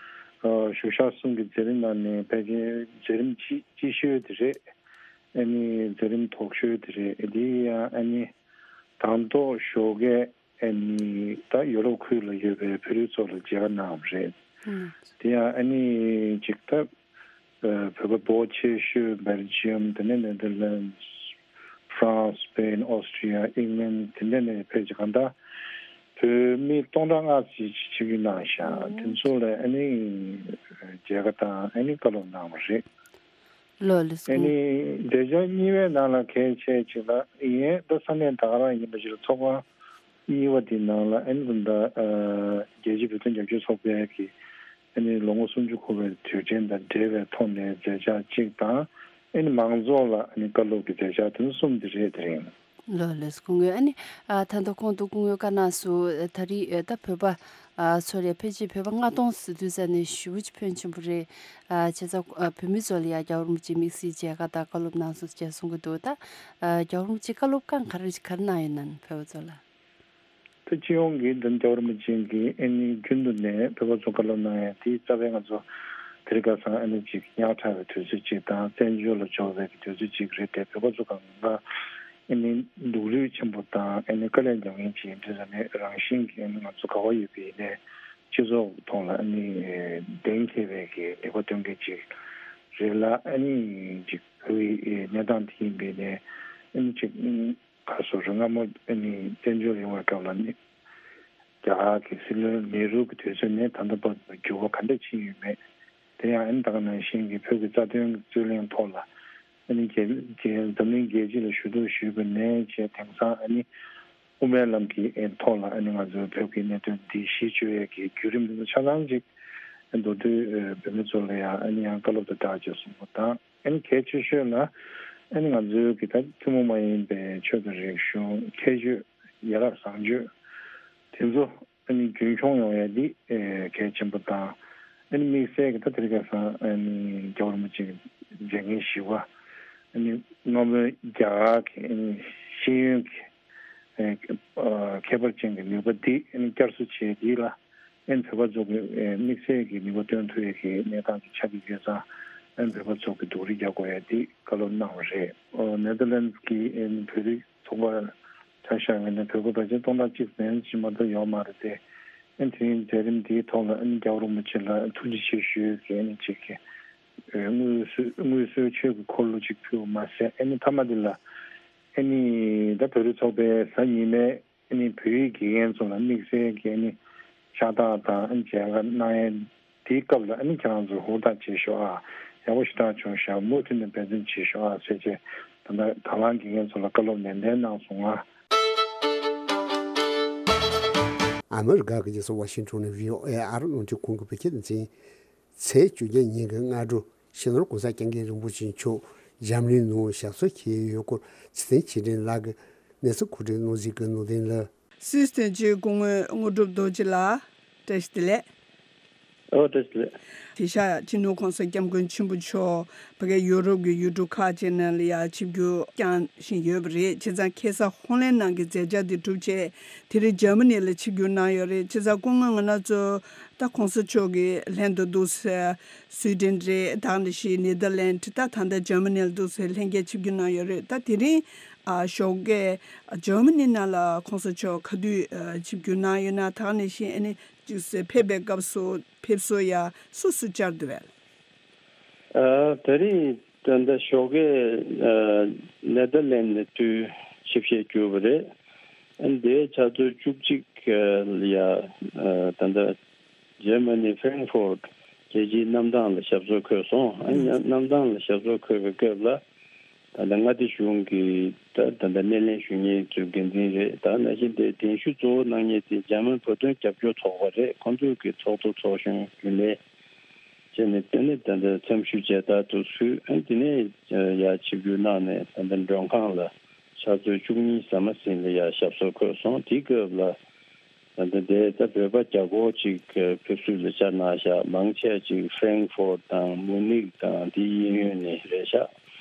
ཨ་བཞུགས་ཤག་གསུམ་གྱི་མཛད་རིམ་ནང་ནས་ཕལ་ཆེར་མཛད་རིམ་སྤྱི་སྤྱི་ཤོས་དེ་རེད། ཨ་ནི་མཛད་རིམ་དོག་ཤོས་དེ་རེད། དེ་ཡང་ཨ་ནི་དང་ཐོག་ཞོགས་ཀས་ཨ་ནི་ད་ཡོ་རོབ་ཁུལ་ལ་ཡོད་པའི་བོད་རིགས་ཚོ་ལ་མཇལ་ཁ་གནང་བ་རེད། ཨང་། དེ་ཡང་ཨ་ནི་ཅིག་ད་ཨ་བོད་པ་འབོར་ཆེ་ཤོས་སྦེལ་ཇི་ཡམ། དེ་ནས་ནེ་ཐར་ལན་སི། ཧྥ་རན་སི། སི་པེན། ཨོ་སི་ཀྲི་ཡ། ཨིང་ལན། དེ་འདྲ་ནས་ཕེབས་ཀྱི་གང་ལྟར་བོད་མི་སྟོང་ཕྲག་ལྔ་ཙམ་ཞིག་ཆིབས་བསྒྱུར་གནང་ཤག་དེ་ཚོ་ལ་ཨ་ནི་མཇལ་ཁ་དང་ཨ་ནི་བཀའ་སློབ་གནང་བ་རེད། ལགས་ལགས་སོ། ཨ་ནི་མཛད་འཆར་གཉིས་པའི་ནང་ལ་གལ་ཆེ་ཅིག་ལ་ཡིན། ད་ས་གནས་ད་ག་རང་ཡིན་པ་ཞིག་ལ་ཚོགས་ཁང་གཉིས་པ་དེའི་ནང་ལ་ཨ་ནི་ད་ལྟ་ཨ་རྒྱལ་སྤྱིའི་བོད་དོན་རྒྱབ་སྐྱོར་ཚོགས་པའི་གི་ཨ་ནི་ལོ་ངོ་སུམ་ཅུ་འཁོར་བའི་དུས་དྲན་དང་འབྲེལ་བའི་ཐོག་ནས་མཛད་འཆར་གཅིག་དང་། ཨ་ནི་མང་ཚོགས་ལ་ཨ་ནི་བཀའ་སློབ་ཀྱི་མཛད་འཆར་དེ་ཚོ་གསུམ་དེ་རེད། དེ་རིང་། ལགས་ལགས་སོ་སྐུ་ངོ། ཨ་ནི་ཨ་ད་ལྟ་གོང་དུ་སྐུ་ངོས་བཀའ་གནང་སོང་། ད་རེས་ཨ་ད་བོད་པ་ཨ་ཚོ་ལ་ཕལ་ཆེར་བོད་པ་ལྔ་སྟོང་ཟེར་དུས་ཙམ་ནས་ཞེ་པོ་ཅིག་ཕོན་ཆེན་པོ་རེད། ཨ་བྱས་ཙང་ཨ་བོད་མི་ཚོ་ལ་ཡང་རྒྱལ་བ་རིན་པོ་ཆེས་དམིགས་བསལ་མཇལ་ཁ་དང་བཀའ་སློབ་གནང་སོང་ཞེས་གསུང་གི་འདུག་ད་ཨ་རྒྱལ་བ་རིན་པོ་ཆེས་བཀའ་སློབ་གང་ག་རེ་ག་རེ་གནང་ཡོད་ན་བོད་པ་ཚོ་ལ། ད་སྤྱི་ཡོངས་ཀྱི་འདི་རྒྱལ་བ་རིན་པོ་ཆེ་གིས་ཨ་ནི་རྒྱུན་དུ་ནས་བོད་པ་ཚོ་བཀའ་སློབ་གནང་ཡ་དེ་རྩ་བའི་ང་ཚོ་དེ་རིང་ཁ་སང་ཨ་ནི་ཅིག་ཉག་ཕྲ་བའི་དུས་ཚོད་ཅིག་དང་བཙན་བྱོལ་ལ་འབྱོར་བའི་གི་དུས་ཚོད་ཅིག་རེད་དེ། བོད་པ་ཚོ་གང་ག་ཨ་ནི་སྡུག་རུས་ཆེན་པོ་དང་ཨ་ནི་དཀའ་ལས་མྱོང་མཁན་ཅིག་ཡིན་དུས་ཙང་ནས་རང་བཞིན་གྱིས་ཨ་ནི་ང་ཚོ་ག་པར་ཡོད་པ་ཡིན་ནའི་སྤྱི་ཚོགས་ཐོག་ལ་ཨ་ནི་གདེང་འཁེལ་བའི་གི་ལས་ཀ་སྟོན་མཁན་ཅིག་རེད་ལ། ཨ་ནི་ཅིག་བོད་ཀྱི་གནས་སྟངས་དེ་ཡིན་པ་ཡིན་ནའི་ཨ་ནི་ཅིག་ག་སོ་རུ་སྔ་མོ་ཨ་ནི་བཙན་བྱོལ་ཡོང་བའི་སྐབས་ལ་ནི་རྒྱ་གར་གྱི་སྲིད་བློན་ནེ་རུ་གི་དུས་ཚོད་ནས་ད་ལྟ་བར་དུ་འགྱུར་བ་ག་འདྲ་ཕྱིན་ཡོད་མེད། དེ་ཡང་ཨ་ནི་ད་ག་ནང་བཞིན་གྱི་བོད་ཀྱི་རྩ་དོན་རྩོད་གླེང་ཐོག་ལ་ཨ་ནི་རྒྱལ་རྒྱལ་འཛམ་གླིང་རྒྱལ་སྤྱི་ལ་ཞུ་གཏུག་ཞུས་པ་ནས་བྱས་དེང་སང་ཨ་ནི་དབུ་མའི་ལམ་གྱི་ཨ་ཐོག་ལ་ཨ་ནི་ང་ཚོའི་བོད་ཀྱི་གནད་དོན་འདི་གཞི་བཅོལ་ཡས་ཀྱི་བརྒྱུད་རིམ་འདི་ཚོ་ཆ་ཚང་ཅིག་མདོར་བསྡུས་བོད་མི་ཚོ་ལ་ཡང་ཨ་ནི་ཡང་བཀའ་སློབ་དང་སྦྲགས་བྱས་གསུངས་པ་དང་། ཨ་ནི་གལ་ཆེ་ཤོས་ལ་ཨ་ནི་ང་ཚོའི་གི་ད་ཐུན་མོང་མ་ཡིན་པའི་ཆོས་དང་རིག་གཞུང་ཁྱད་ཆོས་ཡ་རབས་བཟང་སྤྱོད་དེ་ཚོ་ཨ་ནི་རྒྱུན་འཁྱོངས་ཡོང་ཡ་འདི་ཨེ་གལ་ཆེན་པོ་དང་། ཨ་ནི་དམིགས་བསལ་གི་ད་དེ་རིང་ཁ་སང་ཨ་ནི་རྒྱལ་བ་རིན་པོ་ཆེ་གི་མཛད་འགན་ཞུ་བ་ཨ་ནི་སྔ་མོའི་རྒྱ་གར་གི་ཨ་ནི་ཤེས་ཡོན་གྱི་ཨེ་ཨ་ཁྱད་པར་ཅན་གྱི་ནུས་པ་འདི་ཨ་ནི་བསྐྱར་གསོ་བྱས་འདི་ལ་ཨ་ནི་བོད་པ་ཚོ་གི་ཨེ་དམིགས་བསལ་གྱི་ནུས་པ་བཏོན་ཐུབ་ཡས་ཀྱི་གནས་སྟངས་ཅིག་ཆགས་ཀྱི་ཡོད་ཙང་། ཨ་ནི་བོད་པ་ཚོ་གི་སྡུག་རུས་རྒྱག་དགོས་ཡས་འདི་བཀའ་སློབ་གནང་བ་རེད། ཨོ་ནེ་ཐར་ལན་སི་གི་ཨ་ནི་བོད་རིགས་ཚོགས་པ་ཆ་བཞག་པ་ཡིན་ན་བོད་པ་ཕལ་ཆེར་སྟོང་ཕྲག་གཅིག་ཙམ་ཅིག་མ་གཏོགས་ཡོད་མ་རེད་དེ། ཨ་ནི་དེ་རིང་མཛད་རིམ་འདིའི་ཐོག་ལ་ཨ་ནི་རྒྱལ་བ་རིན་པོ་ཆེ་ལ་ཐུགས་རྗེ་ཆེ་ཞུ་ཡས་ཀྱི་ཨ་ནི་ཅིག་གི་ཨེ་དངོས་སུ་དངོས་སུ་ཆོས་ཀྱི་འཁོར་ལོ་ཅིག་ཕུལ་བ་མ་ཟད། ཨ་ནི་མཐའ་མ་འདི་ལ་ཨ་ནི་ད་བོད་རིགས་ཚོགས་པའི་གཟའ་ཉི་མའི་ཨ་ནི་བོད་ཡིག་དགེ་རྒན་ཚོ་ལ་དམིགས་བསལ་གྱི་ཨ་ནི་ཕྱག་རྟགས་དང་ཨ་ནི་མཇལ་ཁ་གནང་ཡས་དེའི་སྐབས་ལ་ཨ་ནི་ཁྱེད་རང་ཚོ་ཧུར་ཐག་བྱེད་ཤོག་ཨ། ཡག་པོ་ཞེ་དྲག་བྱུང་ཤག་མུ་མཐུད་ནས་འབད་བརྩོན་བྱེད་ཤོག་ཨ་ཟེར་བྱས། ད་ལྟ་དང་བླངས་དགེ་རྒན་ཚོ་ལ་བཀའ་སློབ་ནན་ཏན་གནང་སོང་ཨ། ཨ་མི་རི་ཀ་གི་རྒྱལ་ས་ཝ་ཤིང་ཊོན་ནས་བྷི་ཨོ་ཨེ་ཨ་རི་རླུང་འཕྲིན་ཁང་གི་བོད་སྐད་སྡེ་ཚན། ཚེས་བཅོ་བརྒྱད་ཉིན་གྱི་སྔ་དྲོ་སྤྱི་ནོར་༸གོང་ས་༸སྐྱབས་མགོན་རིན་པོ་ཆེ་མཆོག་འཇར་མ་ནི་ནང་ཞབས་སོར་འཁྱེར་ཡོད་སྐོར་ཚེ་བརྟན་ཆོས་སྒྲོན་ལགས་ཀྱིས་གནས་ཚུལ་གོ་སྒྲིག་གནང་གཟིགས་ཀྱི་ནོར་ལྡན་ལགས། སུད་སི་དོན་གཅོད་སྐུ་ངོ་དངོས་གྲུབ་རྡོ་རྗེ་ལགས། བཀྲ་ཤིས་བདེ་ལེགས། ཨོ་བཀྲ་ཤིས་བདེ་ལེགས། དེང་སང་སྤྱི་ནོར་༸གོང་ས་༸སྐྱབས་མགོན་ཆེན་པོ་མཆོག་ཕ་གིའི་ཡུ་རོབ་ཀྱི་ཡུལ་གྲུ་ཁག་ཅིག་ནང་ལ་ཡང་ཆིབས་བསྒྱུར་བསྐྱངས་བཞིན་ཡོད་པ་རེད། བྱས་ཙང་ཁ་སང་ཧོ་ལན་ནང་གི་མཛད་འཆར་དེ་གྲུབ་རྗེས་དེ་རིང་འཇར་མ་ནི་ལ་ཆིབས་བསྒྱུར་གནང་ཡོད་རེད། བྱས་ཙང་སྐུ་ངོ་ང་རང་ཚོ་ད་༸གོང་ས་མཆོག་གི་ལྷན་དུ་འདུག་སེ་སུའི་ཌེན་རེད། ད་ག་ནང་བཞིན་ནེ་དར་ལན་ཌི། ད་ད་ལྟ་འཇར་མ་ནི་ལ་འདུག་སེ་ལྷན་རྒྱས་ཆིབས་བསྒྱུར་གནང་ཡོད་རེད། ད་དེ་རིང་ཨ་ཞོགས་ཀས་འཇར་མ་ནི་ནང་ལ་༸གོང་ས་མཆོག་ག་དུས་ཨ་ཆིབས་བསྒྱུར་གནང་ཡོད་ན། ད་ག་ནང་བཞིན་ཨ་ནི་ཅིག་སེ་ཕེབས་པའི་སྐབས་སུ་ཕེབས་བསུ་ཡ་སུ་སུ་བཅར་འདུག་བས། ཨ་ད་རིང་ད་ལྟ་ཞོགས་ཀས་ཨ་ནེ་དར་ལན་ཌི་ནས་དུས་ཆིབས་ཞལ་བསྒྱུར་བ་རེད། ཨ་ནི་དེའི་ཆུ་ཚོད་བཅུ་གཅིག་ལ་ཡ་ཨ་ད་ལྟ་འཇར་མ་ནི་ཧྥེ་རེང་ཧྥོར་རྒྱལ་སྤྱིའི་གནམ་ཐང་ལ་ཞབས་སོར་འཁོད་སོང་། ཨ་ནི་གནམ་ཐང་ལ་ཞབས་སོར་འཁོད་པའི་སྐབས་ལ་ད་ལྟ་མངའ་སྡེ་གཞུང་གི་ད་ད་ལྟ་སྣེ་ལེན་ཞུ་མཁན་ཚོའི་འགན་འཛིན་རེད། ད་ནང་བཞིན་དེ་གདན་ཞུ་གཙོ་བོ་གནང་མཁན་དེ་འཇར་མན་བོད་དོན་རྒྱབ་སྐྱོར་ཚོགས་པ་རེད། ཁོང་ཚོས་ཀྱི་ཚོགས་གཙོ་ཚོགས་གཞོན་རྒྱུན་ལས་བྱས་ནས་དེ་ནས་ད་ལྟ་འཚམས་ཞུ་མཇལ་དར་དུ་ཕུལ། ཨ་ནི་དེ་ནས་ཡར་ཆིབས་བསྒྱུར་གནང་ནས་ད་ལྟ་མགྲོན་ཁང་ལ་ཕྱག་ཚོད་བཅུ་གཉིས་ཟ་མ་ཟིན་ལ་ཡར་ཞབས་སོར་འཁོད་སོང་། དེའི་སྐབས་ལ་ ད་ལྟ་དེ་ད་བོད་པ་བརྒྱ་སྐོར་ཅིག་ཕེབས་བསུ་ལ་བཅར་གནང་ཤག་མང་ཆེ་བ་ཅིག་ཧྥེང་ཧྥོར་དང་མུ་ནིག་དང་དེའི་གཡས་གཡོན་ནས་རེད་ཤག་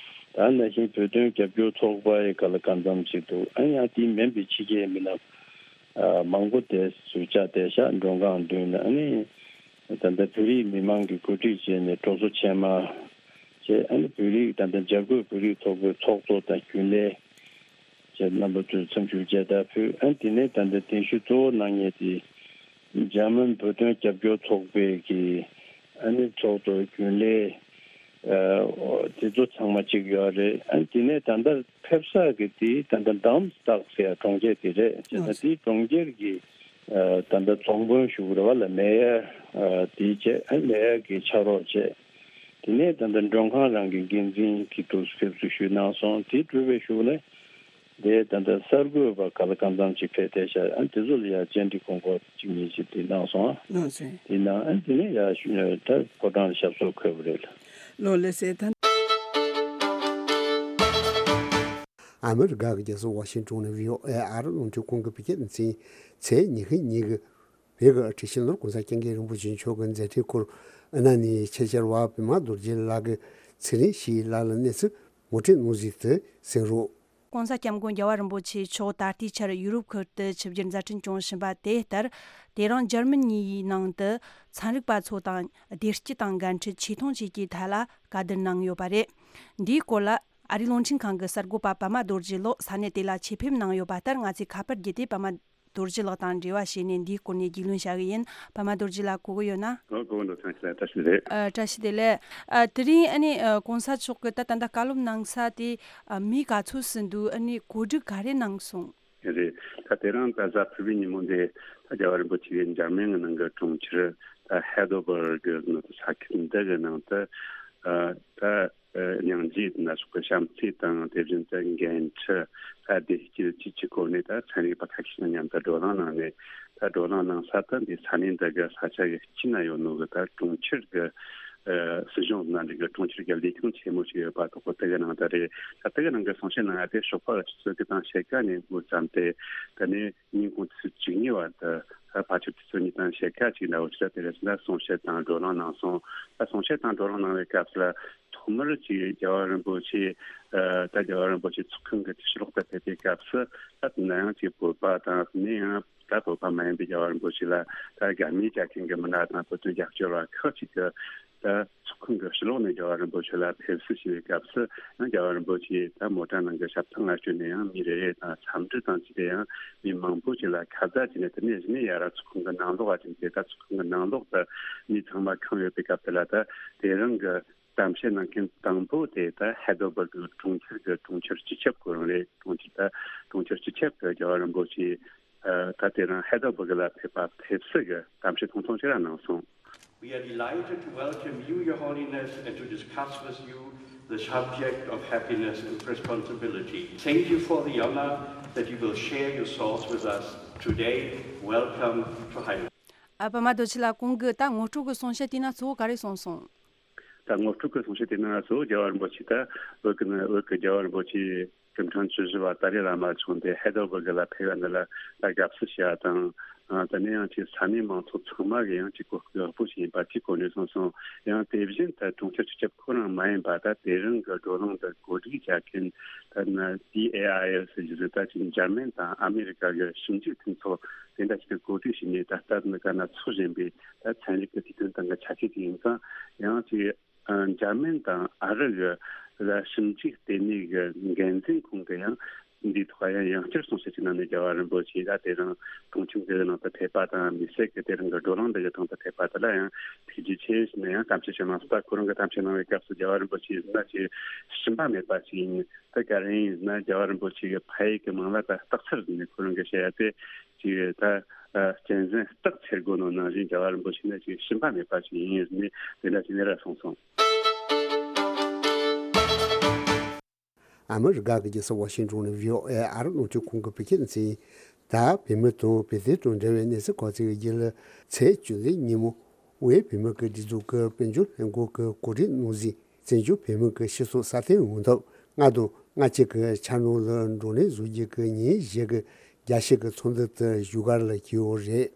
ད་ནང་བཞིན་བོད་དོན་རྒྱབ་སྐྱོར་ཚོགས་པ་ཡི་ག་ལ་གང་འཚམ་ཞིག་འདུག་ཨ་ནི་ཡང་དེ་མིན་པའི་ཕྱི་རྒྱལ་མི་སྣ་མང་པོ་དེ་ཚོ་བཅར་བསྡད་ཤག་མགྲོན་ཁང་མདུན་ན། ཨ་ནི་ད་ལྟ་བོད་རིགས་མི་མང་གིས་གོ་སྒྲིག་བྱས་ནས་སྤྲོ་ཚོགས་ཆེན་མོ་བྱས། ཨ་ནི་བོད་རིགས་ད་ལྟ་འཇར་འགོག་བོད་རིགས་ཚོགས་པའི་ཚོགས་གཙོ་དང་རྒྱུན་ལས་བཅས་རྣམ་པ་ཚོས་འཚམས་ཞུ་མཇལ་དར་ཕུལ། ཨ་ནི་དེ་ནས་ད་ལྟ་གདན་ཞུ་གཙོ་བོ་གནང་མཁན་དེ་འཇར་མན་བོད་དོན་རྒྱབ་སྐྱོར་ཚོགས་པའི་གི་ཨ་ནི་ཚོགས་གཙོ་རྒྱུན་ལས་ཨ་དེ་ཚོ་ཚང་མ་གཅིག་ཡོད་རེད། ཨ་ནི་དེ་ནས་ད་ལྟ་ཕེབས་ས་གི་དེ་ད་ལྟ་Darmstadt ཟེར་ཡ་གྲོང་ཁྱེར་དེ་རེད། བྱས་ཙང་དེའི་གྲོང་ཁྱེར་གི་ཨ་ད་ལྟ་རྫོང་དཔོན་ཞུ་གི་རེད་བ་ལ། མེ་ཡར་ཨ་དེ་བྱས། ཨ་མེ་ཡར་གི་ཕྱག་རོགས་བྱས། དེ་ནས་ད་ལྟ་མགྲོན་ཁང་རང་གི་འགན་འཛིན་གྱི་ཐུགས་སུ་ཕེབས་བསུ་ཞུས་གནང་སོང་། དེ་གྲུབ་པའི་གཞུག་ལ་དེ་ད་ལྟ་གསར་འགོད་པ་ག་ལ་གང་འཚམ་ཅིག་ཕེབས་བསྡད་ཤག་ཨ་དེ་ཚོ་ལ་ཡ་བཅར་འདྲི་དགོངས་སྐོར་གཅིག་གཉིས་ཅིག་དེ་གནང་སོང་། ལགས་སོ། དེ་ནང་ཨ་དེ་ནས་ཡ་ད་ཕོ་བྲང་ལ་ཞབས་སོར་འཁོད་པ་རེད་ལ། ལགས་སོ། ད་ཨ་མི་རི་ཀ་གི་རྒྱལ་ས་ཝ་ཤིང་ཊོན་ནས་བྷི་ཨོ་ཨེ་ཨ་རི་རླུང་འཕྲིན་ཁང་གི་བོད་སྐད་སྡེ་ཚན་ཚེས་ཉི་ཤུ་ཉིན་གྱི་བོད་ཀྱི་ཁྲི་ཕྱི་ནང་༸གོང་ས་༸སྐྱབས་མགོན་རིན་པོ་ཆེ་མཆོག་གི་མཛད་འཕྲིན་སྐོར་ཨ་ན་ནས་ཆེད་བཅར་བ་པད་མ་རྡོ་རྗེ་ལགས་ཀྱིས་ཚེ་རིང་ཞིག་ལགས་ལ་གནས་ཚུལ་ངོ་སྤྲོད་གནང་ཟིན་དུ་གསན་རོགས། ༸གོང་ས་༸སྐྱབས་མགོན་རྒྱལ་བ་རིན་པོ་ཆེ་མཆོག་ད་ལྟའི་ཆར་ཡུ་རོབ་ཁུལ་དུ་ཆིབས་བསྒྱུར་མཛད་འཕྲིན་སྐྱོང་བཞིན་པ་དེ་ལྟར། དེ་རིང་འཇར་མ་ནིའི་ནང་དུ་ཚན་རིག་པ་ཚོ་དང་བདེ་སྐྱིད་དང་འགན་འཁྲི་ཆེ་མཐོང་བཅས་ཀྱི་ཐད་ལ་བཀའ་བསྡུར་གནང་ཡོད་པ་རེད། འདིའི་སྐོར་ལ་ཨ་རིའི་རླུང་འཕྲིན་ཁང་གི་གསར་འགོད་པ་པད་མ་རྡོ་རྗེ་ལགས་ས་གནས་དེ་ལ་ཆེད་ཕེབས་གནང་ཡོད་པ་ལྟར། ང་ཚོས་ཁ་པར་བརྒྱུད་དེ་པད་མ་རྡོ་རྗེ་ལགས་དང་འབྲེལ་བ་བྱས་ནས་འདིའི་སྐོར་ནས་རྒྱུས་ལོན་བྱ་གི་ཡིན། པད་མ་རྡོ་རྗེ་ལགས་གོ་གི་ཡོད་ན། ཨོ་གོ་གི་འདུག་ཐང་ཆེ་ལ་བཀྲ་ཤིས་བདེ་ལེགས། ཨ་བཀྲ་ཤིས་བདེ་ལེགས། ཨ་དེ་རིང་ཨ་ནི་ཨ་༸གོང་ས་མཆོག་གིས་ད་ད་ལྟ་བཀའ་སློབ་གནང་ས་དེ་ཨ་མི་ག་ཚོད་ཙམ་འདུག་ཨ་ནི་གོ་སྒྲིག་ག་རེ་གནང་སོང་། རེད། ད་དེ་རིང་ད་གཟའ་ཕུར་བུའི་ཉིན་མོ་འདི་ད་རྒྱལ་བ་རིན་པོ་ཆེ་གིས་འཇར་མན་གྱི་ནང་གི་གྲོང་ཁྱེར་ད་ཧེ་དོ་སྦུར་གི་ནང་དུ་ས་ཁུལ་འདི་གི་ནང་དུ་ཨ་ད་ཨ་སྙིང་རྗེ་ན་སོགས་པའི་བྱམས་བརྩེ་དང་། དེ་བཞིན་དུ་འགན་འཁྲི་ད་བདེ་སྐྱིད་བཅས་ཀྱི་སྐོར་ནས་ད་ཚན་རིག་པ་ཁ་ཤས་དང་མཉམ་དུ་བགྲོ་གླེང་གནང་ནས། ད་བགྲོ་གླེང་གནང་ས་ད་འདི་ས་གནས་འདི་གི་ས་ཆ་གི་དཀྱིལ་ན་ཡོད་ནོ་གི་ད་གྲོང་ཁྱེར་གི་ཨ་སྲིད་གཞུང་ནང་འདི་གི་གྲོང་ཁྱེར་གི་ལས་ཁུངས་ཆེན་མོ་ཞིག་ཡོད་པ་དོག་པོ་དེ་གི་ནང་ད་རེད། ད་དེ་གི་ནང་གི་གསུང་བཤད་གནང་ཡ་དེ་ཞོགས་པ་ཆུ་ཚོད་དགུ་དང་ཕྱེད་ཀ་ནས་འགོ་བརྩམས་ཏེ། ད་ནི་ཉིན་གུང་ཆུ་ཚོད་བཅུ་གཉིས་བར་དུ་ད་ཕལ་ཆེར་ཆུ་ཚོད་གཉིས་དང་ཕྱེད་ཀ་ཅིག་འདྲ་བོ་ཞིག་ལ་དེ་རེད། ད་གསུང་བཤད་དང་བགྲོ་གླེང་གནང་སོང་། ད་གསུང་བཤད་དང་བགྲོ་གླེང་གནང་བའི་སྐབས་སུ་ལ་ཐོག་མར་ཅིག་རྒྱལ་བ་རིན་པོ་ཆེ་ཨ་ད་རྒྱལ་བ་རིན་པོ་ཆེ་ཚོགས་ཁང་གི་ཕྱི་ལོགས་དུ་ཕེབས་པའི་སྐབས་སུ། ད་དེ་ན་ཡང་ཅིག་བོད་པ་དང་ནི་ཡང་ད་བོད་པ་མ་ཡིན་པའི་རྒྱལ་བ་རིན་པོ་ཆེ་ལ་ད་དགའ་མོས་རྒྱག་མཁན་གྱི་མི་སྣ་དང་བོད་དོན་རྒྱབ་སྐྱོར་བ་ཁག་ཅིག་གིས་ད་ཚོགས་ཁང་གི་ཕྱི་ལོགས་ནས་རྒྱལ་བ་རིན་པོ་ཆེ་ལ་ཕེབས་བསུ་ཞུ་བའི་སྐབས་སུ། ཡང་རྒྱལ་བ་རིན་པོ་ཆེ་ད་མོ་ཊ་ནང་གི་ཞབས་ཐང་ལ་བསྐྱོད་ནས་ཡང་མི་རེ་རེ་དང་འཚམས་འདྲི་དང་བཅས་ཏེ། ཡང་མི་མང་པོ་ཅིག་ལ་ཁ་བརྡ་བྱས་ནས། དེ་ནས་གཞི་ནས་ཡར་ཚོགས་ཁང་གི་ནང་ལོགས་ཨ་ཅིན་དེ་ད་ཚོགས་ཁང་གི་ནང་ལོགས་དུ་མི་ཚང་མ་ཁེངས་ཡོད་པའི་སྐབས་དེ་ལ། ད་དེ་རིང་གི་གཏམ་བཤད་གནང་མཁན་དང་པོ་དེ་ད་ཧེ་དོ་སྦུར་གི་གྲོང་ཁྱེར་གི་གྲོང་ཁྱེར་སྤྱི་ཁྱབ་ཁོ་རང་རེད། གྲོང་ཁྱེར་ད་གྲོང་ཁྱེར་སྤྱི་ཁྱབ་གི་རྒྱལ་བ་རིན་པོ་ཆེ་ཨ་ད་དེ་རིང་ཧེ་དོ་སྦུར་གི་ལ་ཕེབས་པ་ཕེབས་བསུ་གི་གཏམ་བཤད་ཐུང་ཐུང་ཞིག་ར་གནང་སོང་། We are delighted to welcome you, Your Holiness, and to discuss with you the subject of happiness and responsibility. Thank you for the honor that you will share your thoughts with us today. Welcome to High Lord. ཨ་པད་མ་རྡོ་རྗེ་ལགས། གོང་གི་ད་ངོ་སྤྲོད་ཀྱི་གསུང་བཤད་དེ་ན་གཙོ་བོ་ག་རེ་གསུངས་སོང་། ད་ངོ་སྤྲོད་ཀྱི་གསུང་བཤད་དེ་ན་གཙོ་བོ་རྒྱལ་བ་རིན་པོ་ཆེ་ད་བོད་ཀྱི་ནི་བོད་ཀྱི་རྒྱལ་བ་རིན་པོ་ཆེ་སྐུ་ཕྲེང་བཅུ་བཞི་པ་ཏཱ་ལའི་བླ་མ་མཆོག་འདི་ཧེ་དོ་སྦུར་གི་ལ་ཕེབས་པ་འདི་ལ་ད་དགའ་བསུ་ཞུ་བ་དང་། ཨ་དེ་ནས་ཡང་ཅིག་ས་གནས་མང་ཚོགས་ཚང་མ་གི་ཡང་ཅིག་གོ་སྐབས་ཡག་པོ་ཞིག་ཡིན་པ་ཅིག་གོ་ནས་གསུངས་སོང་། ཡང་དེ་བཞིན་ད་གྲོང་ཁྱེར་སྤྱི་ཁྱབ་ཁོ་རང་མ་ཡིན་པ། ད་དེ་རིང་གི་བགྲོ་གླེང་འདི་གོ་སྒྲིག་བྱ་མཁན་ད་ན་ཌི་ཨེ་ཨའི་ཨེལ་ཟེར་གྱི་ཟིག་ད་ཅིག་འཇར་མན་དང་ཨ་མེ་རི་ཀ་གི་ཞིབ་འཇུག་མཐུན་ཚོགས་དེ་འདྲ་ཞིག་གིས་གོ་སྒྲིག་བྱས་ནས། ད་ལྟ་ནི་ག་ན་ཚོགས་བཞིན་པའི་ད་ཚན་རིག་གི་དུས་སྟོན་སྟེང་གི་ཆ་ཤས་ཅིག་ཡིན་ཙང་། ཡང་ཅིག་ཨ་འཇར་མན་དང་ཨ་རི་གི་ལ་ཞིབ་འཇུག་ལྟེ་གནས་ཀྱི་འགན་འཛིན་ཁོང་གིས་ཡང་འདིའི་ཐོག་ཡང་ཡང་བསྐྱར་གསུང་བཤད་ཅིག་གནང་ནས། རྒྱལ་བ་རིན་པོ་ཆེ་ད་དེ་རིང་གྲོང་ཁྱེར་འདིའི་ནང་དུ་ཕེབས་པ་དང་། དམིགས་བསལ་གྱི་དེ་རིང་གི་བགྲོ་གླེང་འདི་གི་སྟེང་དུ་ཕེབས་པ་དེ་ལ་ཡང་ཐུགས་རྗེ་ཆེ་ཞུས་ནས་ཡང་གཏམ་བཤད་ཅིག་གནང་སོང་། ད་ཁོ་རང་གི་གཏམ་བཤད་གནང་བའི་སྐབས་སུ་རྒྱལ་བ་རིན་པོ་ཆེ་ཡིན་ན་ཅིག་ཞུམ་པ་མེད་པ་ཞིག་ཡིན། ད་ག་རེ་ཡིན་ན་རྒྱལ་བ་རིན་པོ་ཆེ་གི་ཕ་ཡུལ་གྱི་མིང་ལ་ད་སྟག་འཚེར་ཟེར་ནས་ཁོ་རང་གིས་བཤད་ཡ་དེ་ཅིག་ད་ཨ་གཅན་གཟན་སྟག་འཚེར་དགོས་ནོ་ནང་བཞིན་རྒྱལ་བ་རིན་པོ་ཆེ་ནི་ཅིག་ཞུམ་པ་མེད་པ་ཞིག་ཡིན་ཟེར་ནས་དེ་འདྲ་ཞིག་ནས་ར་གསུངས་སོང་། ཨ་མི་རི་ཀ་གི་རྒྱལ་ས་ཝ་ཤིང་ཊོན་ནས་བྷི་ཨོ་ཨེ་ཨ་རི་རླུང་འཕྲིན་ཁང་གི་བོད་སྐད་སྡེ་ཚན། ད་བོད་མི་དང་བོད་དོན་དང་འབྲེལ་བའི་གནས་ཚུལ་གོ་སྐབས་བརྒྱུད་ལ། ཚེས་བཅུ་གཅིག་ཉིན་མོ་དབུས་བོད་མི་གི་སྒྲིག་འཛུགས་ཀྱི་དཔལ་འབྱོར་ལྷན་ཁང་གིས་གོ་སྒྲིག་གནང་ཟིན། བཙན་བྱོལ་བོད་མི་གི་སྤྱི་ཚོགས་སྲ་བརྟན་ཡོང་ཐབས་ལྔ་དང་ལྔ་གཅིག་གི་འཆར་སྣང་ལ་བགྲོ་གླེང་བཟོ་རྒྱུ་གི་ཉིན་བཞི་གི་ རྒྱལ་སྤྱི་གི་ཚོགས་འདུ་དེ་བཞུགས་སྒར་ལ་བྱས་ཡོད་རེད།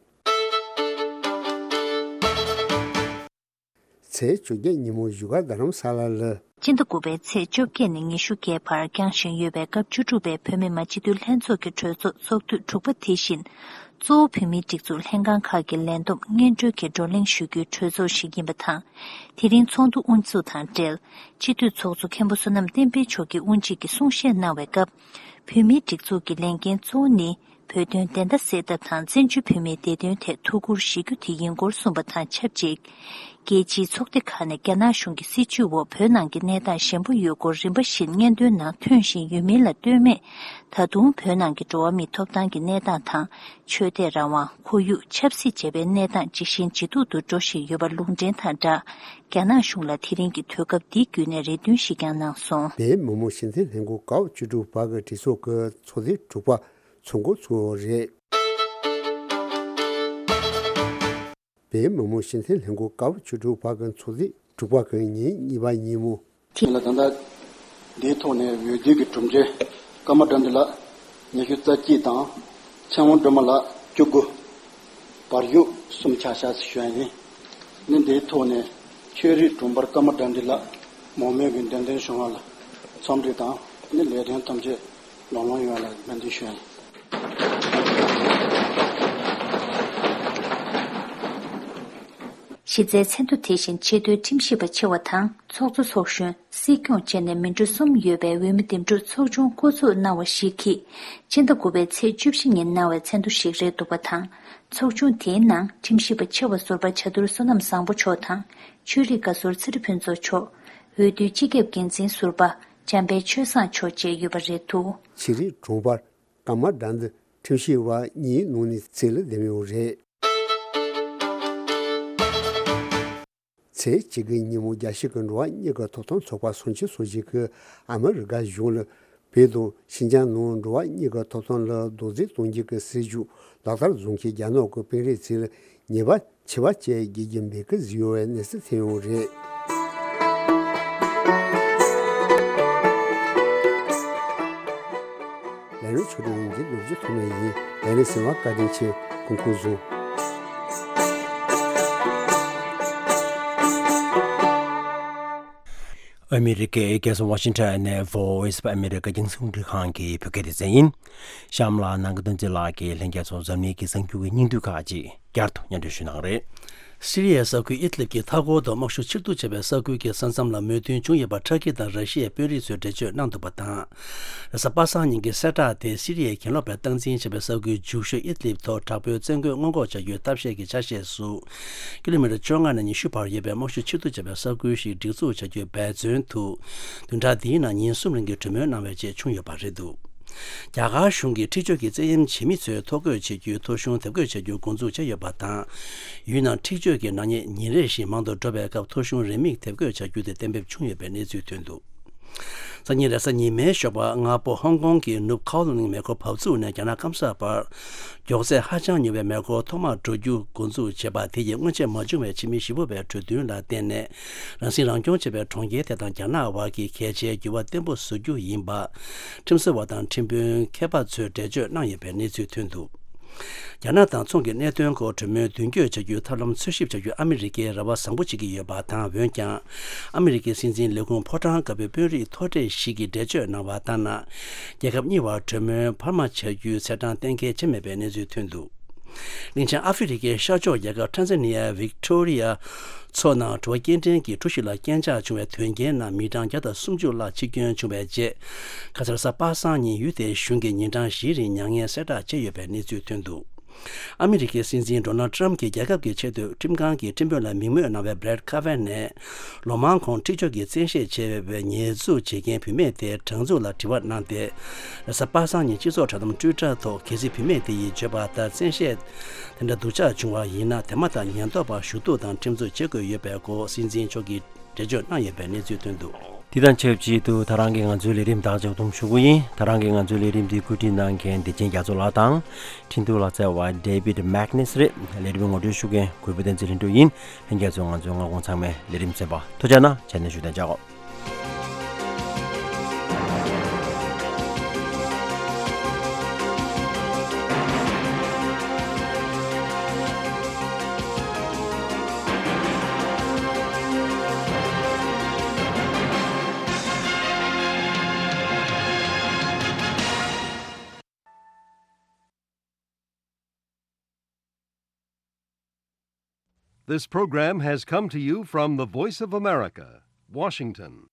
ཚེས་བཅོ་བརྒྱད་ཉིན་མོ་བཞུགས་སྒར་རྡ་རམ་ས་ལ་ལ། སྤྱི་ཟླ་དགུ་པའི་ཚེས་བཅོ་བརྒྱད་ནས་ཉི་ཤུ་བརྒྱད་བར་འགྱངས་བཞིན་ཡོད་པའི་སྐབས་བཅུ་དྲུག་པའི་བོད་མི་མང་སྤྱི་འཐུས་ལྷན་ཚོགས་ཀྱི་གྲོས་ཚོགས་ཚོགས་དུས་དྲུག་པ་དེ་བཞིན། གཙོ་བོ་བོད་མིའི་སྒྲིག་འཛུགས་ལྷན་ཁང་ཁག་གི་ལས་བསྡོམས་སྔོན་འགྲོའི་གི་བགྲོ་གླེང་ཞུ་རྒྱུའི་གྲོས་ཚོགས་ཤིག་ཡིན་པ་དང་། དེ་རིང་ཚོགས་འདུ་དབུ་འཛུགས་དང་འབྲེལ། སྤྱི་འཐུས་ཚོགས་གཙོ་མཁན་པོ་བསོད་ནམས་བསྟན་འཕེལ་མཆོག་གིས་དབུ་འབྱེད་ཀྱི་གསུང་བཤད་གནང་བའི་སྐབས། བོད་མིའི་སྒྲིག་འཛུགས་ཀྱི་ལས་འགན་གཙོ་བོ་ནི། བོད་དོན་བདེན་མཐའ་གསལ་ཐབས་དང་བཙན་བྱོལ་བོད་མིའི་བདེ་དོན་ཐད་ཐུགས་ཁུར་བཞེས་རྒྱུ་དེ་ཡིན་སྐོར་གསུངས་པ་དང་ཆབས་ཅིག་རྒྱལ་སྤྱིའི་ཚོགས་སྡེ་ཁག་ནས་རྒྱ་ནག་གཞུང་གི་སྲིད་བྱུས་འོག་བོད་ནང་གི་གནས་སྟངས་ཞན་པོ་ཡོད་སྐོར་རིམ་པ་བཞིན་སྙན་ཐོའི་ནང་ཐོན་བཞིན་ཡོད་མིན་ལ་ལྟོས་མེད། ད་དུང་བོད་ནང་གི་འགྲོ་བ་མིའི་ཐོབ་ཐང་གི་གནས་སྟངས་དང་། ཆོས་དད་རང་དབང་། ཁོར་ཡུག་ཆབ་སྲིད་བཅས་པའི་གནས་སྟངས་ཇེ་ཞན་ཇེ་སྡུག་ཏུ་འགྲོ་བཞིན་ཡོད་པ་ལུང་འདྲེན་དང་སྦྲགས། རྒྱ་ནག་གཞུང་ལ་དེ་རིང་གི་དུས་སྐབས་འདི་བརྒྱུད་ནས་རེ་འདུན་ཞིག་ཀྱང་གནང་སོང་། བོད་མི་མང་སྤྱི་འཐུས་ལྷན་ཁང་ཀ་བ་བཅུ་དྲུག་པ་གི་གྲོས་ཚོགས་ཀྱི་ཚོགས་ཐེངས་དྲུག་པ་ཚོགས་འགོ་ཚུགས་ཡོད་རེད། བོད་མི་མང་སྤྱི་འཐུས་ལྷན་ཁང་ཀ་བ་བཅུ་དྲུག་པ་གི་ཚོགས་ཐེངས་དྲུག་པ་གི་ཉིན་གཉིས་པ་ཉིན་མོ། དེ་ལ་ད་ལྟ་འདིའི་ཐོག་ནས་འོས་བསྡུ་གི་གྲུབ་འབྲས། ཀརྨ་དགྲ་འདུལ་ལགས་ཉི་ཤུ་རྩ་གཅིག་དང་། ཚེ་དབང་སྒྲོལ་མ་ལགས་བཅུ་དགུ། བར་ཞུ་གསུམ་ཆགས་ཤག་ཞུ་ཡ་ཡིན། ནི་འདིའི་ཐོག་ནས་ཆོས་རིག་དྲུང་འཕར་ཀརྨ་དགྲ་འདུལ་ལགས་མང་མོས་ཀྱིས་འདེམས་ཐོན་བྱུང་བ་ལ་འཚམས་འདྲི་དང་། ནི་ལས་དོན་ཐམས་ཅད་ལམ་ལྷོང་ཡོང་བ་ལ་སྨོན་འདུན་ཞུ་ཡ་ཡིན། གཞི་རྩའི་མཚན་ཐོ་དེ་བཞིན་ཆེས་མཐོའི་ཁྲིམས་ཞིབ་པ་ཆེ་བ་དང་། ཚོགས་གཙོ་ཚོགས་གཞོན། སྲིད་སྐྱོང་བཅས་ནས་མི་འགྲོ་གསུམ་ཡོད་པའི་འོས་མི་འདེམས་སྒྲུག་ཚོགས་ཆུང་བསྐོ་ཚོགས་གནང་བ་ཞིག་གིས། སྤྱི་ཟླ་དགུ་པའི་ཚེས་བཅུ་བཞི་ཉིན་གནང་བའི་མཚན་ཐོ་ཞིག་རེད་འདུག་པ་དང་། ཚོགས་ཆུང་དེའི་ནང་ཁྲིམས་ཞིབ་པ་ཆེ་བ་ཟུར་པ་བྱ་དུར་བསོད་ནམས་བཟང་པོ་མཆོག་དང་། ཆོས་རིག་བཀའ་ཟུར་ཚེ་རིང་ཕུན་ཚོགས་མཆོག་འོས་བསྡུའི་སྤྱི་ཁྱབ་འགན་འཛིན་ཟུར་པ་འཇམ་དཔལ་ཆོས་བཟང་མཆོག་བཅས་ཡོད་པ་རེད་འདུག་ཆོས་རིག་དྲུང་འཕར་ཀརྨ་དགྲ་འདུལ་ཁྲིམས་ཞིབ་པ་གཉིས་ནང་ནས་རྩིས་ལ་འདེམས་ཡོད་རེད། ཚེས་གཅིག་གི་ཉིན་མོ་རྒྱལ་སྤྱི་གི་འགྲོ་བ་མིའི་གི་ཐོབ་ཐང་ཚོགས་པ་སུམ་ཅུ་སོ་བཞི་གིས་ཨ་མི་རི་ཀ་གཞུང་ལ་བོད་དང་ཤིན་ཅང་ནང་འགྲོ་བ་མིའི་གི་ཐོབ་ཐང་ལ་རྡོག་རྫིས་གཏོང་རྒྱུ་གི་སྲིད་བྱུས་ལག་བསྟར་བཟོ་མཁན་རྒྱ་ནག་གི་དཔོན་རིགས་ཚོ་ལ་ཉེས་པ་ཆེ་བ་བཅས་དགོས་ཀྱི་མེད་སྐོར་བཟོས་ཡོད་པའི་གནས་ཚུལ་ཐོན་ཡོད་རེད། ལས་རིམ་ཆོག་ཏུ་ཡིན་གྱི་ལོ་རྒྱུས་ཐོག་མ་ཡིན། ལས་རིམ་གསན་པར་བཀའ་དྲིན་ཆེ། སྐུ་ཁམས་བཟང་། ཨ་མི་རི་ཀའི་རྒྱལ་ས་ཝ་ཤིང་ཊོན་ནས་Voice of America་རྒྱང་སྲིང་རླུང་འཕྲིན་ཁང་གི་བོད་སྐད་སྡེ་ཚན་ཡིན། གཤམ་ལ་ནང་གི་དོན་ཚན་ལགས་ཀྱིས་ལྷན་རྒྱས་ཚོ་འཛམ་གླིང་གི་གསར་འགྱུར་གྱི་སྙིང་བསྡུས་ཁག་ཅིག་བསྐྱར་དུ་སྙན་སྒྲོན་ཞུ་གནང་རེད། སི་རི་ཡའི་ས་ཁུལ་ཨིད་ལིབ་ཀྱི་མཐའ་འཁོར་དུ་དམག་ཤུགས་ཕྱིར་གཏོང་བྱས་པའི་ས་ཁུལ་གྱི་ས་མཚམས་ལ་མོས་མཐུན་བྱུང་ཡོད་པ་ཊར་ཀི་དང་ར་ཤི་ཡའི་དཔོན་རིགས་ཚོས་འགྲེལ་བརྗོད་གནང་འདུག་པ་དང་། རེས་གཟའ་པ་སངས་ཉིན་གྱི་གསལ་བསྒྲགས་དེ་སི་རི་ཡའི་གྱེན་ལོག་པས་སྟངས་འཛིན་བྱས་པའི་ས་ཁུལ་རྒྱུག་ཤོག་ཨིད་ལིབ་ཐོག་དྲག་པོའི་བཙན་རྒོལ་སྔོན་འགོག་བྱ་རྒྱུའི་ཐབས་ཤེས་ཀྱི་ཆ་ཤས་སུ། ཀི་ལོ་མི་ཊར་བཅོ་ལྔ་ནས་ཉི་ཤུ་བར་ཡོད་པའི་དམག་ཤུགས་ཕྱིར་གཏོང་བྱ་བའི་ས་ཁུལ་ཞིག་སྒྲིག་འཛུགས་བྱ་རྒྱུའི་འབད་བརྩོན་དུ། བདུན་ཕྲག་འདིའི་ནང་ཉིན་གསུམ་རིང་གི་གྲོས་མོལ་གནང་བའི་རྗེས་བྱུང་ཡོད་པ་རེད་འདུག་རྒྱ་གར་གཞུང་གིས་འཁྲིག་སྤྱོད་ཀྱི་བཙན་གཡེམ་བྱེད་མི་ཚོའི་ཐོ་འགོད་བྱེད་རྒྱུའི་ཐོ་གཞུང་དེབ་འགོད་བྱ་རྒྱུ་འགོ་འཛུགས་བྱས་ཡོད་པ་དང་། ཡུལ་ནང་འཁྲིག་སྤྱོད་ཀྱི་ནག་ཉེས་ཉིན་རེ་བཞིན་མང་དུ་འགྲོ་བའི་སྐབས་ཐོ་གཞུང་རེའུ་མིག་དེབ་འགོད་བྱ་རྒྱུ་དེ་གཏན་འབེབས་བྱུང་ཡོད་པའི་གནས་ཚུལ་ཐོན་འདུག་སང་ཉིན་རེས་གཟའ་ཉི་མའི་ཞོགས་པ་སྔ་པོ་ཧོང་ཀོང་གི་ནུབ་ཁའོ་ལུན་མེ་འཁོར་བབས་ཚུགས་ནས་རྒྱ་ནག་སྐམ་ས་བར། མགྱོགས་ཚད་ཧ་ཅང་མྱུར་བའི་མེ་འཁོར་ཐོག་མར་འགྲོ་རྒྱུ་འགོ་འཛུགས་བྱས་པ་དེ་ཡིས་སྔོན་ཆད་མ་བྱུང་བའི་ཕྱི་མི་བཞི་བོ་བའི་གྲོས་མཐུན་ལ་བརྟེན་ནས། རང་སྲིད་རང་སྐྱོང་བྱེད་པའི་གྲོང་ཁྱེར་དེ་དང་རྒྱ་ནག་བར་གྱི་གལ་ཆེའི་འགྱུར་བ་བརྟན་པོ་བཟོ་རྒྱུ་ཡིན་པ། ཁྲིམས་བཟོ་བ་དང་ཁྲིམས་དཔོན་མཁས་པ་ཚོས་འགྲེལ་བརྗོད་གནང་ཡོད་པའི་གནས་ཚུལ་ཐོན་འདུག་རྒྱ་ནག་དང་མཚུངས་ཀྱི་གནད་དོན་སྐོར་གྲོས་མོལ་མདུན་སྐྱོད་བྱ་རྒྱུའི་ཐབས་ལམ་འཚོལ་ཞིབ་བྱ་རྒྱུ་ཨ་མི་རི་ཀས་རེ་བ་བཟང་པོ་བྱེད་ཀྱི་ཡོད་པ་དང་། འོན་ཀྱང་། ཨ་མི་རི་ཀའི་སྲིད་འཛིན་ལས་ཁུངས་ཕོ་བྲང་དཀར་པོའི་དཔོན་རིགས་མཐོ་གྲས་ཤིག་གིས་འགྲེལ་བརྗོད་གནང་བ་ལྟར་ན། རྒྱལ་ཁབ་གཉིས་བར་གྲོས་མོལ་འཕར་མ་བྱ་རྒྱུའི་ཚེས་གྲངས་གཏན་འཁེལ་བྱས་མེད་པའི་གནས་ཚུལ་ཐོན་འདུག་གླིང་ཆེན་ཨ་ཧྥེ་རི་ཁའི་ཤར་ཕྱོགས་རྒྱལ་ཁབ་ཊན་ཛ་ནི་ཡའི་ཝིག་ཊོ་རི་ཡ་མཚོ་ནང་དྲོ་པོ་སྐྱེལ་འདྲེན་གྱི་གྲུ་ཞིག་ལ་རྐྱེན་ཆག་བྱུང་བའི་དོན་རྐྱེན་ནང་མི་གྲངས་བརྒྱ་དང་སུམ་ཅུ་ལྷག་འཆི་སྐྱོན་བྱུང་བའི་རྗེས། ཁ་སང་རེས་གཟའ་པ་སངས་ཉིན་ཡུལ་དེའི་གཞུང་གིས་ཉིན་གྲངས་བཞིའི་རིང་མྱ་ངན་གསལ་བསྒྲགས་བྱས་ཡོད་པའི་གནས་ཚུལ་ཐོན་འདུག་ཨ་མི་རི་ཀའི་སྲིད་འཛིན་ཌོ་ནལ་ཊམ་གྱིས་རྒྱལ་ཁབ་ཀྱི་ཆེས་མཐོའི་ཁྲིམས་ཁང་གི་ཁྲིམས་དཔོན་ལ་མིང་སྨོས་གནང་བའི་བྷི་རེད་ཁ་ཝན་ནས། ལོ་མང་གོང་འཁྲིག་སྤྱོད་ཀྱི་བཙན་ཤེད་ཆེ་བའི་ཉེས་འཛུགས་བྱེད་མཁན་བུད་མེད་དེའི་དྲང་ཚུགས་ལ་དྲི་བ་གནང་སྟེ། རེས་གཟའ་པ་སངས་ཉིན་སྤྱི་ཚོགས་དྲ་དམ་ཊུའི་ཊར་ཐོག་གལ་སྲིད་བུད་མེད་དེ་ཡིས་བརྗོད་པ་ལྟར་བཙན་ཤེད་དེ་འདྲ་སྡུག་ཅག་བྱུང་བ་ཡིན་ན། དེ་མ་ཐག་ཉེན་རྟོག་པར་ཞུ་གཏུག་དང་ཁྲིམས་རྩོད་བྱེད་དགོས་ཡོད་པའི་སྐོར་སྲིད་འཛིན་མཆོག་གིས་འགྲེལ་བརྗོད་གནང་ཡོད་པའི་གནས་ཚུལ་ཐོན་འདུག་དེ་དང་ཆབས་ཅིག་ཏུ་ད་རང་གིས་ང་ཚོའི་ལས་རིམ་དག་ཆ་བསྡོམས་ཞུ་གི་ཡིན། ད་རང་གིས་ང་ཚོའི་ལས་རིམ་འདི་བཀོད་སྒྲིག་གནང་མཁན་བདེ་ཆེན་རྒྱ་མཚོ་ལགས་དང་། འཕྲིན་གཏོང་ལག་རྩལ་བ་David Magnus་རེད། ལས་རིམ་ངོ་སྤྲོད་ཞུ་མཁན་གུས་པ་བསྟན་འཛིན་ལྷུན་གྲུབ་ཡིན། ལྷན་རྒྱས་ཚོས་ང་ཚོའི་སྔ་དགོང་ཚང་མའི་ལས་རིམ་གསན་པར་ཐུགས་རྗེ་གནང་། བྱས་ནས་བཞུགས་གདན་འཇགས། This program has come to you from the Voice of America, Washington.